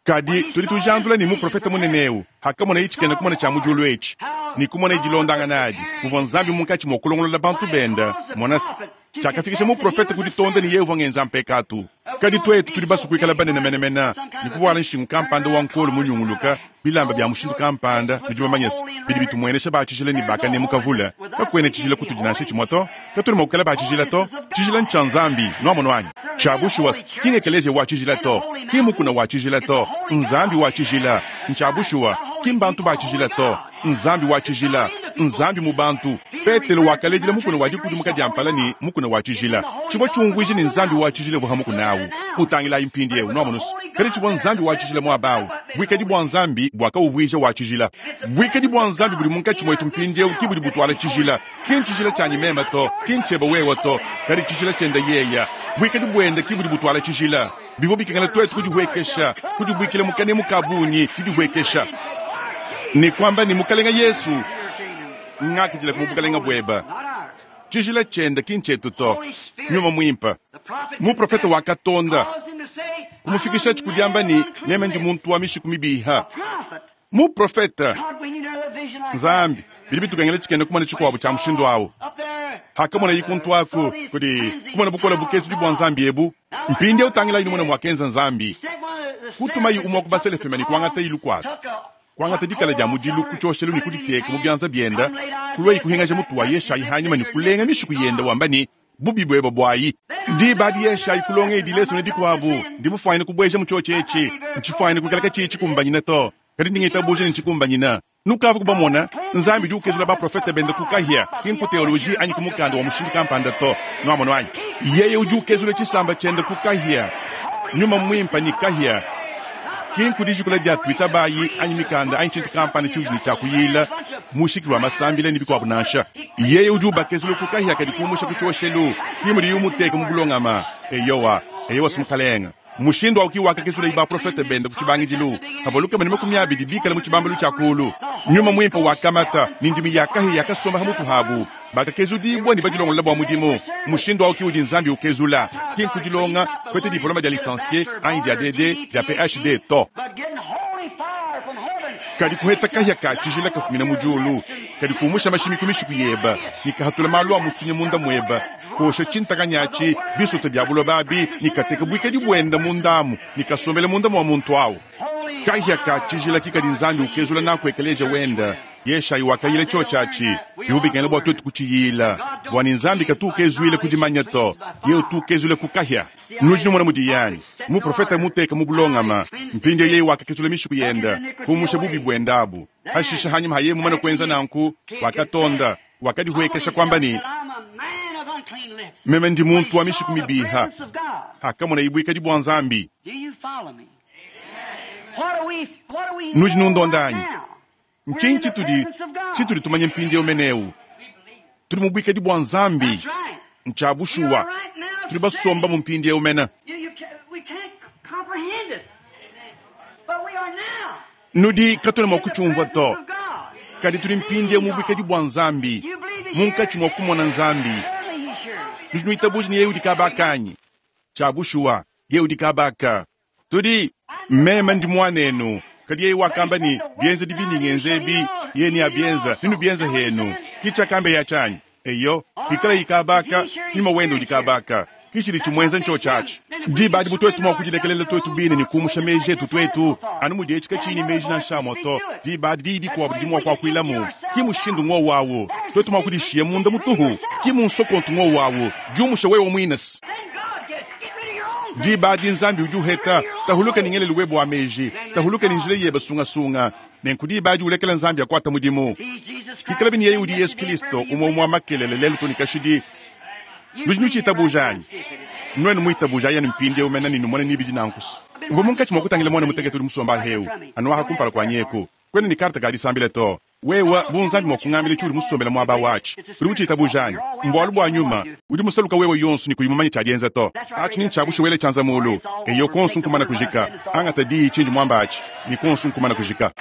Kadi tudi tujandula ne muprofete munene eu, hakamonaye tshikena kumona tshia mu diulu etshi. Ne kumona dilondangana adi, muvua Nzambi munkatshi mua kulongolola bantu benda, mona se, tshiakafikisha muprofete ku ditonda ne yeye uvua ngenza mpekatu. Kadi tuetu tudi basue kuikala banene menemene ne kuvuala nshingu kampanda wa nkolo munyunguluka, bilamba bia mushindu kampanda, nudi bamanye se, bidi bitumuenesha ba tshijila ne ba kanemu kavule. Kakuena tshijila kutudi nansha tshimue to. Katuena mua kuikala ba tshijila to. Tshijila ntshia Nzambi, nuamonu anyi? Tshia bushuwa se, ki ng'ekeleziya wa tshijila to, ki mmukuna wa tshijila to, n'Nzambi wa tshijila. Ntshia bushuwa, ki mbantu ba tshijila to, n'Nzambi wa tshijila, n'Nzambi mu bantu. Petelo wakaledila mukuna wa dikudimuka dia mpala ne mukuna wa tshijila. Tshivua tshiumvuija ne Nzambi wa tshijila uvua ha mukuna awu. Utangilayi mpindiewu, nuamonu's. Kadi tshivua Nzambi wa tshijila muaba awu. Buikadi bua Nzambi buakawuvuija wa tshijila. Buikadi bua Nzambi budi munkatshi muetu mpindiewu ki budi butuala tshijila. Ki ntshijila tshianyi meme to, ki ntshiebe wewe to, kadi tshijila tshiende yeye. Buikadi buende ki budi butuala tshijila. Bivua bikengela tuetu kudihuekesha, kudibuikila mu kanemu ka bungi, didihuekesha, ne kuamba ne, Mukalenge Yesu, ngakidila mu bukalenge buebe. Tshijila tshiende ki ntshietu to, Nyuma Muimpe. Muprofete wakatonda, kumufikishatshi ku diamba ne, Meme ndi muntu wa mishiku mibiha. Muprofete! Nzambi, bidi bitukengela tshikena kumona tshikuabo tshia mushindu awu. Hakamonaye kuntu aku, kudi kumona bukole bukezudi bua Nzambi ebu. Mpindieu tangilayi numone muakenza Nzambi. Kutumayi umue wa ku baselefema ne kuangatayi lukuata, kuangata dikala dia mudilu ku tshioshelu ne kuditeka mu bianza biende, kuluayi kuhingaja mutu wa Yeshayi hanyima ne kulenga mishiku yende wamba ne, Bubi buebe buayi. Diba adi Yeshayi kulonga edi lesone dikuabu, Ndi mufuanyine kubueja mu tshiotshi etshi, ntshifuanyine kuikala katshiyi tshikumbanyine to, kadi ndi ngitabuja ne ntshikumbanyine. Nukavua kubamona, Nzambi udi ukezula baprofete bende ku kahia, ki nku teoloji anyi ku mukanda wa mushindu kampanda to. Nuamonu anyi? Yeye udi ukezula tshisamba tshiende ku kahia, Nyuma Muimpe ne kahia, ki nku dijikula dia tuitabayi anyi mikanda anyi tshintu kampanda tshiudi ne tshia kuyila, mushiki wa masambila ne bikuabu nansha. Yeye udi ubakezula ku kahia kadi kumusha ku tshioshelu, ki mudiye umuteka mu bulongama. Eyowa, eyowa, Mukalenge. Mushindu au ki wakakezulaye baprofete bende ku tshibangidilu, pavua 120 bikale mu tshibambalu tshia kuulu. Nyuma Muimpe wakamata, ne ndimi ya kahia yakasomba ha mutu habu. Bakakezudibua ne badilongolola bua mudimu. Mushindu au ki udi Nzambi ukezula, ki nku dilonga, kupeta diplome dia licencie anyi dia DD, dia PhD to. Kadi kuheta kahia ka tshijila kafumina mu diulu, kadi kumusha mashimi ku mishiku yebe, ne kahatula malu a musunya munda muebe, kosha tshintakanyi atshi, bisote bia buloba abi, ne kateka buikadi buende mundamu, ne kasombela munda mua muntu au. Kahia ka tshijila ki kadi Nzambi ukezula naku ekeleziya wende. Yeshayi wakayila tshiotshi atshi, bivua bikengela bua tuetu kutshiyila, bua ne Nzambi katu ukezuila ku dimanya to, yeye utu ukezuila ku kahia. Nudi numona mudiye anyi? Muprofete muteka mu bulongama. Mpindieu yeye wakakezula mishiku yende, kumusha bubi buende abu. Pashishe hanyima ha yeye mumane kuenza nanku, wakatonda, wakadihuekesha kuamba ne, Meme ndi muntu wa mishiku mibiha. Hakamonaye buikadi bua Nzambi. Nudi nundonda anyi? Ntshinyi tshitudi tshitudi tumanya mpindieu meneu? Tudi mu buikadi bua Nzambi. Ntshia bushuwa, tudi basomba mu mpindieu mene. Nudi katuena mua kutshiumvua to, kadi tudi mpindieu mu buikadi bua Nzambi, munkatshi mua kumona Nzambi. Nudi nuitabuja ne yeye udi kaba kanyi? Tshia bushuwa, yeye udi kaba ka. Tudi, meme ndi muanenu. Kadi yeye wakamba ne, Bienzedi bindi ngenza ebi, yeye neabienza, nenubienze henu. Ki tshiakambeye atshi anyi? Eyo, pikalayi kaba aka, nyuma wende udi kaba aka. Ki tshidi tshimuenza ntshiotshi atshi. Diba adi bu tuetu mua kudilekelela tuetu bine ne kumusha meji etu tuetu, anu mudi etshi katshiyi ne meji nansha amue to, diba adi diyi dikuabu didi mua kuakuilamu. Ki mushindu ng'wowu awu. Tuetu mua kudishiya munda mutuhu, ki mu nsokontu ng'wowu awu. Diumusha wewe muine. Diba adi Nzambi udi uheta, tahuluka ne ngelelu webe wa meji, tahuluka ne njila yebe sungasunga. Nenku diba adi ulekela Nzambi akuata mudimu. Pikalabi ne yeye udi Yesu Kilisto, umue umue wa makelele, lelu too ne kashidi. Nudi nutshitabuja anyi? Nuenu muitabuja ayenu mpindieu mene ne numone ne bidi nanku. Mvua munkatshi mua kutangila muana mutekete udi musomba ahewu, anu aha kumpala kuanyi eku. Kuena ne karte ka disambila to. Wewe, bu Nzambi mua kungambila tshiudi musombele muaba watshi, udi utshitabuja anyi? Mbualu bua nyuma. Udi musaluka wewe yonso ne kuyi mumanye tshia dienza to. Atshi ni ntshia bushuwa wele tshianza mulu. Eyo, kuonso nkumana kujika. Angata diyi tshindi muamba atshi, ne kuonso nkumana kujika.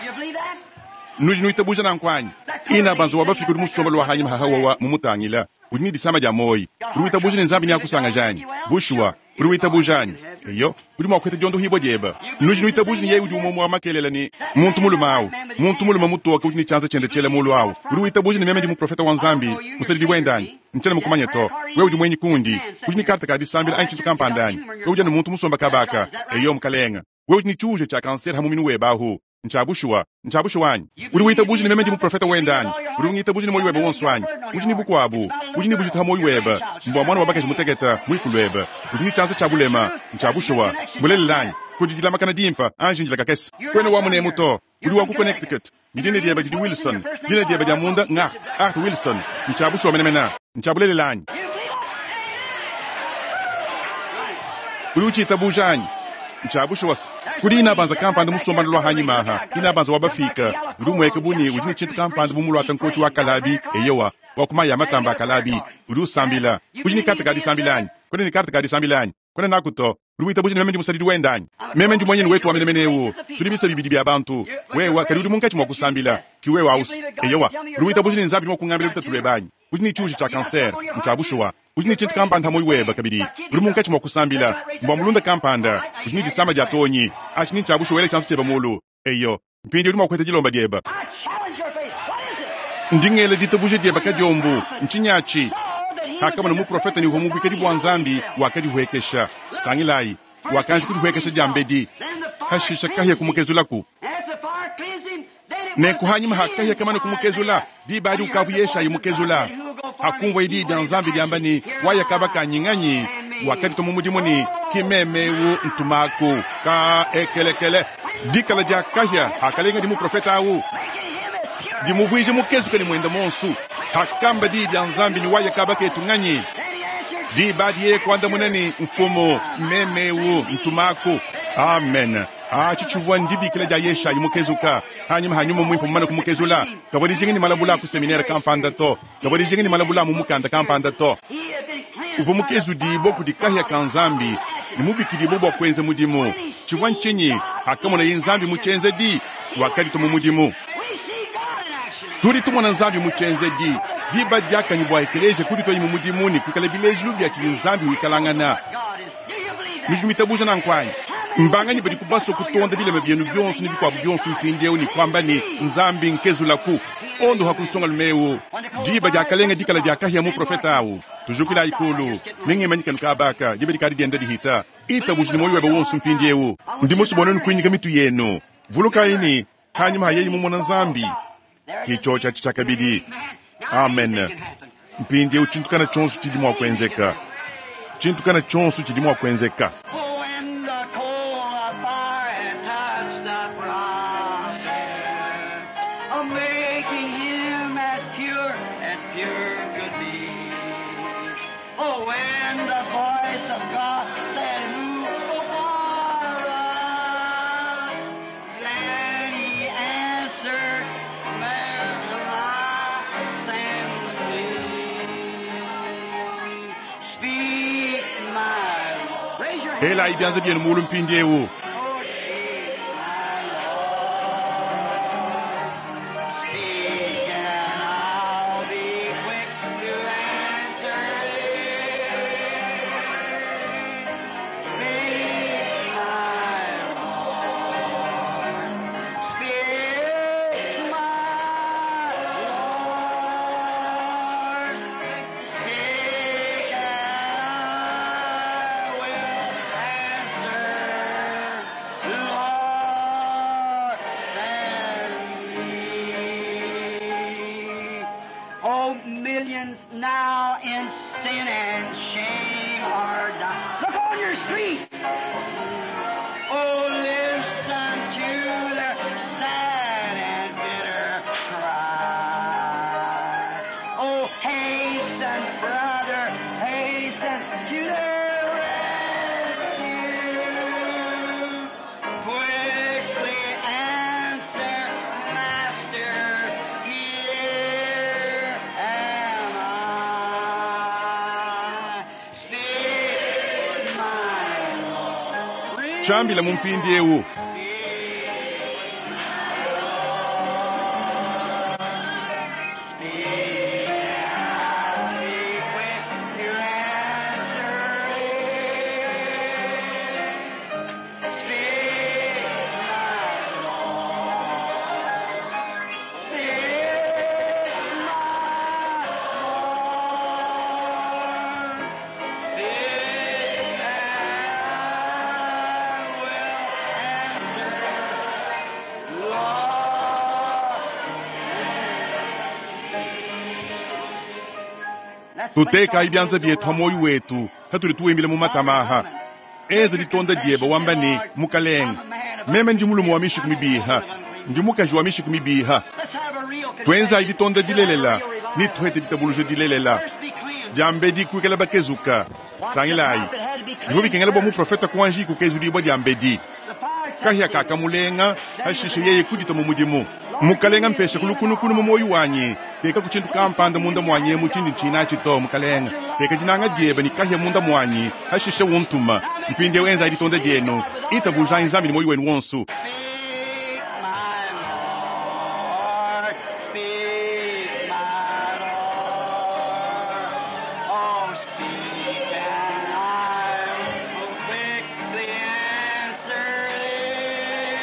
Nudi nuitabuja nanku anyi? Ina banza wa bafika udi musombele wa hanyima hahawawa mumutangila. Udi ne disama dia muoyi. Udi witabuja ne Nzambi neakusangaja anyi? Bushuwa. Udi witabuja anyi? Eyo, udi mua kuheta diondohibua diebe. Nudi nuitabuja ne yeye udi umue wa makelela ne muntu mulume awu, muntu mulume mutoke udi ne tshianza tshiende tshiela mulu awu. Udi witabuja ne meme ndi muprofeta wa Nzambi, musadidi wende anyi? Ntshiena mukumanye to. Wewe udi muenyi kundi. Udi ne karte ka disambila anyi tshintu kampanda anyi? Wewe udi anu muntu musomba kabaka. Eyo, mukalenga. Wewe udi ne tshiuje tshia kansere ha muminu webe ahu. Ntshia bushuwa, ntshia bushuwa anyi? Udi witabuja ne meme ndi muprofeta wende anyi? Udi ungitabuja ne muoyo webe wonso anyi? Udi ne bukuabu, udi ne bujitu ha muoyo webe, mbua muana wa bakaji mutekete, muikulu webe. Udi ne tshianza tshia bulema, ntshia bushuwa. Mbulelela anyi? Kudi dilamakana dimpa, anji ndila kakese. Kuena wa munemu to, udi wa ku Connecticut. Ne dina diebe didi Wilson. Dina diebe dia munda ng'Art, Art Wilson. Ntshia bushuwa menemene. Ntshia bulelela anyi? Udi utshitabuja anyi? Ntshia bushuwa se, kudi inabanza kampanda musombana lua hanyima aha, inabanza wa bafika, udi umueka bu ne udi ne tshintu kampanda bu muluata nkotshi wa kalabi, eyowa, wa ku mayi a matamba a kalabi, udi usambila. Udi ne karte ka disambila anyi? Kuena ne karte ka disambila anyi? Kuena naku to. Udi witabuja ne meme ndi musadidi wende anyi? Meme ndi muanyenu wetu wa menemene eu. Tudi bisa bibidi bia bantu. Wewe kadi udi munkatshi mua kusambila. Ki wewe ausi. Eyowa. Udi witabuja ne Nzambi udi mua kungambila lutatu luebe anyi? Udi ne tshiuji tshia kansere. Ntshia bushuwa. Udi ne tshintu kampanda ha muoyo webe kabidi. Udi munkatshi mua kusambila. Mbua mulunda kampanda. Udi ne disama dia tonyi. Atshi ni ntshia bushuwa. Ela tshianza tshiebe mulu. Eyo. Mpindieu udi mua kuheta dilomba diebe. Ndi ngela ditabuja diebe kadiombu. Ntshinyi atshi? Hakamona muprofete ne uvua mu buikadi bua Nzambi, wakadihuekesha. Tangilayi, wakanji kudihuekesha diambedi, hashisha kahia kumukezulaku. Nenku hanyima ha kahia kamane kumukezula, diba adi ukavu Yeshayi mukezula. Hakumvuaye diyi dia Nzambi diamba ne, Waya kaba kanyi nganyi? Wakaditua mu mudimu ne, Ki meme eu, ntumaku. Ka ekelekele. Dikala dia kahia hakalenga di muprofete au, dimuvuije mukezuke ne muende muonso. Hakamba diyi dia Nzambi ne, Waya kaba ketu nganyi? Diba adi yeye kuandamuna ne, Mfumu, meme eu, ntumaku. Amen. Atshi tshivua ndibikila dia Yeshayi mukezuka. Hanyima ha Nyuma Muimpe mumane kumukezula, kavua dijinga ne malabula a ku seminere kampanda to, kavua dijinga ne malabula a mu mukanda kampanda to. Uvua mukezudibue kudi kahia ka Nzambi ne mubikidibue bua kuenza mudimu. Tshivua ntshinyi? Hakamonaye Nzambi mu tshienzedi, wakaditua mu mudimu. Tudi tumona Nzambi mu tshienzedi. Diba diakanyi bua ekeleziya kudituaye mu mudimu ne kuikala bilejilu bia tshidi Nzambi wikalangana. Nudi nuitabuja nanku anyi? Mbanganyi badi basue kutonda bilema bienu bionso ne bikuabu bionso mpindieu ne kuamba ne, Nzambi nkezulaku, ondoha ku nsongalume eu? Diba diakalenga dikala dia kahia muprofete au. Tujukilayi kulu, ne ngimanyikenu kaba aka, diba dikadi dienda dihita. Itabuja ne muoyo webe wonso mpindieu. Ndi musue bua nuenu kuinyika mitu yenu. Vulukayi ne, hanyima ha yeye mumona Nzambi, ke tshiotshi atshi tshiakabidi. Amen. Mpindieu tshintu kana tshionso tshidi mua kuenzeka. Tshintu kana tshionso tshidi mua kuenzeka. Oh, when the coal of fire had touched the prophet, oh, making him as pure as pure could be. Oh, when the voice of God said, Who will for us? Then he answered, Where I send me. Speak, my Lord. Raise your hand. Elayi bianza bienu mulu mpindieu. Oh, speak, my Lord. Speak, and I'll be quick to answer it. Speak, my Lord. Speak, my Lord. Speak, and I will answer. Lord, send me. Oh, millions now in sin and shame are dying. Look on your streets. Oh, listen to their sad and bitter cry. Oh, hasten, brother, hasten to their rescue. Quickly answer, Master, here am I. Speak, my Lord. Tshiambila mu mpindieu. Speak, I'll be quick to answer it. Tutekayi bianza bietu ha muoyo wetu hatudi tuwimbila mu matama aha. Enza ditonda diebe wamba ne, Mukalenge, meme ndi mulume wa mishiku mibiha, ndi mukaji wa mishiku mibiha. Tuenzayi ditonda dilelela ne tuhete ditabuluja dilelela. Diambedi kuikala bakezuka. Tangilayi, bivua bikengela bua muprofete kuanji kukezudibua diambedi. Kahia kakamulenga, hashishe yeye kudita mu mudimu. Mukalenga, mpesha kulukunukunu mu muoyo wanyi, teka ku tshintu kampanda munda muanyi emu tshindi ntshina to. Mukalenga, teka dinanga diebe ne kahia munda muanyi, hashishe untuma. Mpindieu enzayi ditonda dienu, itabujayi Nzambi ne muoyo wenu wonso. Speak, my Lord. Speak, my Lord. Oh, speak, and I will quickly answer thee.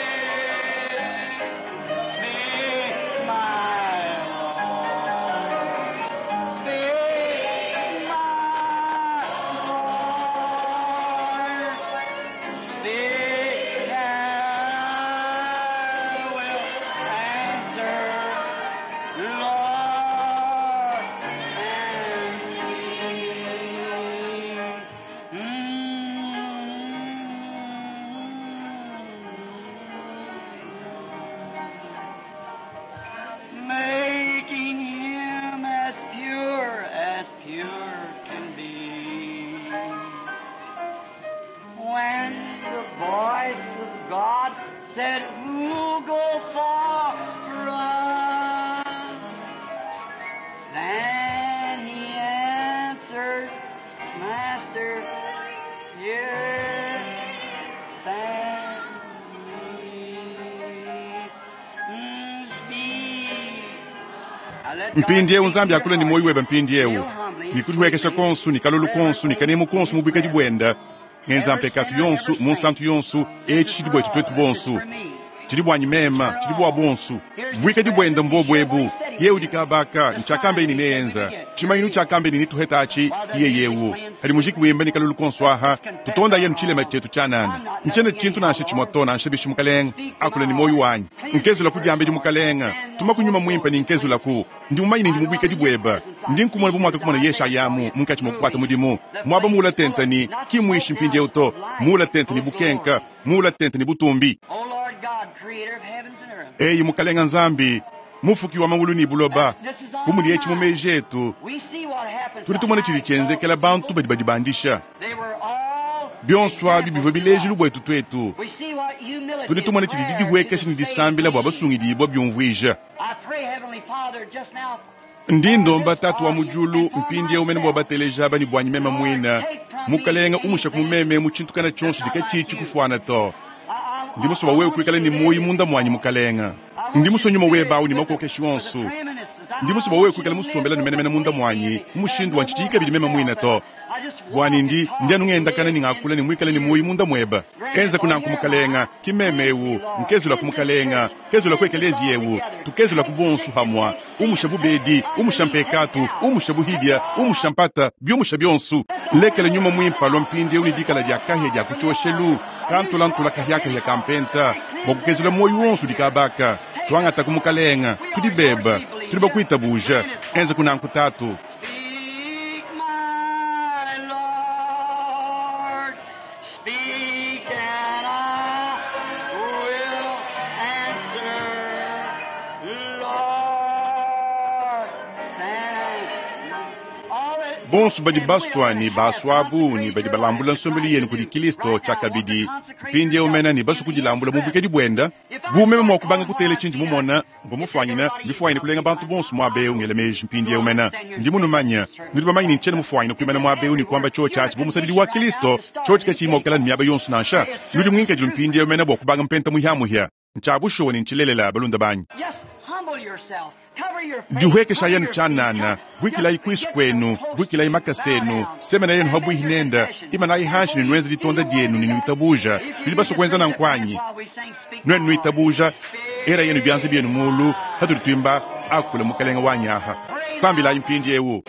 Speak, my Lord. Speak, my Lord. Speak, and I will answer, Lord, and me. Making him as pure as pure can be. When the voice of God said, Who'll go for us? Then he answered, Master, here stand me. Speak. Now let God Mpindieu speak Nzambi to your akula ni heart. muoyo webe mpindieu. Ni kudihuekesha konsu, ni kalulu konsu, ni kanemu konsu mu buikadi buenda. Ngenza mpekatu yonsu, mu nsantu yonsu, etshi tshidi buetu tuetu bonsu. Tshidi buanyi mema, tshidi bua bonsu. Buikadi buenda mbobu ebu. Ye udi kabaka, ntshiakambe ini neenza. Tshimanyinu tshiakambe ini nituheta atshi, iye yewu. Hadi mujiki wimba ni kalulu konsu aha, tutonda yenu tshilema tshietu tshianana. Ntshiena tshintu nansha tshimue to nansha bishi mukalenga, akula ni muoyo wanyi. Nkezula ku diambedi mukalenga, tuma kunyuma muimpe ni nkezula ku. Ndi mumanyi ni ndi mubuikadi bueba. Ndi nkumona bu mwaka kumona Yeshayamu munkatshi mua kukwata mudimu. Muaba muula tente ni kimwishi mpindieu to. Muula tente ni bukenka, muula tente ni butumbi. O Lord God, creator of heavens and earth. Eyi mukalenga Nzambi, mufuki wa mawulu ni buloba, bumudi etshi mu meji etu, We see what happens tudi to tumona tshidi high tshienzekela bantu badi badibandisha. They were all Bionso abi bivua bilejilu buetu tuetu. We see what humility Tudi tumona and tshidi prayer didihuekesha to ne the disambila bua saved basungidibua byumvuija. I pray, Heavenly Father, just now. Ndi ndomba tatu wa mujulu mpindieu mene bua bateleja bani buanyi mema mwina. Mukalenga umusha kumumeme mu tshintu kana tshionso dikatshitshi kufuana to. Ndi musua wewe kuikala ni muoyo munda muanyi mukalenga. Ndi musua nyuma webawu ni makokeshi wonso. Ndi musua wewe kuikala musombela ni menemene munda muanyi, mu mushindu wa ntshitshi kabidi mema mwina to. Bwani ndi ndi anu ngendakana ni ngakula ni mwikala ni muoyo munda mweba. Enza kunanku mukalenga, kimeme ewu, nkezula ku mukalenga, kezula ku ekelezi yewu, tukezula ku bonsu hamwa, umusha bubedi, umusha mpekatu, umusha buhidia, umusha mpata, byumusha byonsu. Lekela nyuma mwimpa lwa mpindieu ni dikala dia kahia dia kutshoshelu, kantulantula kahiakahia kampenta, bua kukezula muoyo wonsu dikabaka. Twangata ku mukalenga, tudi beba, tudi bakuitabuja, enza kunanku tatu. Speak, my Lord. Speak, and I will answer. Lord, send all that- Bonsu badi basua ni basua ni badi balambula nsombelu yenu kudi Kristo tshiakabidi. Mpindieu mena ni basu kudilambula mu bukedi buenda. Bu meme mua kubanga kutela tshindi mumona, mvua mufuanyina, bifuanyine kulenga bantu bonsu muaba eu ngela meji mpindieu mena. Ndi munumanya, nudi bamanye ni ntshiena mufuanyine kuimana muaba eu ni kuamba tshio tshiatshi bu musadidi wa Kristo, tshio tshikatshiyi mua kukala ni miaba yonsu nansha. Nudi muinkadilu mpindieu mena bua kubanga mpenta muhiamuhia. Ntshiabushuwa ni ntshilelela balunda banyi. Yes, humble yourselves. Cover your face. Dihuekesha Cover yenu your tshianana, feet. buikilayi Just kwisu get kwenu, close. buikilayi makasa enu, Bow down. semena yenu habwihi nenda, imanayi hanshi ni nwenze litonda dienu ni nuitabuja, nudi basua kuenza nankwanyi. Nwenu nuitabuja, era yenu byanza byenu mulu, hatuli twimba akula mukalenga wanyi aha. Sambilayi mpindi ewu.